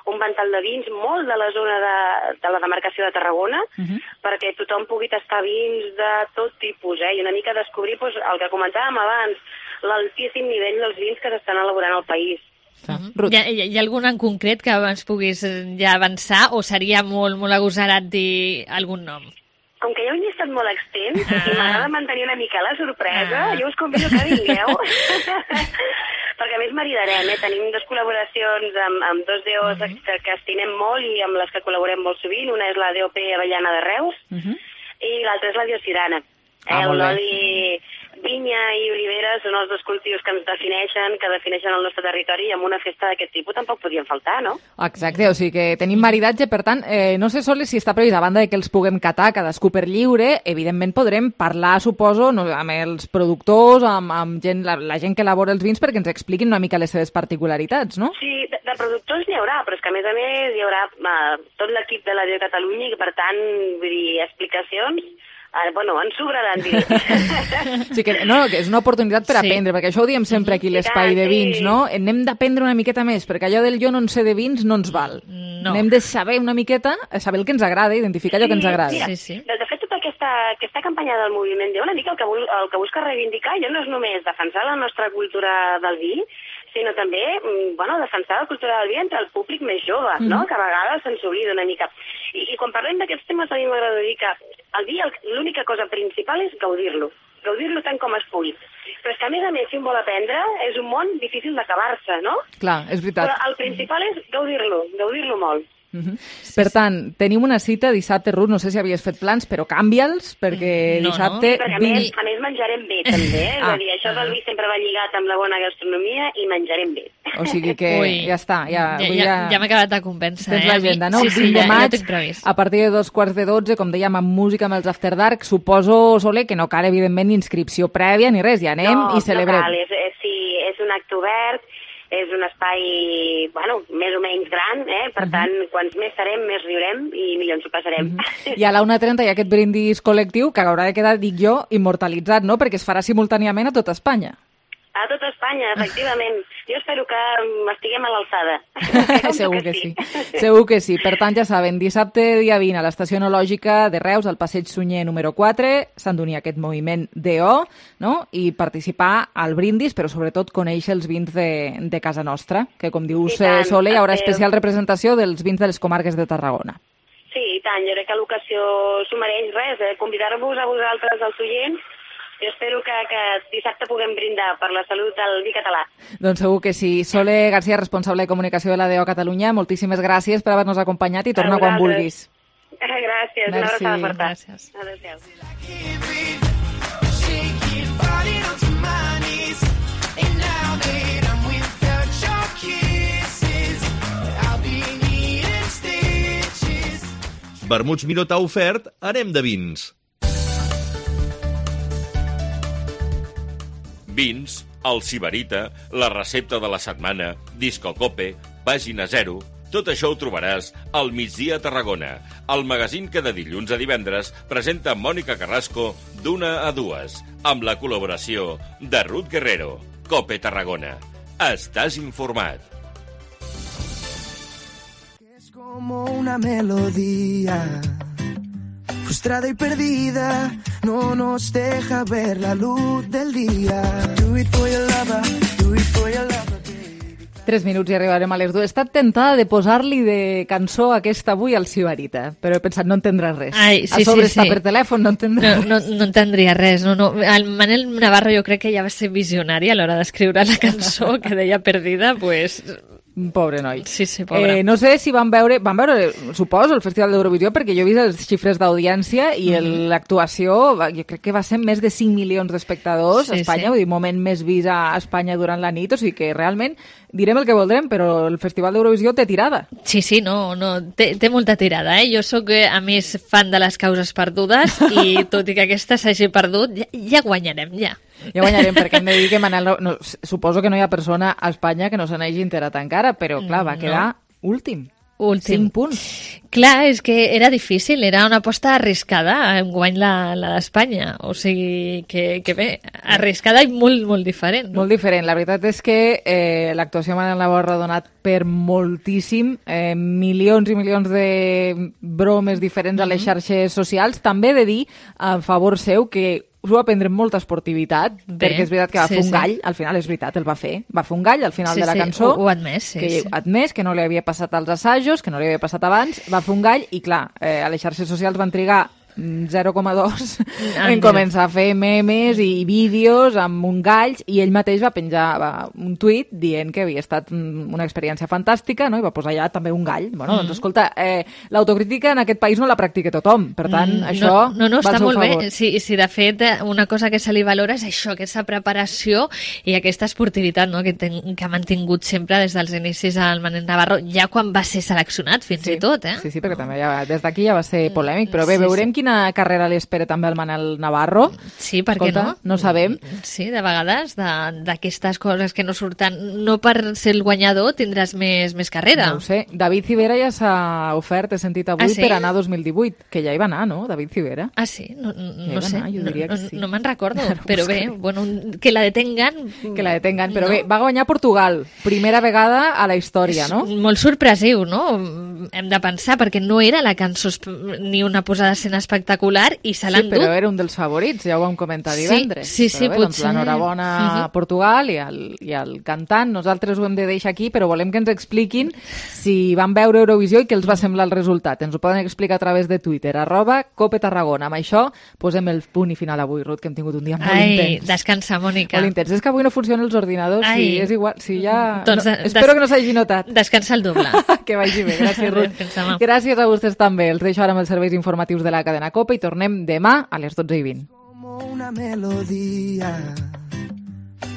un ventall de vins molt de la zona de, de la demarcació de Tarragona, uh-huh. perquè tothom pugui tastar vins de tot tipus, eh? I una mica descobrir doncs, el que comentàvem abans, l'altíssim nivell dels vins que s'estan elaborant al país. Uh-huh. Hi, ha, hi ha algun en concret que ens puguis ja avançar o seria molt, molt agosarat dir algun nom? Com que hi ha un llistat molt extens ah. i m'agrada mantenir una mica la sorpresa, ah. jo us convido que vingueu, perquè a més maridarem, eh? Tenim dues col·laboracions amb, amb dos D Os uh -huh. que, que estimem molt i amb les que col·laborem molt sovint. Una és la D O P Avellana de Reus uh -huh. i l'altra és la Diocirana. Ah, el oli vinya i olivera són els dos cultius que ens defineixen, que defineixen el nostre territori, i amb una festa d'aquest tipus tampoc podien faltar, no? Exacte, o sigui que tenim maridatge, per tant, eh, no sé, Sole, si està previst, a banda de que els puguem catar cadascú per lliure, evidentment podrem parlar, suposo, no, amb els productors, amb, amb gent, la, la gent que elabora els vins, perquè ens expliquin una mica les seves particularitats, no? Sí, de, de productors n'hi haurà, però és que a més a més hi haurà eh, tot l'equip de la Déu Catalunya i, per tant, vull dir, explicacions. Ah, bueno, ens sobraran, diré. Sí que, no, que és una oportunitat per sí. aprendre, perquè això ho diem sempre aquí, l'espai de vins, no? N'hem d'aprendre una miqueta més, perquè allò del jo no en sé de vins no ens val. No. N'hem de saber una miqueta, saber el que ens agrada, identificar allò que ens agrada. Mira, sí, sí. De, de fet, tota aquesta, aquesta campanya del moviment D O, una mica el que, el que busca reivindicar ja no és només defensar la nostra cultura del vi, sinó també, bueno, defensar la cultura del vi entre el públic més jove, mm. no? Que a vegades se'ns oblida una mica. I, i quan parlem d'aquests temes, a mi m'agrada dir que el vi, l'única cosa principal és gaudir-lo, gaudir-lo tant com es pugui. Però és que, a més a més, si un vol aprendre, és un món difícil d'acabar-se, no? Clar, és veritat. Però el principal és gaudir-lo, gaudir-lo molt. Uh-huh. Sí, per tant, sí. tenim una cita dissabte, Ruth, no sé si havies fet plans, però canvia'ls, perquè no, dissabte... No. Perquè a més, a més menjarem bé, també. Eh? Ah. És a dir, això del vi sempre va lligat amb la bona gastronomia i menjarem bé. O sigui que Ui. ja està. Ja, ja, ja, ja m'ha acabat de convèncer. Tens eh? l'agenda, no? Sí, sí, vint de ja, maig, ja a partir de dos quarts de dotze, com dèiem, amb música, amb els After Dark, suposo, Sole, que no cal, evidentment, ni inscripció prèvia ni res, ja anem no, i celebrem. No cal, és, és, sí, és un acte obert, és un espai, bueno, més o menys gran, eh? Per uh -huh. tant, quants més serem, més riurem i millor ens ho passarem. Uh -huh. I a la una trenta hi ha aquest brindis col·lectiu que haurà de quedar, dic jo, immortalitzat, no? Perquè es farà simultàniament a tota Espanya. A tota Espanya, efectivament. Jo espero que estiguem a l'alçada. Segur que sí. Segur que sí. Per tant, ja saben, dissabte dia vint a l'Estació Enològica de Reus, al Passeig Sunyer número quatre, s'han d'unir aquest moviment D O, no? I participar al brindis, però sobretot conèixer els vins de, de casa nostra, que com dius, tant, Sole, hi haurà especial representació dels vins de les comarques de Tarragona. Sí, i tant. Jo crec que l'ocasió s'ho mereix res, eh? Convidar-vos a vosaltres, els oients. Jo espero que, que dissabte puguem brindar per la salut del vi català. Doncs segur que sí. Sole García, responsable de comunicació de la D O Catalunya, moltíssimes gràcies per haver-nos acompanyat i torna quan vulguis. Gràcies, una abraçada forta. Gràcies. Adéu-siau. Vermuts Miró t'ha ofert Anem de vins. Vins, el Sibarita, la recepta de la setmana, Disco Cope, Pàgina Zero... Tot això ho trobaràs al Migdia a Tarragona, el magazín que de dilluns a divendres presenta Mònica Carrasco d'una a dues, amb la col·laboració de Ruth Guerrero. Cope Tarragona. Estàs informat. Es como una melodía frustrada y perdida, no nos deja ver la luz del día. Do it for your lover, do it for your lover. Tres minuts i arribarem a les dues. He estat tentada de posar-li de cançó aquesta avui al Sibarita, però he pensat, no entendrà res. Ai, sí, a sobre sí, està sí. per telèfon, no entendrà no, no, no entendria res. No, no. El Manel Navarro jo crec que ja va ser visionari a l'hora d'escriure la cançó que deia Perdida, pues... Pobre noi. Sí, sí, pobre. Eh, no sé si van veure, van veure, suposo, el Festival d'Eurovisió, perquè jo he vist les xifres d'audiència i Mhm. l'actuació, jo crec que va ser més de cinc milions d'espectadors Sí, a Espanya, sí. vull dir, moment més vist a Espanya durant la nit, o sigui que realment direm el que voldrem, però el Festival d'Eurovisió té tirada. Sí, sí, no, no té, té molta tirada, eh? Jo sóc, a més, fan de les causes perdudes i tot i que aquesta s'hagi perdut, ja, ja guanyarem, ja. Ja guanyarem, perquè hem de dir que Manel, no, no, suposo que no hi ha persona a Espanya que no se n'hagi enterat encara, però clar, va quedar No. últim. Últim. Cinc punts. Clar, és que era difícil, era una aposta arriscada en guany la, la d'Espanya. O sigui, que, que bé, arriscada i molt, molt diferent. No? Molt diferent. La veritat és que eh, l'actuació de Manel Navarro ha donat per moltíssim, eh, milions i milions de bromes diferents a les xarxes socials. També he de dir, a favor seu, que s'ho va prendre amb molta esportivitat, Bé, perquè és veritat que va sí, fer un sí. gall, al final és veritat, el va fer, va fer un gall al final Sí, de la sí, cançó, ho- ho ha admès, sí, que sí. ha admès que no li havia passat als assajos, que no li havia passat abans, va fer un gall i clar, eh, a les xarxes socials van trigar mm, zero coma dos en començar a fer memes i vídeos amb un galls i ell mateix va penjar va, un tuit dient que havia estat mm, una experiència fantàstica, no? I va posar allà també un gall. Bueno, Mm. doncs escolta, eh, l'autocrítica en aquest país no la practica tothom, per tant, Mm, això no, no, no, va al està seu molt favor. bé. Sí, sí, de fet, una cosa que se li valora és això, aquesta preparació i aquesta esportivitat, no?, que, ten, que ha mantingut sempre des dels inicis al Manel Navarro, ja quan va ser seleccionat, fins Sí, i tot, eh? Sí, sí, perquè també ja, des d'aquí ja va ser polèmic, però bé, Sí, veurem sí. quina carrera li espera també al Manel Navarro. Sí, per què Escolta, no? No sabem. Sí, de vegades, de- d'aquestes coses que no surten, no per ser el guanyador tindràs més, més carrera. No ho sé. David Civera ja s'ha ofert, he sentit avui, Ah, sí? per anar a dos mil divuit, que ja hi va anar, no, David Civera? Ah, sí? No, no, Ja hi no va sé, anar, jo no, diria que no, sí. no me'n recordo, Ara ho però bé, buscaré. bueno, que la detengan... Que la detengan, però No. bé, va guanyar Portugal, primera vegada a la història, no? Molt sorpresiu, no? Hem de pensar, perquè no era la cançó esp- ni una posada d'escena espectacular i se l'han Sí, però dut. era un dels favorits, ja ho vam comentar Sí, divendres. sí, sí, Però bé, doncs potser- l'enhorabona a Mhm. Portugal i al, i al cantant. Nosaltres ho hem de deixar aquí, però volem que ens expliquin si van veure Eurovisió i què els va semblar el resultat. Ens ho poden explicar a través de Twitter, arroba Cope Tarragona. Amb això posem el punt i final avui, Ruth, que hem tingut un dia molt Ai, intens. descansa, Mònica. Molt intens. És que avui no funcionen els ordinadors, Ai. sí, és igual. Sí, ja... Doncs, no, des- espero que no s'hagi notat. Descansa el doble. Que vagi bé, gràcies, Ruth. Descansa, ma. Gràcies a vostès també. Els deixo ara amb els serveis informatius de la cadena Cope i tornem demà a les dotze i vint. Como una melodía,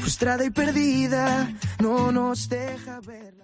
frustrada y perdida, no nos deja ver.